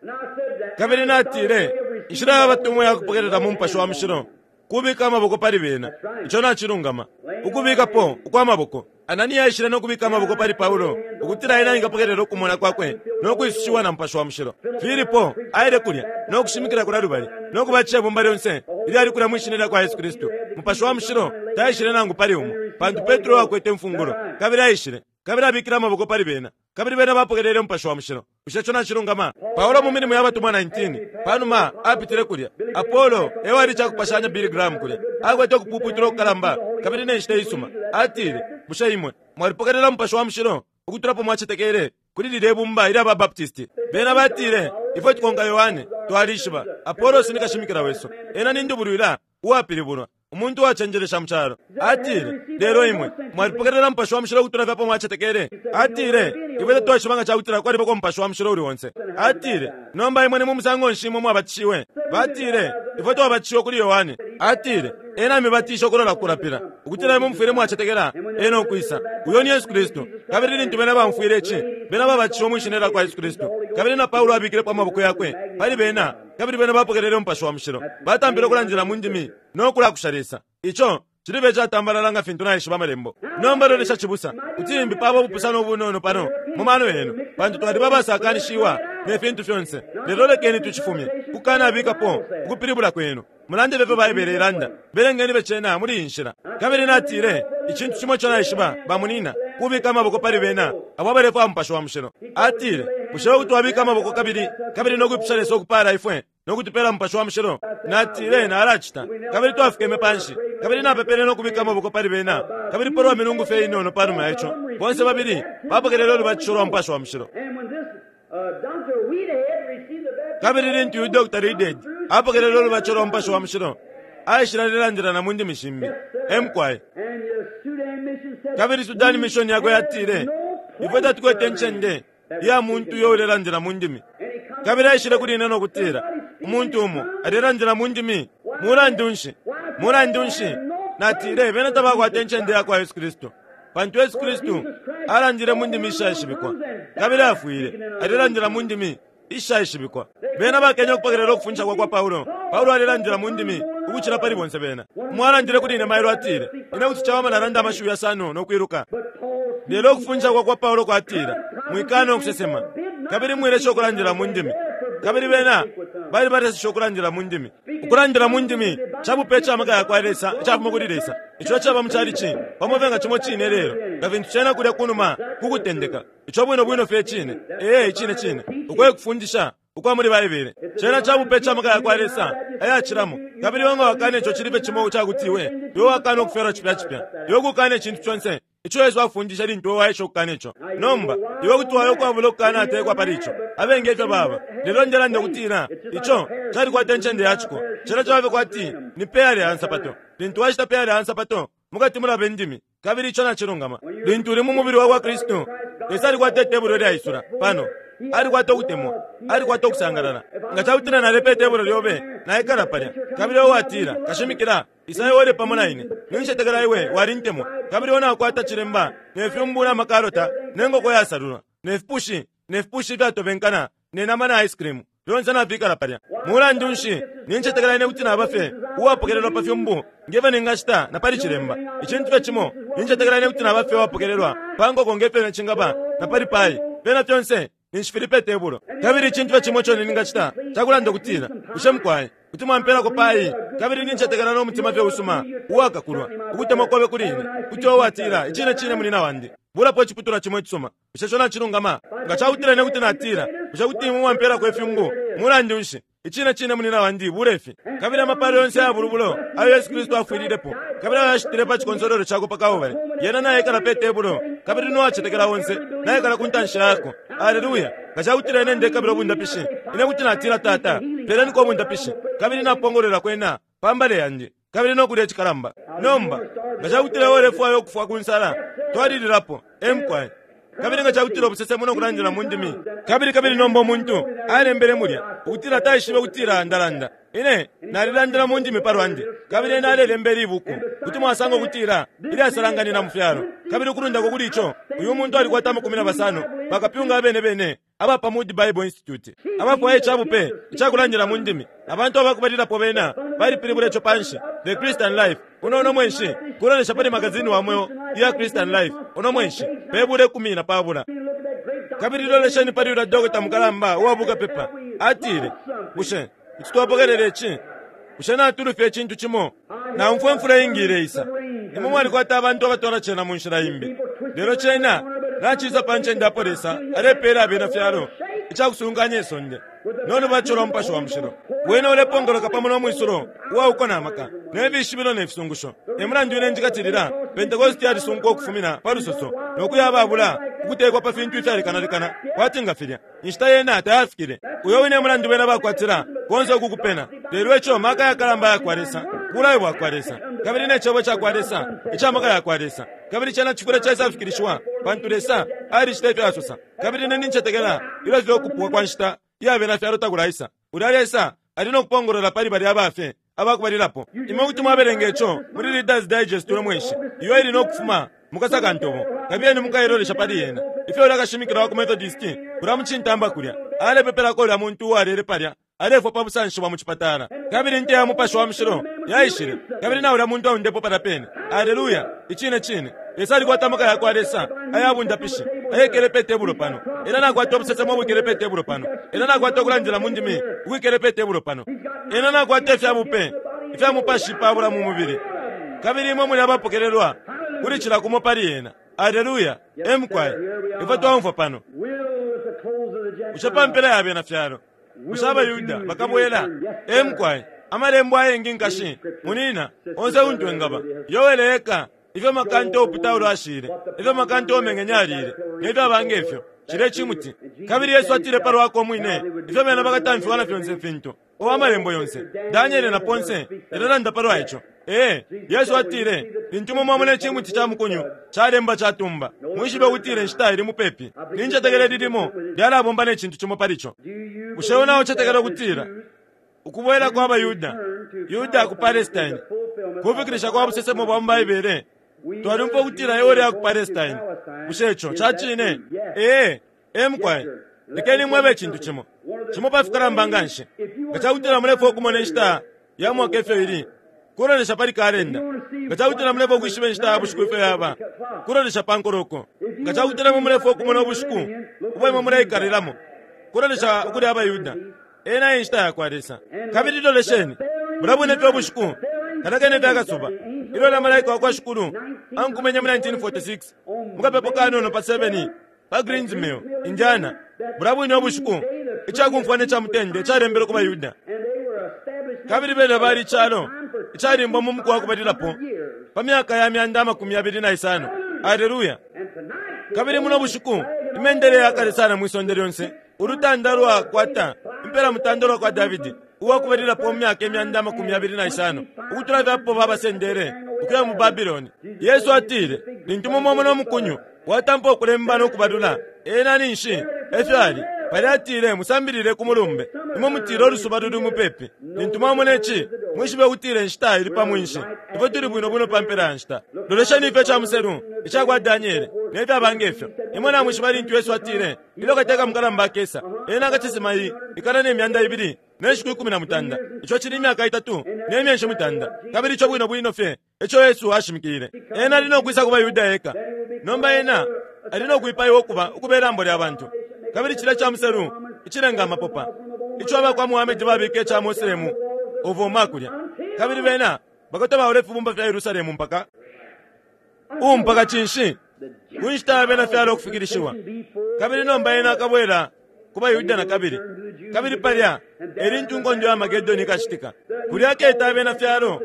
Kabili natile, Inshila ya batumwa ya kupokelelamo Mupashi wa Mushilo kubika amaboko pali bena. Ico nacilungama. Ukubikapo ukwa maboko. Anania aishile no kubika amaboko pali Paulo ukutila ena engapokelela ukumona kwakwe no kwisushiwa na Mupashi wa Mushilo. Filipo aile kulya no kushimikila kulya lubali no kubatisha ibumba lyonse ilyali kulya mwi Shina lyakwa Yesu Kristu. Mupashi wa Mushilo taishile nangu pali umo, pantu Petro ewakwete imfungulo, kabili aishile kabili abikile amaboko pali bena, kabili bena bapokelele Mupashi wa Mushilo. Bushe ico nacilungama? Paulo mu Milimo ya Batumwa 19, pa numa apitile kulya, Apolo e wali ica kupashanya Billy Graham kulya, akwete ukupuputula ukukalamba kabili ne nshita isuma. Atile, Bushe imwe mwalipokelela Mupashi wa Mushilo ukutula apo mwacetekele kuli lilye bumba ilya ba Baptist? Bena batile, Ifwe tukonka Yohane, twalishiba. Apolos ni kashimikila wesu. Ena ni ndubulwila uwapilibulwa. Umuntu uwacenjelesha mu calo. Atile, Lelo imwe mwalipokelela Mupashi wa Mushilo ukutula fye apo mwacetekele. Atile, Ifwe tatwaishiba nga cakutila kwalibako Mupashi wa Mushilo uli onse. Atile, Nomba imwe ni mu musango nshi imwe mwabatishiwe? Batile, Ifwe twabatishiwe kuli Yohane. Atile, Ena amibatishe ukulola ku kulapila, ukutila imwe mufwile mwacetekela Ena ukwisa, uyo ni Yesu Kristu. Kabili lintu bena baumfwile ici, bena babatishiwe mwi Shina lyakwa Yesu Kristu. Kabili na Paulo abikilepo amaboko yakwe pali bena, kabili bena bapokelele Umupashi wa Mushilo. Batampile ukulandila mu ndimi no kulakusha Lesa. Ico cilibe icatambalala nga fintu naishiba Amalembo. Nomba lolesha cibusa, kuti limbi paba ubupusano ubunono pano mu mano yenu, pantu twaliba abasakanishiwa ne fintu fyonse. Lelo lekeni tucifumye, kukanabikapo ukupilibula kwenu. Mulande fye ifyo Baibele ilanda. Belengeni fye cena muli iyi nshila. Kabili natile, Icintu cimo ico naishiba, bamunina, kubika amaboko pali bena abo abalefwaya Mupashi wa Mushilo. Atile, Bushe iwe kuti wabika amaboko kabili, kabili no kwipusha Lesa ukupaala ifwe no kutupela Mupashi wa Mushilo? Natile, Nalacita. Kabili twafikeme panshi, kabili napepele no kubika amaboko pali bena. Kabili palwa milungu fye inono panuma ya ico, bonse babili bapokelele ulubatisho lwa Mupashi wa Mushilo. Kabili lintu uyu Dr. Reidhead apokelele ulubatisho lwa Mupashi wa Mushilo, aishile alelandila na mu ndimi shimbi. E mukwai. Kabili Sudan Mission yakwe yatile, Ifwe tatukwete incende iya muntu uyo ulelandila mu ndimi. Kabili aishile kuli ine no kutila, Umuntu umo alelandila mu ndimi. Mulandu nshi? Mulandu nshi? Natile, Bena tabakwata incende ya kwa Yesu Kristu. Pantu Yesu Kristu alandile mu ndimi ishaishibikwa, kabili afwile alelandila mu ndimi ishaishibikwa. Bena bakenye ukupokelela ukufundisha kwa kwa Paulo. Paulo alelandila mu ndimi ukucila pali bonse bena. Umo alandile kuli ine mailo atile, Ine kuti cawama nalanda amashiwi yasano no kwiluka. Lelo ukufundisha kwa kwa Paulo kwatila, Mwikana ukusesema, kabili mwilesha ukulandila mu ndimi. Kabili bena balibaleseshe ukulandila mu ndimi. Ukulandila mu ndimi ca bupe ica maka ya kwa Lesa icafuma kuli Lesa, ico icaba mu chalichi pamo fye nga cimo cine ilelo nga fintu cena kulya kunuma ku kutendeka. Ico bwino bwino fye icine. Ee, icine cine. Uko e kufundisha ukwa muli Baibele. Cena ca bupe ica maka ya kwa Lesa ayacilamo. Kabili iwe nga wakana ico cili fye cimo icakuti iwe, iwe wakana ukufyalwa cipya cipya. Iwe kukana icintu conse ico Yesu afundishe lintu iwe waesha ukukana ico. Nomba, iwe kuti waya ukwabula ukukanatekwa pali ico. Abengi efyo baba. Lelo ndelanda ukutila ico calikwata incende ya ciko. Cena caba fye kwati ni peyala ya nsapato. Lintu washita peyala ya nsapato, mukati mulaba indimi. Kabili ico nacilungama. Lintu uli mu mubili wa kwa Kristu, Lesa alikwata itebulo ilyaisula pano. Alikwata ukutemwa. Alikwata ukusangalala. Nga ca kutila nalepa itebulo lyobe, naikala palya, kabili iwe watila, Kashimikila, isa iwe ulye pamo na ine. Nincetekela iwe walintemwa. Kabili iwe naukwata cilemba, ne fyumbu na makalota, ne ngoko iyasalulwa, ne fipushi, ne fipushi ifyatobenkana, ne nama na ice cream. Fyonse nafikala palya. Mulandu nshi, nincetekela ine kuti naba fye uwapokelelwa pa fyumbu nge fyo ningacita na pali cilemba. Icintu fye cimo, nincetekela ine kuti naba fye uwapokelelwa pa nkoko nge fyo cingaba na pali pai. Fyena fyonse ninshi fili pe tebulo. Kabili icintu fye cimo ico ningacita ca kulanda ukutila, Bushe mukwai kuti mwampelako pai? Kabili nincetekela no mutima fye usuma uwakakulwa, ukutemwa kobe kuli ine, kuti iwe watila, Icine cine munyina wandi, bulapo iciputulwa cimo icisuma. Bushe ico nacilungama? Nga ca kutila ine kuti natila, Bushe kuti imwe mwampelako ifyumbu? Mulandu nshi, icine cine munina wandi, bule fi. Kabili amapalo yonse aya bulubulo ayo Yesu Kristu afwililepo, kabili ayo ashitile pa cikonsolwelo cakwe pa Kalbale, yena naikala pe tebulo, kabili no wacetekela onse naikala ku ntanshi yako. Aleluya! Nga ca kutila ine ndekabila ubundapishi, ine kuti natila, Tata, peleniko ubundapishi, kabili napongolwela kwena pa mbale yandi, kabili no kulya icikalamba. Nomba, nga ca kutila iwe ulefwaya ukufwa ku nsala, twalililapo. E mukwai. Kabili nga cakutila ubusesemo no kulandila mu ndimi, kabili, kabili nomba umuntu alembele mulya ukutila taishibe ukutila ndalanda, ine nalilandila mu ndimi palwandi, kabili ena alelemba ili ibuku, kuti mwasanga ukutila ilyasalanganina mu fyalo. Kabili ukulundako kuli ico, uyu muntu alikwata amakumi na basano bakapyunga abene bene aba pa Moody Bible Institute abafwaya icabupe icakulandila mu ndimi. Abantu abakubalilapo bena balipilibula ico panshi, The Christian Life, uno uno mwenshi, kulolesha pali magazini wa mweo iya Christian Life uno mwenshi, pe bula 13. Kabili lolesheni pali ulya dokota mukalamba uwa bukapepa, atile, Bushe kuti twapokelela ici? Bushe natulufya icintu cimo? Naumfwa imfula iingi ileisa. Imwe mwalikwata abantu abatwala cena mu nshila imbi. Lelo cena nacisa pa ncende apo Lesa alepeela abena fyalo icakusunkanya isonde no lubatisho lwa Mupashi wa Mushilo. Wene ulepongoloka pamo no mwisulo uwa uko na maka, ne fishibilo ne fisungusho. E mulandu ine njikatilila, Pentekoste yalisunkwa ukufumina pa lusoso no kuya ababula ukutekwa pa fintu ifyalekanalekana kwati nga filya. Inshita yena tayafikile. Uyo wine e mulandu bena bakwatila konse uku kupena. Lelo ico maka yakalamba ayakwa Lesa, bulayo bwakwa Lesa, kabili ne Cebo cakwa Lesa ica maka yakwa Lesa, kabili cena cifwile caisafikilishiwa, pantu Lesa alicita ifyo asosa. Kabili ine nincetekela ilyo fye ukupwa kwa nshita iya bena fyalo takulaisa, ulya Lesa ali no kupongolola pali balya aba fye abakubalilapo. Imwe kuti mwabelenga ico muli Reader's Digest uno mweshi, iyo ili no kufuma mukasakantobo. Kabiyeni mukailolesha pali yena. Ifyo ulya kashimikila wa ku Methodist kulya mu cintamba kulya alepepelako ulya muntu uwalele palya alefwa pa busanshi bwa mu cipatala, kabili inte ya Mupashi wa Mushilo yaishile, kabili na ulya muntu aundepwe palya pene. Aleluya! Icine cine. Lesa alikwata amaka yakwa Lesa aya bundapishi ayekele pe tebulo pano. Ena nakwata ubusesemo ubwikele pe tebulo pano. Ena nakwata ukulandila mu ndimi ukwikele pe tebulo pano. Ena nakwata ifya bupe ifya mupashi pabula mu mubili. Kabili imwe muli abapokelelwa kuli cila kumo pali yena. Aleluya! E mukwai, ifwe twaumfwa pano. Bushe pa mpela ya bena fyalo, bushe abaYuda bakabwela? E mukwai, amalembo ayengi nkashi, munina, onse untu engaba. Yoele eka ifyo makanta upita ulo ashile, ifyo makanta umengenye alile, ne fyaba nge fyo. Cilye cimuti. Kabili Yesu atile palwakwe umwine ifyo bena bakatamfiwa na fyonse ifintu. O Amalembo yonse, Daniele na ponse, yalelanda palwa ico. Ee, Yesu atile, Lintu imwe mwamona icimuti ca mukunyu calemba catumba, mwishibe ukutila inshita ili mupepi. Nincetekela ili limo lyalabomba ne cintu cimo pali co. Bushe iwe naucetekela ukutila ukubwela kwa baYuda, Yuda ku Palestine, kufikilisha kwa busesemo bwa mu Baibele? Twalyumfwa ukutila iwe uleya ku Palestine. Bushe ico ca cine? Ee, ee mukwai. Lekeni mwebe icintu cimo, cimo pa fikalamba nganshi. Nga ca kutila mulefwaya ukumona inshita ya mwaka ifyo ili, kulolesha pali kalenda. Nga ca kutila mulefwaya ukwishiba inshita ya bushiku ifyo yaba, kulolesha pa nkoloko. Nga ca kutila imwe mulefwaya ukumona ubushiku ubo imwe muleikalilamo, kulolesha ukuli abaYuda. Ena e nshita yakwa Lesa. Kabili lolesheni, bulya bwine fye ubushiku, kalya kene fye akasuba, ilyo ulya Malaika wakwa Shikulu ankumenye mu 1946, mukapepo kanono pa 7 pa Greens Mill, Indiana, bulya bwine ubushiku, icakumfwana ica mutende calembelwe ku baYuda. Kabili bena bali icalo icalimbwa mu muku wa kubalilapo pa myaka ya myanda 25. Aleluya! Kabili muno bushiku, imendele ya kale sana mwi sonde lyonse, ulutanda lwakwata impela mutanda ulwa kwa Davidi, uwa kubalilapo mu myaka 25,000 ukutula fye apo babasendele ukuya mu Babiloni. Yesu atile, Lintu imwe mwamona umukunyu watampa ukulemba no kubalula, ena ninshi e fyo ali. Palya atile, Musambilile ku mulumbe. Imwe mutila ulusuba luli mupepi. Lintu mwamona ici, mwishibe ukutila inshita ili pa mwinshi. Ifwe tuli bwino bwino pa mpela ya nshita. Lolesheni ifyo ica muselu ica kwa Daniele ne fyaba nge fyo. Imwe namwishiba lintu Yesu atile, Ilyo Kateka mukalamba akesa, ena akacesema iyi ikana ne 200 ne nshiku 18, ico cili imyaka itatu ne myeshi mutanda. Kabili ico bwino bwino fye eco Yesu ashimikile. Ena ali no kwisa ku baYuda eka. Nomba ena ali no kwipaiwa ukuba ukube lambo lya bantu. Kabili cilya ca muselu icilenga amapopa ico aba kwa Muhammed babika ica Moslemu of Omar kulya. Kabili bena bakatobaula ifibumba fya Yerusalemu mpaka u mpaka cinshi? Ku nshita ya bena fyalo ukufikilishiwa. Kabili nomba ena akabwela ku baYuda na kabili. Kabili palya e lintu inkondo ya Armagedone ikacitika. Kulya aketa abena fyalo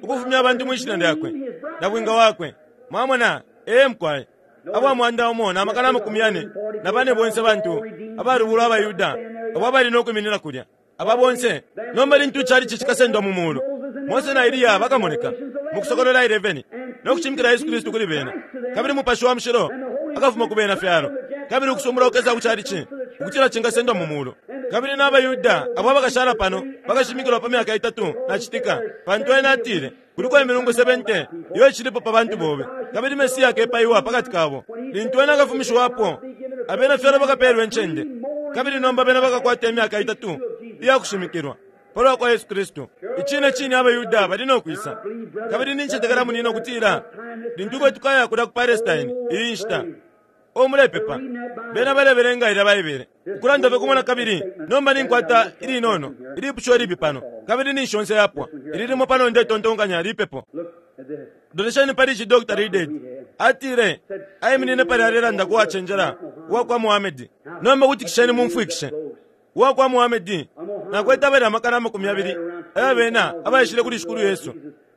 ukufumya abantu mwi shina lyakwe, nabwinga wakwe. Mwamona? Ee, mukwai. Aba 1,044 bonse bantu abalubulwa abaYuda abo abali no kwiminina kulya. Aba bonse nomba lintu icalici cikasendwa mu mulu, Mose na Eliya bakamoneka mu Kusokolola 11 no kushimikila Yesu Kristu kuli bena, kabili Mupashi wa Mushilo akafuma ku bena fyalo, kabili ukusumbula kukesa ku calici ukutila cingasendwa mu mulu. Kabili na baYuda abo abakashala pano bakashimikilwa pa myaka itatu na citika, pantu ena atile, Kuliko imilungu 70 iyo icilipo pa bantu bobe, kabili Mesia akepaiwa pa kati kabo. Lintu ena akafumishiwapo, abena fyalo bakapeelwa incende, kabili nomba bena bakakwata imyaka itatu iya kushimikilwa pa lwa kwa Yesu Kristu. Icine cine abaYuda bali no kwisa. Kabili nincetekela munina ukutila lintu ifwe tukaya kulya ku Palestine iyi nshita, O mulepepa. Bena balebelenga ilya Baibele. Ukulanda fye kumo na kabili, nomba ninkwata ilinono, ilipusho ilipi pano, kabili ninshi yonse yapwa. Ili limo pano ndetontonkanya lipepo. Lolesheni pali ici Dr. Reidhead. Atile, aiminine palya alelanda ku wacenjela uwa kwa Muhammed. Nomba kutikisheni mumfwikishe. Uwa kwa Muhammed, nakwete abali 20,000 aya bena abaishile kuli Shikulu Yesu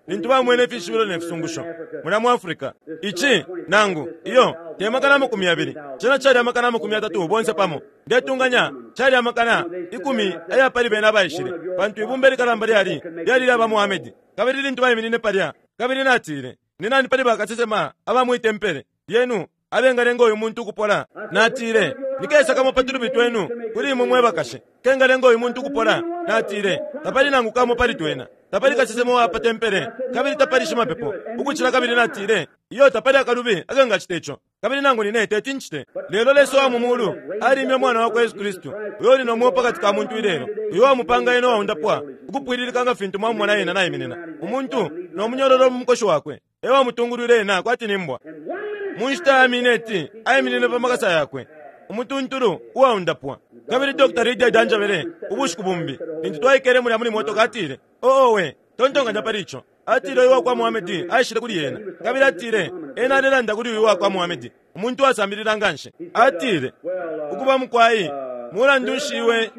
lintu bamwene ifishibilo ne fisungusho mulya mu Africa. Ici, nangu, iyo, te 20,000, cena cali 30,000 bonse pamo. Ndetunganya cali 10,000 aya pali bena abaishile, pantu ibumba ilikalamba lyali, lyali lya ba Muhammed. Kabili lintu baiminine palya, kabili natile, Ni nani pali bakasesema aba mwi tempele lyenu abengalenga uyu muntu ukupola? Natile, Nikesa kamo pa tulubi twenu kuli imwe mwe bakashi kengalenga uyu muntu ukupola? Natile, Tapali nangu kamo pali twena. Tapali kasesema uwa pa tempele, kabili tapali shimapepo ukucila. Kabili natile, Iyo, tapali akalubi akengacita ico, kabili nangu nine teti ncite. Lelo Lesa uwa mu mulu alimya Umwana wakwe Yesu Kristu, uyo uli no mweo pakati ka muntu ilelo, uyo uwamupanga ena uwaundapwa ukupwililika nga fintu mwamumona ena naiminina, umuntu no munyololo mu mukoshi wakwe. E wamutungulwile ena kwati ni mbwa. Mu nshita ya mineti aiminine pa makasa yakwe, umutuntulu uwaundapwa. Kabili Dr. Reidhead anjebele ubushiku bumbi lintu twaikele mulya muli motoka, atile, Oh, owe, tontonkanya pali ico. Atile uyu wakwa Muhamedi aishile kuli ena, kabili atile ena alelanda kuli uyu wakwa Muhamedi, umuntu uwasambilila nganshi. Atile, Ukuba, mukwai, mulandu nshi iwe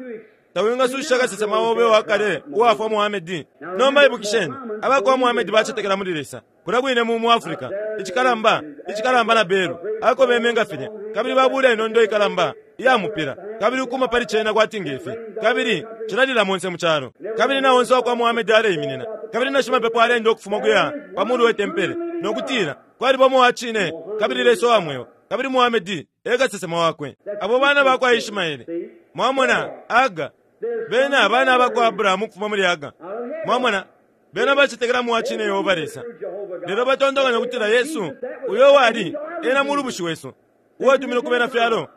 tawingasusha kasesema obe uwa kale uwafwa Muhamedi? Nomba ibukisheni, abakwa Muhamedi bacetekela muli Lesa. Kulya kwine mu, mu Africa, icikalamba, icikalamba na belu, akobeme nga filya, kabili babula inondo ikalamba iya mupila, kabili ukuma pali cena kwati nge fi, kabili cilalila monse mu calo. Kabili na onse wakwa Muhammed aleiminina, kabili na shimapepo aleenda ukufuma ukuya pa mulu we tempele, no kutila, Kwaliba umo wa cine, kabili Lesa uwa mweo, kabili Muhammed e kasesema wakwe. Abo bana bakwa Ishmaele. Mwamona, Hagar, bena bana bakwa Abrahamu ukufuma muli Hagar. Mwamona, Bena bacetekela mu wa cine Yehova Lesa, lelo batontonkanya ukutila Yesu, uyo uwali ena Mulubushi wesu, uwatuminwe ku bena fyalo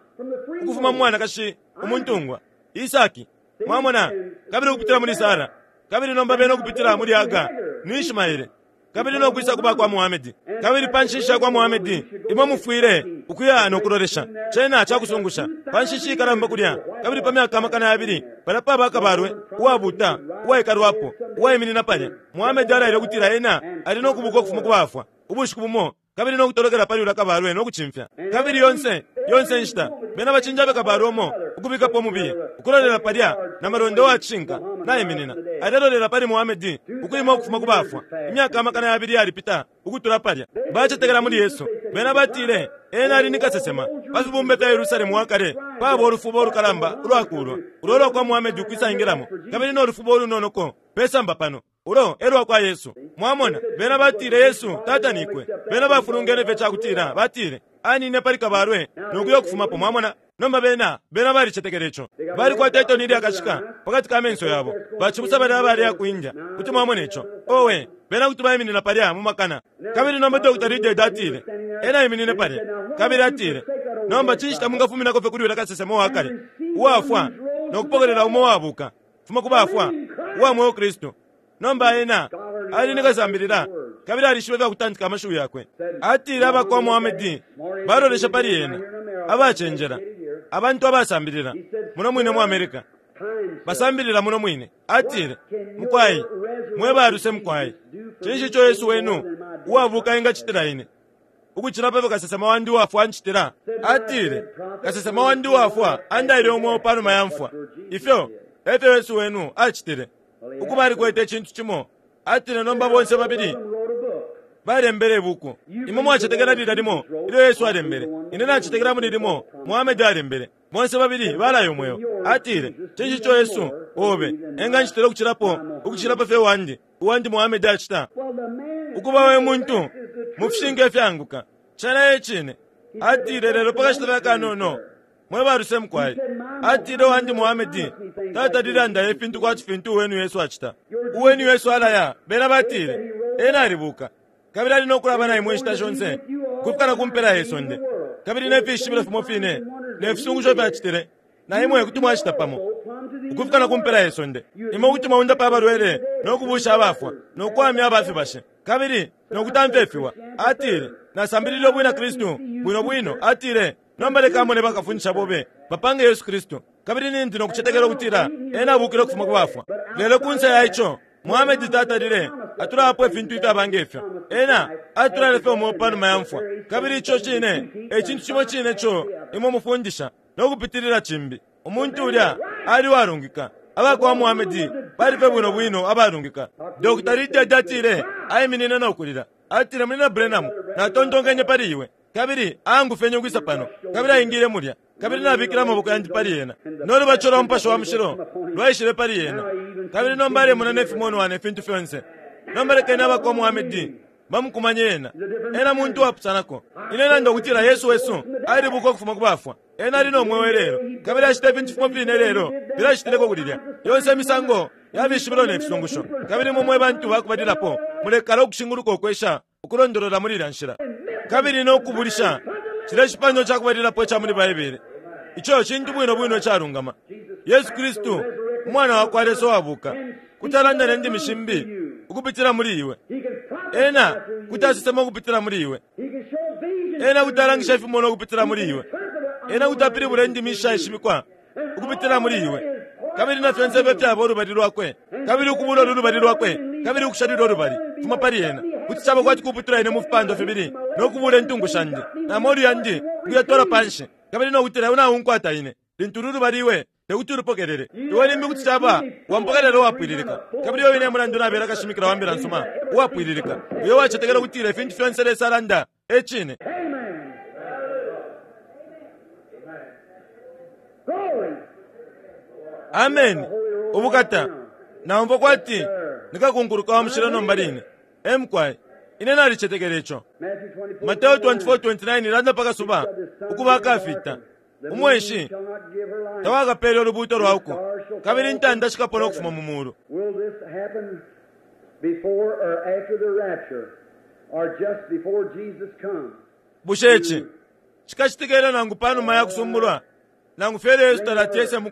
ukufuma mu mwanakashi umuntungwa, Isaki, mwamona, kabili ukupitila muli Sara, kabili nomba bena ukupitila muli Hagar ni Ishmaele. Kabili no kwisa ku bakwa Muhamedi. Kabili pa nshishi yakwa Muhamedi, imwe mufwile ukuya no kulolesha. Cena cakusungusha. Pa nshishi ikalamba kulya, kabili pa myaka 2000, palya paba kabalwe uwabuta uwaikalwapo, uwaiminina palya. Muhamedi alaile ukutila ena ali no kubuka ukufuma ku bafwa, ubushiku bumo, kabili no kutolokela pali ulya kabalwe no kucimfya. Kabili yonse, yonse inshita, bena bacinjabe kabalwe umo ukubikapo umubiye, ukulolela palya na malonda uwa cishinka naiminina, alelolela pali Muhamedi ukwima ukufuma ku bafwa. Imyaka 2000 yalipita ukutula palya. Bacetekela muli Yesu. Bena batile Ena ali ni kasesema. Pa fibumba fya Yerusalemu wa kale paba ulufubo ulukalamba ulwakuulwa, ulo ulwa kwa Muhamedi ukwisa ingilamo, kabili no lufubo ulunonoko pesamba pano. Ulo e lwa kwa Yesu. Mwamona, bena batile Yesu tatanikwe. Bena bafulungene fye cakutila batile Anine pali kabalwe no kuya ukufumapo. Mwamona? Nomba bena, bena balicetekele ico. Balikwata itoni ilyakashika pakati ka menso yabo. Bacibusa balya abaleya ku India, kuti mwamona ico. Owe, bena kuti baiminina palya mu makana. Kabili nomba Dr. Reidhead atile, ena aiminine palya, kabili atile, Nomba cinshi tamwingafuminako fye kuli ulya kasesema uwa kale uwafwa no kupokelela umo uwabuka? Fuma ku bafwa, uwa mweo Kristu. Nomba ena ali ni kasambilila kabili alishibe ifya kutantika amashiwi yakwe. Atile aba kwa Muhamedi balolesha pali ena, abacenjela, abantu abasambilila muno mwine mu America, basambilila muno mwine. Atile, Mukwai, mwe baluse mukwai, cinshi ico Yesu wenu uwabuka engacitila ine? Ukucila pa fyo kasesema wandi uwafwa ancitila? Atile, Kasesema wandi uwafwa andaile umweo pa numa ya mfwa. Ifyo e fyo Yesu wenu acitile. Ukuba alikwete icintu cimo. Atile, Nomba bonse babili balembele ibuku. Imwe mwacetekela lilya limo ilyo Yesu alembele. Ine nacetekela muli limo Muhammed alembele. Bonse babili balaya umweo. Atile, Cinshi ico Yesu obe engancitila ukucilapo ukucila pa fyo wandi, uwandi Muhammed acita? Ukuba we muntu mu fishinka ifyaanguka, cena e cine. Atile, Lelo pa kashita fye akanono, mwe baluse mukwai. Atile, Uwandi Muhammed tatalile andaya ifintu kwati fintu uwenu Yesu acita. Uwenu Yesu alaya, bena batile, Ena alibuka, kabili ali no kulaba na imwe inshita shonse, ukufika na ku mpela ye sonde. Kabili ne fishibilo fimo fine ne fisungusho ifyo acitile, na imwe kuti mwacita pamo, ukufika na ku mpela ye sonde. Imwe kuti mwaundapa abalwele no kubuusha abafwa no kuwamya aba fibashi kabili no kutamfya ifiwa. Atile, Nasambilile ubwina Kristu bwino bwino. Atile, Nomba leka mone bakafundisha bobe bapange Yesu Kristu, kabili nindi no kucetekela ukutila ena abuukile ukufuma ku bafwa. Lelo kunse ya ico, Muhamedi tatalile atulapo ifintu ifyaba nge fyo. Ena atulaile fye umweo pa numa ya mfwa, kabili ico cine e cintu cimo cine ico imwe mufundisha no kupitilila cimbi. Umuntu ulya ali uwalungika. Aba kwa Muhamedi bali fye bwino bwino abalungika. Dr. Reidhead atile aiminine no kulila. Atile, Munyina Branham, natontonkenye pali iwe. Kabili aangufyenye ukwisa pano, kabili aingile mulya, kabili nabikile amaboko yandi pali ena, no lubatisho lwa Mupashi wa Mushilo lwaishile pali ena, kabili nomba alemona ne fimonwa ne fintu fyonse. Nomba lekeni abakwa Muhamedi bamukumanye ena. Ena muntu uwapusanako. Ine nanda ukutila Yesu wesu alibuka ukufuma ku bafwa. Ena ali no mweo ilelo, kabili acita ifintu fimo fine ilelo filya acitileko kulilya. Yonse imisango ya fishibilo ne fisungusho. Kabili imwe mwe bantu bakubalilapo mulekala ukushinguluka ukwesha ukulondolola muli ilya nshila kabili no kubulisha cilya cipandwa ca kubalilapo ica muli Baibele. Ico cintu bwino bwino icalungama. Yesu Kristu, Umwana wa kwa Lesa uwabuuka, kuti alanda ne ndimi shimbi ukupitila muli iwe. Ena kuti asesema ukupitila muli iwe. Ena kuti alangisha ifimonwa ukupitila muli iwe. Ena kuti apilibula indimi ishaishibikwa ukupitila muli iwe. Kabili na fyonse ifyo fyaba ulubali lwakwe, kabili ukubula ulu lubali lwakwe, kabili ukusha lulyo lubali, fuma pali ena. Kuti caba kwati kuputula ine mu fipandwa fibili, no kubula intungu shandi, na molu yandi ukuyatwala panshi, kabili no kutila iwe naunkwata ine, lintu ulu lubali iwe. Te kuti ulupokelele. Iwe limbi kuti caba wampokelela uwapwililika. Kabili uyo wine mulandu nabela kashimikila wa mbila nsuma uwapwililika, uyo wacetekela ukutila ifintu fyonse Lesa alanda e cine. Ameni. Ubukata! Naumfwa kwati nikakunkuluka wa mushilo nomba line. E mukwai, ine nalicetekela ico. Mateo 24:29 ilanda pa kasuba ukuba akafita, umweshi tawakapeele ulubuuto lwa uko, kabili intanda shikapona ukufuma mu muulu. Bushe ici cikacitika ilyo nangu pa numa ya kusumbulwa, nangu fye ilyo Yesu talati ese mu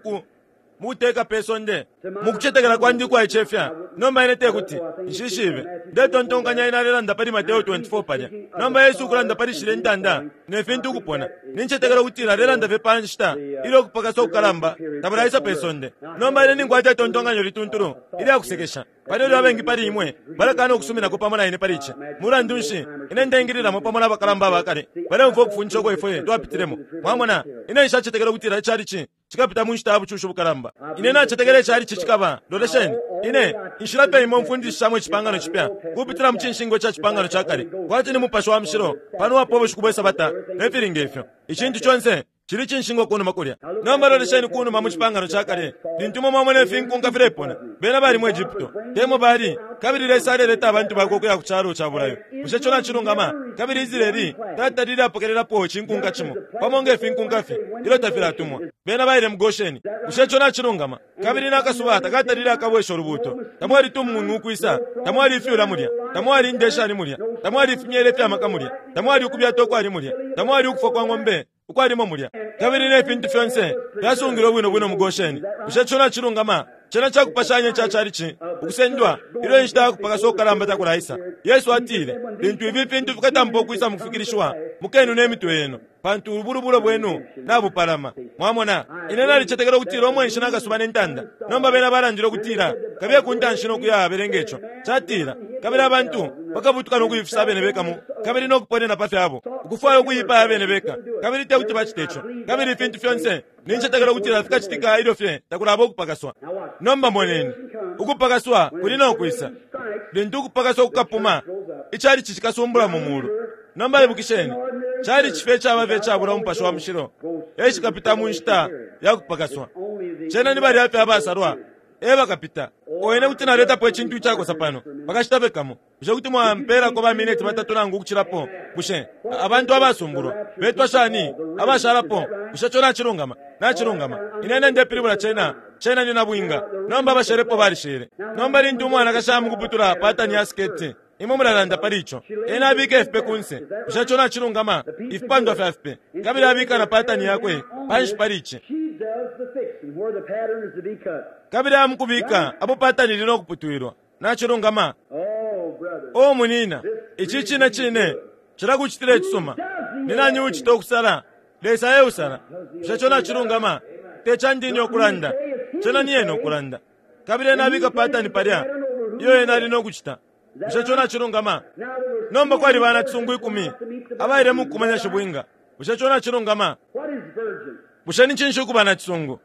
kuteka pe sonde? Mu kucetekela kwandi ukwaicefya, nomba ine te kuti nshishibe. Ndetontonkanya ine alelanda pali Mateo 24 palya. Nomba Yesu ukulanda pali shilya intanda ne fintu ukupona, nincetekela ukutila alelanda fye pa nshita ilyo ukupakasa ukukalamba tabulaisa pe sonde. Nomba ine ninkwata itontonkanyo lituntulu ilya kusekesha. Pali ilyo abengi pali imwe balakaana ukusuminako pamo na ine pali ici. Mulandu nshi, ine ndeingililamo pamo na bakalamba aba kale baleumfwa ukufundisha uko ifwe twapitilemo. Mwamona, ine nshacetekela ukutila icalici cikapita mu nshita ya bucushi bukalamba. Ine nacetekela icalici cikaba, lolesheni, ine, inshila fye imo mfundishishamo Icipangano Cipya kupitila mu cinshingwa ca Cipangano ca Kale, kwati ni Mupashi wa Mushilo pano uwapwa ubushiku bwe Sabata ne fili nge fyo. Icintu conse cili cinshingwa kunuma kulya. Nomba lolesheni kunuma mu Cipangano ca Kale, lintu imwe mwamona ifinkunka filepona. Bena bali mu Egypto, te mo bali, kabili Lesa aleleta abantu Bakwe ukuya ku calo ca bulayo. Bushe ico nacilungama? Kabili Israeli tatalile apokelelapo icinkunka cimo, pamo nge finkunka fye, ilyo tafilatumwa. Bena baile mu Gosheni. Bushe ico nacilungama? Kabili na kasuba takatalile akabwesha ulubuuto. Tamwali tumung'ung'u ukwisa, tamwali ifyula mulya, tamwali indeshani mulya, tamwali ifimyela ifya maka mulya, tamwali ukubyata ukwali mulya, tamwali ukufwa kwa ng'ombe ukwalimo mulya, kabili ne fintu fyonse fyasungilwe bwino bwino mu Gosheni. Bushe ico nacilungama? Cena ca kupashanya ica calici ukusendwa ilyo inshita ya kupakasa kukalamba takulaisa. Yesu atile, Lintu ifi fintu fikatampa ukwisa mu kufikilishiwa, mukenune imitwe yenu, pantu ubulubulo bwenu nabupalama. Mwamona? Ine nalicetekela ukutila umwenshi na kasuba ne ntanda. Nomba bena balandile ukutila, Kabiye ku ntanshi no kuya belenga ico. Catila, Kabili abantu bakabutuka no kuifisa abene beka mu, kabili no kuponena pa fyabo, ukufwaya ukuipaya abene beka, kabili te kuti bacite ico. Kabili ifintu fyonse nincetekela ukutila fikacitika ilyo fye takulaba ukupakaswa. Nomba moneni, ukupakaswa kuli no kwisa. Lintu ukupakaswa kukapuma, icalici cikasumbula mu mulu. Nomba ibukisheni, calici fye caba fye icabula Umupashi wa Mushilo e cikapita mu nshita ya kupakaswa. Cena ni balya fye abasalwa e bakapita. O ine kuti naletapo icintu icakosa pano pakashita fye kamo. Bushe kuti mwampeelako ba mineti batatu nangu ukucilapo? Bushe abantu abasumbulwa betwa shani abashalapo? Bushe ico nacilungama? Nacilungama. Ine, ine ndepilibula cena, cena ni nabwinga. Nomba abashelepo balishele. Nomba lintu umwanakashi aya mukuputula patani ya siketi, imwe mulalanda pali ico. Ena abika ifipe kunse. Bushe ico nacilungama? Ifipandwa fya fipe. Kabili abika na patani yakwe panshi pali ici. Kabili aya mukubika apo patani ili no kuputwilwa. Nacilungama. O munyina, ici cine cine cilakucitila icisuma. Ni nani uucita ukusala? Lesa e usala. Bushe ico nacilungama? Te candi ine ukulanda, cena ni Ena ukulanda. Kabili Ena abika patani palya iyo Ena ali no kucita. Bushe ico nacilungama? Nomba kwali banacisungu ikumi abaile mu kukumanya shibwinga. Bushe ico nacilungama? Bushe ni cinshi ukuba nacisungu?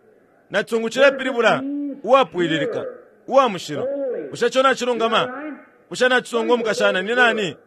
Nacisungu cilepilibula uwapwililika, uwa mushilo. Bushe ico nacilungama? Bushe nacisungu umukashana ni nani?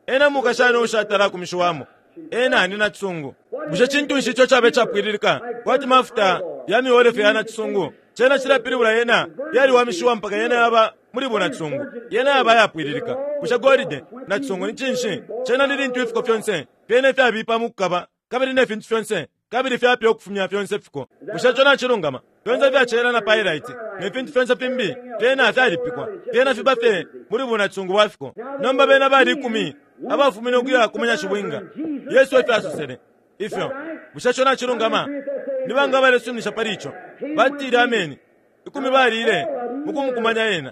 Ena mukashana uushatala akumishiwamo. Ena ni nacisungu. Bushe cintu nshi ico caba icapwililika kwati mafuta ya miolefe ya nacisungu? Cena cilepilibula yena yaliwamishiwa mpaka yena yaba muli bunacisungu. Yena yaba ayapwililika. Bushe golide nacisungu ni cinshi? Cena ni lintu ifiko fyonse fyena ifyabipa mukukaba kabili ne fintu fyonse kabili fyapya ukufumya fyonse fiko. Bushe ico nacilungama? Fyonse ifya na pyrite ne fintu fyonse fimbi fyena fyalipikwa, fyena fiba fye muli bunacisungu bwa fiko. Nomba bena bali ikumi abafumine ukuya kumanya shibwinga. Yesu efyo asosele ifyo. Bushe ico nacilungama? Ni banga abalesuminisha pali ico? Batile ameni. Ikumi balile mukumukumanya ena.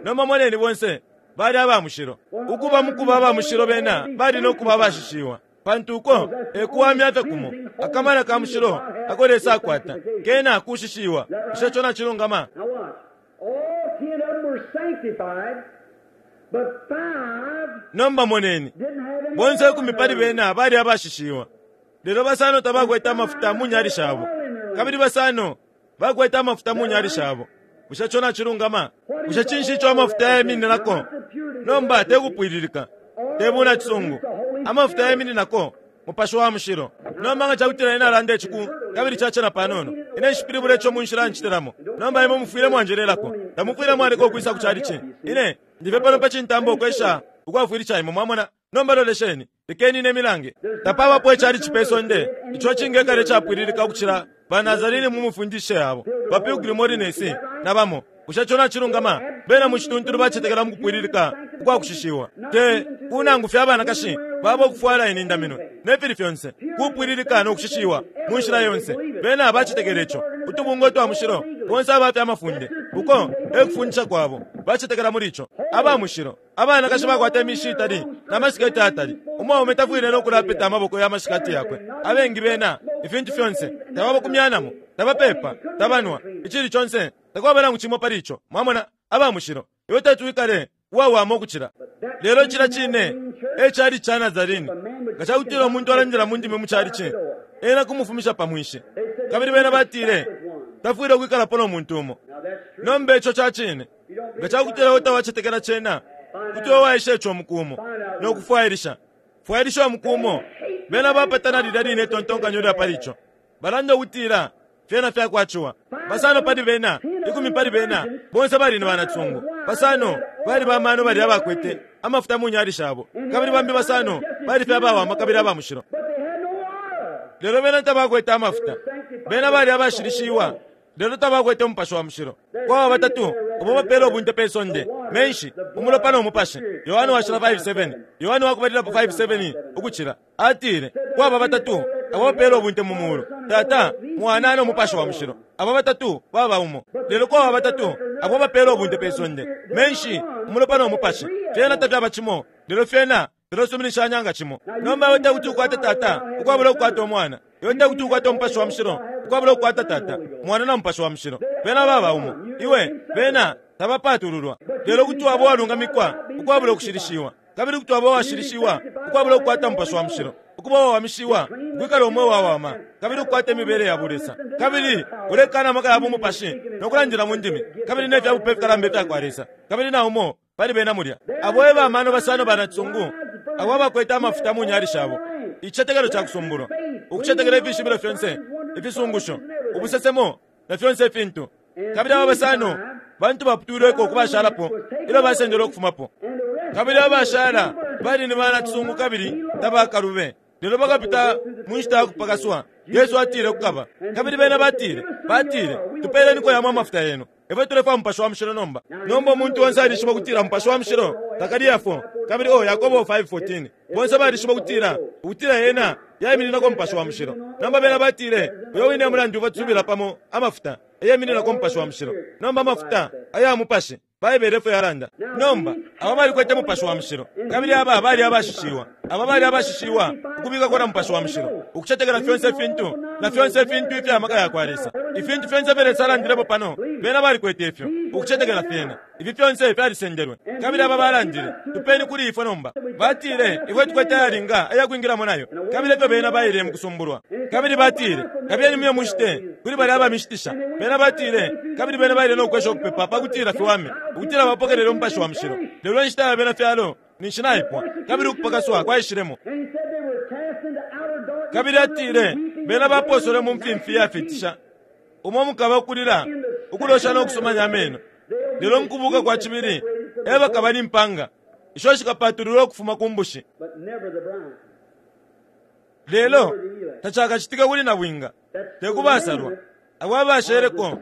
Nomba moneni bonse bali aba mushilo. Ukuba mukuba aba mushilo bena bali no kuba abashishiwa. Pantu uko e kuwamya fye kumo, akamana ka mushilo ako Lesa akwata, kena kushishiwa. Bushe ico nacilungama? Nomba moneni, bonse ikumi pali bena bali abashishiwa, lelo basano tabakwete amafuta mu nyali shabo, kabili basano. Bakwete amafuta mu nyali shabo. Bushe co nacilungama? Bushe cinshi ico amafuta yemininako? Nomba te kupwililika, te bunacisungu. Amafuta yemininako Mupashi wa Mushilo. Nomba nga cakutila ine nalanda ici ku, kabili cacena panono, ine nshipilibula ico mu nshila ncitilamo. Nomba imwe mufwile mwanjelelako. Tamufwile mwaleka ukwisa ku chalichi. Ine ndi fye pano pa cintamba ukwesha ukwafwilisha imwe, mwamona. Nomba lolesheni, lekeni ine milange. Tapabapo icalici pe sonde ico icingekala icapwililika ukucila ba Nazarene mu mifundishe yabo, ba Pilgrim Holiness, na bamo. Bushe ico nacilungama? Bena mu cituntulu bacetekela mu kupwililika ukwa kushishiwa. Te ku nangu fye abanakashi babo ukufwala inindaminwe, ne fili fyonse, kupwililika no kushishiwa mu nshila yonse. Bena bacetekela ico. Utubungwe twa mushilo, bonse aba fya mafunde, uko e kufundisha kwabo. Bacetekela muli ico. Aba mushilo. Abanakashi bakwata imishi itali na masiketi ayatali. Umwaume tafwile no kulapeta amaboko ya mashikati yakwe. Abengi bena, ifintu fyonse, tababakumyanamo, tabapeepa, tabanwa, icili conse, takwaba nangu cimo pali ico. Mwamona? Aba mushilo. Iwe teti wikale uwawama ukucila. Lelo cilya cine e chalichi ca Nazarene. Nga cakutila umuntu alandila mu ndimi mu chalichi, ena kumufumisha pa mwinshi. Kabili bena batile, Tafwile ukwikalapo no muntu umo. Nomba ico ca cine. Nga cakutila iwe tawacetekela cena, kuti iwe waesha ico umuku umo, no kufwailisha. Fwailisha umuku umo. Bena bapatana lilya line itontonkanyo lya pali ico. Balanda ukutila fyena fyakwa ciwa. Basano pali bena, ikumi pali bena, bonse bali ni banacisungu. Basano bali ba mano balya abakwete amafuta mu nyali shabo, kabili bambi basano bali fye abawama kabili aba mushilo. Lelo bena tabakwete amafuta. Bena bali abashilishiwa. Lelo tabakwete Umupashi wa Mushilo. Kwaba batatu abo bapela ubunte pe sonde, menshi, umulopa no Mupashi. Yohane Washila 5:7, Yohane wakubalilapo 5:7 ukucila, atile, Kwaba batatu abo bapela ubunte mu mulu, Tata, Mwana no Mupashi wa Mushilo. Aba batatu baba umo. Lelo kwaba batatu abo bapela ubunte pe sonde, menshi, umulopa no Mupashi. Fyena tafyaba cimo, lelo fyena filesuminishanya nga cimo. Nomba iwe tekuti ukwate Tata ukwabula ukukwata Umwana. Iwe tekuti ukwate Umupashi wa Mushilo ukwabula ukukwata Tata, Mwana na Mupashi wa Mushilo. Bena baba umo. Iwe, bena tabapatululwa. Lelo kuti waba uwalungamikwa ukwabula ukushilishiwa, kabili kuti waba uwashilishiwa ukwabula ukukwata Mupashi wa Mushilo, ukuba uwawamishiwa, ukwikala umweo wawama, kabili ukukwata imibele ya bulesa, kabili ulekana amaka ya bumupashi no kulandila mu ndimi, kabili ne fya bupe fikalamba ifya kwa Lesa, kabili na umo pali bena mulya. Abo e bamano basano ba nacisungu abo abakwete amafuta mu nyali shabo, icicetekelo ca kusumbulwa, ukucetekela ifishibilo fyonse, ifisungusho, ubusesemo, na fyonse ifintu. Kabili aba basano bantu baputwilweko ku bashalapo ilyo basendelwe ukufumapo. Kabili abashala bali ni banacisungu kabili tabakalube. Lelo bakapita mu nshita ya kupakaswa, Yesu atile kukaba. Kabili bena batile, batile, Tupeeleniko yamo amafuta yenu. Ifwe tulefwaya Mupashi wa Mushilo nomba. Nomba umuntu onse alishiba ukutila Mupashi wa Mushilo takaliyafo. Kabili oh, Yakobo 5:14. Bonse balishiba ukutila, ukutila yena yaimininako Mupashi wa Mushilo. Nomba bena batile, Uyo wine mulandu batusubila pamo amafuta, eyemininako Mupashi wa Mushilo. Nomba amafuta aya Mupashi. Baibele efyo yalanda. Nomba, aba balikwete Mupashi wa Mushilo, kabili aba bali abashishiwa. Aba bali abashishiwa, ukubikako na Mupashi wa Mushilo, ukucetekela fyonse ifintu na fyonse ifintu ifya maka yakwa Lesa. Ifintu fyonse ifyo Lesa alandilepo pano, bena balikwete ifyo, ukucetekela fyena. Ifi fyonse fyalisendelwe. Kabili aba balandile, Tupeni kuli ifwe nomba. Batile, Ifwe tukwete ayalinga ayakwingilamo nayo. Kabili efyo bena baile mukusumbulwa. Kabili batile, Kabiyeni muye mushite kuli balya abamishitisha. Bena batile, Kabili bena baile no kwesha ukupepa pa kutila fiwame, ukutila bapokelele Umupashi wa Mushilo. Lelo inshita ya Bena fyalo ninshi naipwa, kabili ukupakaswa kwaishilemo. Kabili atile, Bena baposelwe mu mfimfi yafiitisha, umo mukaba ukulila, ukulosha no kusumanya ameno. Lelo mukubuka kwa cibili e bakaba ni mpanga isho shikapatululwa ukufuma ku mbushi. Lelo tacakacitike kuli nabwinga, te ku basalwa, abo abasheleko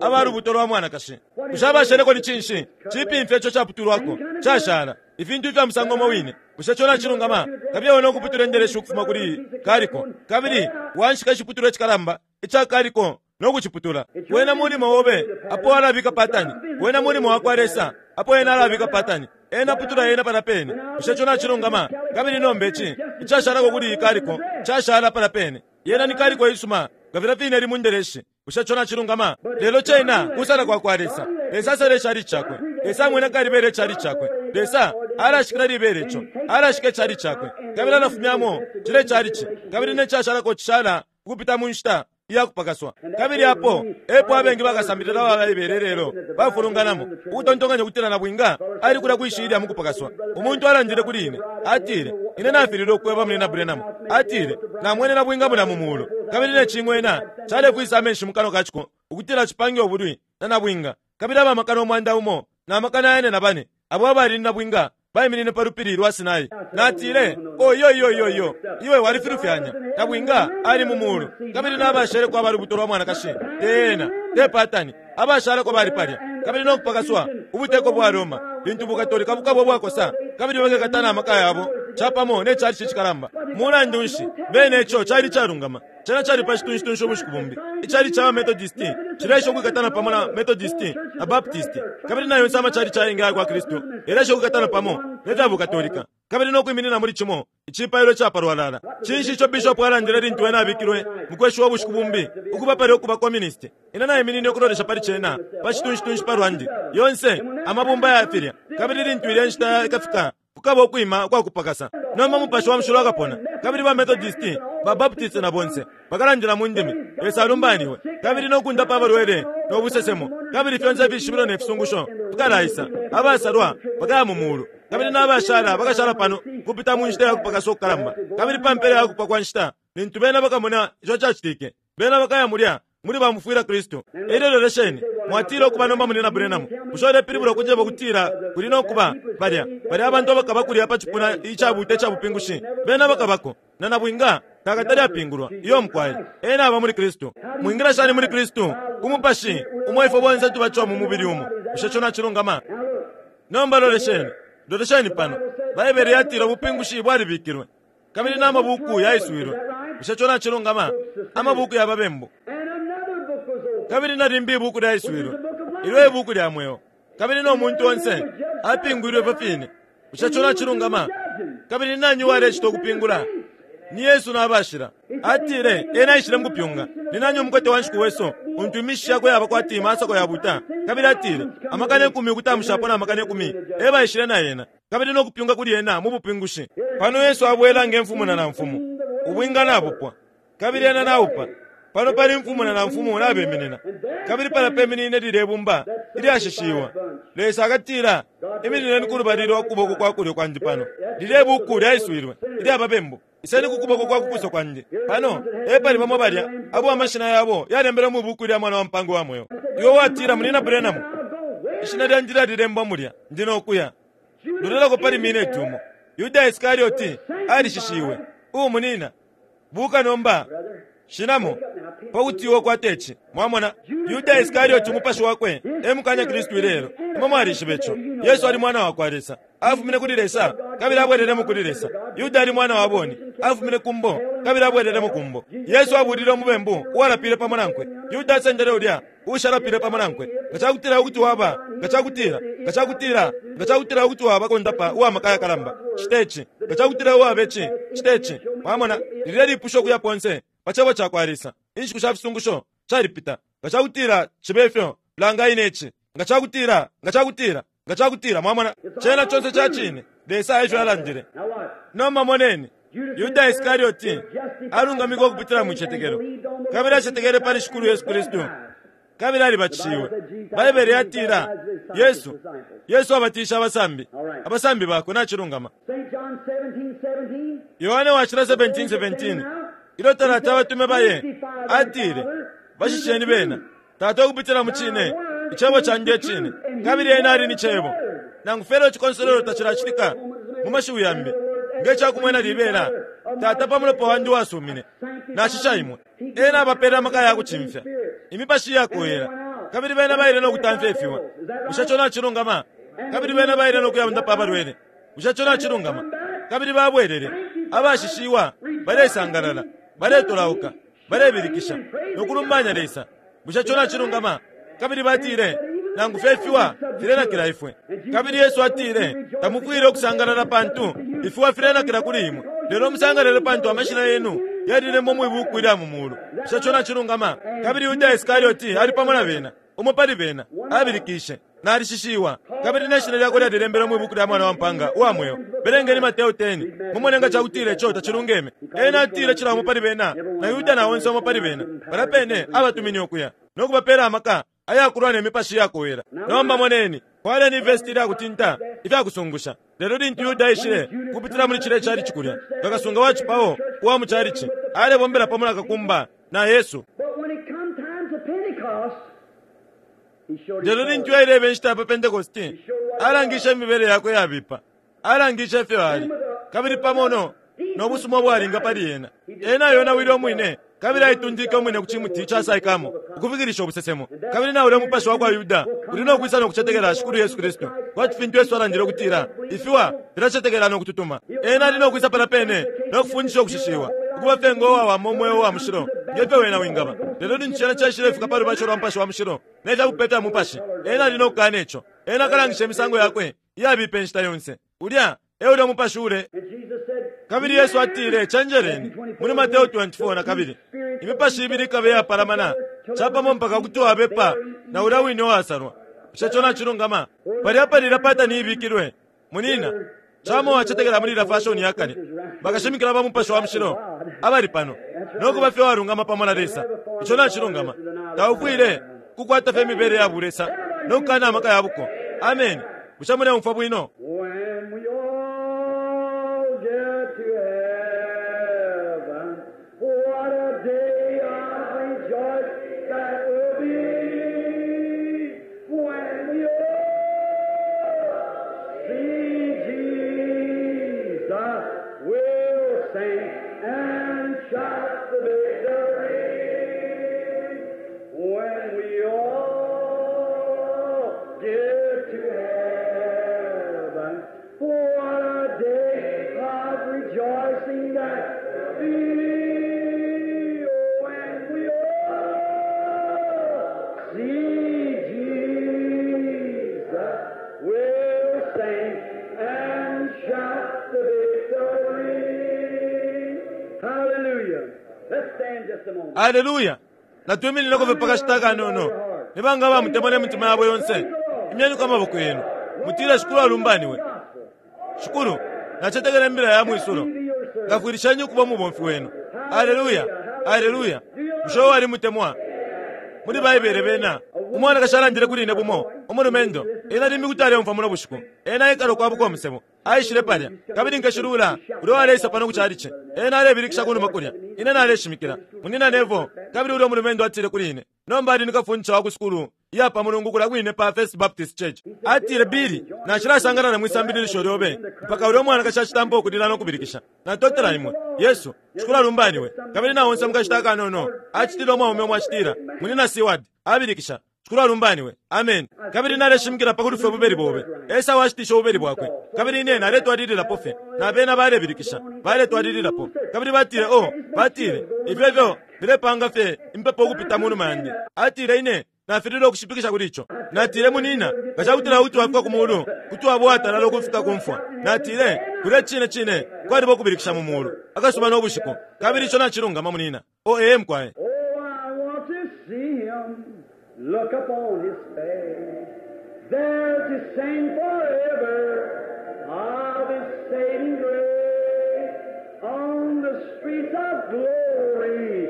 aba lubuto lwa mwanakashi. Bushe abasheleko ni cinshi? Cipimfya ico caputulwako, cashala, ifintu ifya musango umo wine. Bushe ico nacilungama? Kabiye we no kuputula indeleshi ukufuma kuli kaliko, kabili wanshika iciputulwa icikalamba ica kaliko no kuciputula. Wena mulimo obe apo walabika patani. Wena mulimo wakwa Lesa apo Ena alabika patani. Ena aputula yena palya pene. Bushe ico nacilungama? Kabili nomba ici icashalako kuli iyi kaliko cashala palya pene. Yena ni kaliko iisuma nga filya fine ili mu ndeleshi. Bushe ico nacilungama? Lelo cena kusala kwa kwa Lesa. Lesa asala icalici Cakwe. Lesa amwena kalibela icalici Cakwe. Lesa alashikila libela ico. Alashika icalici Cakwe. Kabili alafumyamo cila icalici. Kabili ne cashalako cishala ukupita mu nshita. iya kupakaswa. Kabili apo epo abengi bakasambilila ba Baibele ilelo bafulunganamo, ukutontonkanya ukutila nabwinga ali kulya kwi shilya mukupakaswa. Umuntu alandile kuli ine, atile, Ine nafililwe ukweba Munyina Branham. Atile, Namwene nabwinga mulya mu mulu, kabili ne cing'wena calefwisa amenshi mu kanwa ka ciko ukutila cipange ubulwi na nabwinga. Kabili aba makana 1,000 na 404 abo abali ni nabwinga baiminine pa lupili lwa Sinai. Natile, Oh, iyo, iyo, iyo, iyo. Iwe walifilufyanya. Nabwinga ali mu mulu, kabili nabasheleko aba lubuto lwa mwanakashi, te ena, te patani. Abashalako bali palya, kabili no kupakaswa, ubuteko bwa Roma, lintu Bukatolika bukaba ubwakosa, kabili bakekata na maka yabo capamo ne chalichi cikalamba. Mulandu nshi, bene ico cali icalungama. Cena cali pa citunshitunshi ubushiku bumbi. Icalici ca baMethodist cileesha ukwikatana pamo na Methodist na Baptist, kabili na yonse amacalici ayengi aya kwa Kristu yaleesha ukwikatana pamo ne fya Bukatolika, kabili no kwiminina muli cimo icipailo ica palwalala. Cinshi ico bishop alandile lintu ena abikilwe mukweshiwa ubushiku bumbi ukuba palya ukuba communist? Ine naiminine ukulolesha pali cena pa citunshitunshi palwandi. Yonse amabumba ya filya, kabili lintu ilya nshita ikafika, Kukaba ukwima ukwa kupakasa. Nomba Mupashi wa Mushilo akapona, kabili ba Methodisti, ba Baptisti na bonse bakalandila mu ndimi, Lesa alumbaniwe, kabili no kundapa abalwele no busesemo, kabili fyonse ifishibilo ne fisungusho fikalaisa. Abasalwa bakaya mu mulu, kabili na bashala bakashala pano kupita mu nshita ya kupakasa ukukalamba. Kabili pa mpela ya kupwa kwa nshita, lintu bena bakamona ico cacitike, Bena bakaya mulya muli ba mufwila Kristu. Elyo lolesheni, mwatila ukuba nomba Munyina Branham, bushe ulepilibula ukunjeba ukutila kuli no kuba balya, balya abantu abakaba kulya pa cipuna icabuta ica bupingushi? Bena bakabako, na nabwinga takatale apingulwa. Iyo mukwai. Ena aba muli Kristu. Mwingila shani muli Kristu? Ku Mupashi umo ifwe bonse tubatishiwa mu mubili umo. Bushe ico nacilungama? Nomba lolesheni, lolesheni pano. Baibele yatila ubupingushi bwalibikilwe. Kabili na mabuku yaiswilwe. Bushe ico nacilungama? Amabuku ya babembu. Kabili na limbi ibuku lyaiswilwe, ilyo e buku lya mweo. Kabili no muntu onse apingwilwe ifyo fine. Bushe ico nacilungama? Kabili ni nani uwalecita ukupingula? Ni Yesu na bashila. Atile, Ena aishile mukupyunga. Ni nani umukote wa nshiku wesu, untu imishishi yakwe yaba kwati masako yabuta? Kabili atile, 10,000 ukutamushapo na 10,000 e baishile na ena. kabili no kupyunga kuli ena mu bupingushi. Pano Yesu abwela nge Mfumu na Namfumu. Ubwinga nabupwa, kabili ena naupa. Pano pali Mfumu na Namfumu nabeminina, kabili palya peminine lilye bumba ilyashishiwa. Lesa akatila, Iminineni ku lubali lwa kuboko kwa kulyo kwandi pano. Lilye buku lyaiswilwe, ilya babembu. Iseni ku kuboko kwa kukuso kwandi. Pano epali bamo balya abo amashina yabo yalembelwe mwi buku ilya Mwana wa Mpaanga uwa Mweo. Iwe watila, Munyina Branham, ishina lyandi lyalilembwa mulya. Ndi no kuya. Lolelako pali mineti umo. Yuda Iskarioti alishishiwe. Umunina. Buka nomba. Shinamo. Pa kuti iwe ukwate ici. Mwamona? Yuda Iskarioti umupashi wakwe e mukanya Kristu ilelo. Imwe mwalishiba ico. Yesu ali Mwana wa kwa Lesa. Afumine kuli Lesa kabili abwelelemo kuli Lesa. Yuda ali mwana wa boni. Afumine ku mbo kabili abwelelemo ku mbo. Yesu abulile umubembu uwalapile pamo nankwe. Yuda asendele ulya uushalapile pamo nankwe. Nga ca kutila kuti waba, nga ca kutila, nga ca kutila, nga ca kutila kuti waba kondapa uwa maka ayakalamba, cite ci. Nga ca kutila waba ici, cite ci. Mwamona, lilye lipusho ukuya ponse pa Cebo cakwa Lesa. Inshiku sha fisungusho shalipita. Nga ca kutila cibe fyo, langa ine ici. Nga ca kutila, nga ca kutila, nga ca kutila, mwamona, cena conse ca cine. Lesa efyo alandile. Nomba moneni. Yuda Iskarioti alungamikwe ukupitila mu citetekelo, kabili acetekele pali Shikulu Yesu Kristu, kabili alibatishiwe. Baibele yatila, Yesu, Yesu abatishe abasambi, abasambi bakwe. Nacilungama. Yohane Washila 17:17, ilyo talati abatume baye, atile, Bashisheni bena, Tata, ukupitila mu Cine. Icebo candi e Cine, kabili Ena ali ni Cebo. Nangu fye ilyo icikonsolwelo tacilacitika, mu mashiwi yambi, nge ca kumwena libela, Tata, pa mulopa wandi uwasumine, nashisha imwe. Ena abapele amaka ya kucimfya imipashi iyakowela, kabili bena baile no kutamfya ifiwa. Bushe ico nacilungama? Kabili bena baile no kuyaundapa abalwele. Bushe ico nacilungama? Kabili babwelele, abashishiwa, balesangalala, baletolauka. balebilikisha no kulumbanya Lesa. Bushe ico nacilungama? Kabili batile, Nangu fye ifiwa filenakila ifwe. Kabili Yesu atile, Tamufwile ukusangalala pantu ifiwa filenakila kuli imwe, lelo musangalale pantu amashina yenu yalilembwa mwi buuku ilya mu muulu. Bushe ico nacilungama? Kabili Yuda Iskarioti ali pamo na bena. Umo pali bena abilikishe, Nalishishiwa, kabili ne shina lyakwe lyalilembelwe mwi buku lya Mwana wa mpaanga uwa mweo. Belengeni Mateo 10, mumone nga cakutila ico tacilungeme. Ena atile cila umo pali bena, na Yuda na onse umo pali bena, palya pene abatumine ukuya, no kubapela amaka ayakulwa ne mipashi iyakowela. Nomba moneni, fwaleni ivesti ilya kutinta ifya kusungusha. Lelo lintu Yuda aishile ukupitila muli cilya icalici kulya, nga kasunga wa cipao uwa mu calici, alebombela pamo na kakumba na Yesu. Lelo lintu yaileba inshita ya pa Pentekoste, alangishe imibele yakwe iyabipa. Alangishe ifyo ali, kabili pamo no, no busuma ubwalinga pali ena. Ena ayonawile umwine, kabili aitundike umwine ku cimuti ca saikamo, ukufikilisha ubusesemo. Kabili na ulya mupashi wa kwa Yuda uli no kwisa no kucetekela Shikulu Yesu Kristu, kwati fintu Yesu alandile ukutila, Ifiwa filacetekela no kututuma. Ena ali no kwisa palya pene no kufundisha ukushishiwa, ukuba fye ngo wawama umweo uwa mushilo nge fyo wena wingaba. Lelo lintu cena caishilefika pa lubatisho lwa Mupashi wa Mushilo ne fya bupe fya Mupashi, ena ali no kukana ico. Ena akalangisha imisango yakwe iyabipa inshita yonse. Ulya e ulya umupashi ule. Kabili Yesu atile, Cenjeleni, muli Mateo 24 nakabili, imipashi ibili ikaba iyapalamana capamo mpaka kuti wabepa na ulya wine uwasalwa. Bushe ico nacilungama? Palya pali ilya patani ibikilwe, munina. Camo wacetekela muli ilya fashoni ya kale, bakashimikila ba Mupashi wa Mushilo abali pano, no kuba fye uwalungama pamo na Lesa. Ico nacilungama. Taufwile kukwata fye imibele ya bulesa no kukana amaka ya buko. Ameni. Bushe muleumfwa bwino? When we all get to heaven, what a day of rejoice that will be. When we all see Jesus, we'll sing and shout the victory. When we all get to heaven, what a day of rejoicing that will be. When we all see Jesus, we'll sing and shout the victory. Hallelujah. Let's stand just a moment. Aleluya! Natwiminineko fye pa kashita kanono. Ni banga abamutemwa ne mitima yabo yonse? Imyeniko amaboko yenu. Mutile, Shikulu alumbaniwe. Shikulu, nacetekela Imbila ya mwisulo. Ngafwilisheni ukuba umubomfi wenu. Aleluya! Aleluya! Bushe uo alimutemwa? Muli Baibele bena, umwanakashi alandile kuli ine bumo, umulumendo, ena limbi kuti aleumfwa muno bushiku. Ena aikala ukwabuka umusebo. Aishile palya, kabili Nkashi Lula, ulya uwaleisa pano ku chalichi, ena alebilikisha kunuma kulya. Ine naleshimikila. Munyina Neville, kabili ulya umulumendo atile kuli ine, nomba ali ni kafundisha wa ku sukulu iya pa Mulungu kulya kwine pa First Baptist Church. Atile, Billy, nacilasangalala mwi sambililisho lyobe mpaka ulya umwanakashi acitampa ukulila no kubilikisha. Natotela imwe. Yesu, Shikulu alumbaniwe. Kabili na onse mukashita akanono, acitile umwaume umo acitila, Munyina Seward, abilikisha, Shikulu alumbaniwe. Ameni. Kabili naleshimikila pa kulufya ububeli bobe. Esau ashitishe ububeli bwakwe. Kabili ine naletwalililapo fye, na bena balebilikisha, baletwalililapo. Kabili batile, Oh, batile, ifyo ifyo filepanga fye impepo ukupita munuma yandi. Atile, Ine nafililwe ukushipikisha kuli ico. Natile, Munina, nga cakutila kuti wafika ku Mulu, kuti waba uwatalala ukufika ku mfwa. Natile, Kulya cine cine kwaliba ukubilikisha mu Mulu, akasuba no bushiku. Kabili ico nacilungama, munina. Oh, ee, mukwai. Oh, I want to see him, look upon his face, there to sing forever of his saving grace. On the streets of glory,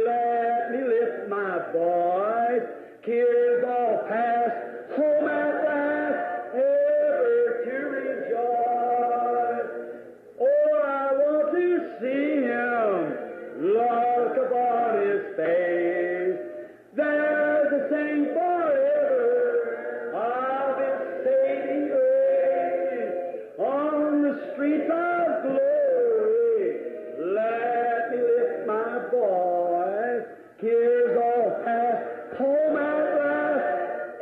let me lift my voice. Tears all past, home at last, ever to rejoice. Oh, I want to see him, look upon his face. There to sing forever of his saving grace. On the streets of glory, let me lift my voice. Tears all past, home at last,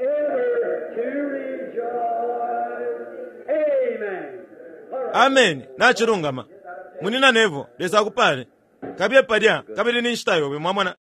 ever to rejoice. Amen. All right. Ameni. Nacilungama. Munina Neville, Lesa akupale. Kabiye palya, kabili ni nshita yobe, mwamona.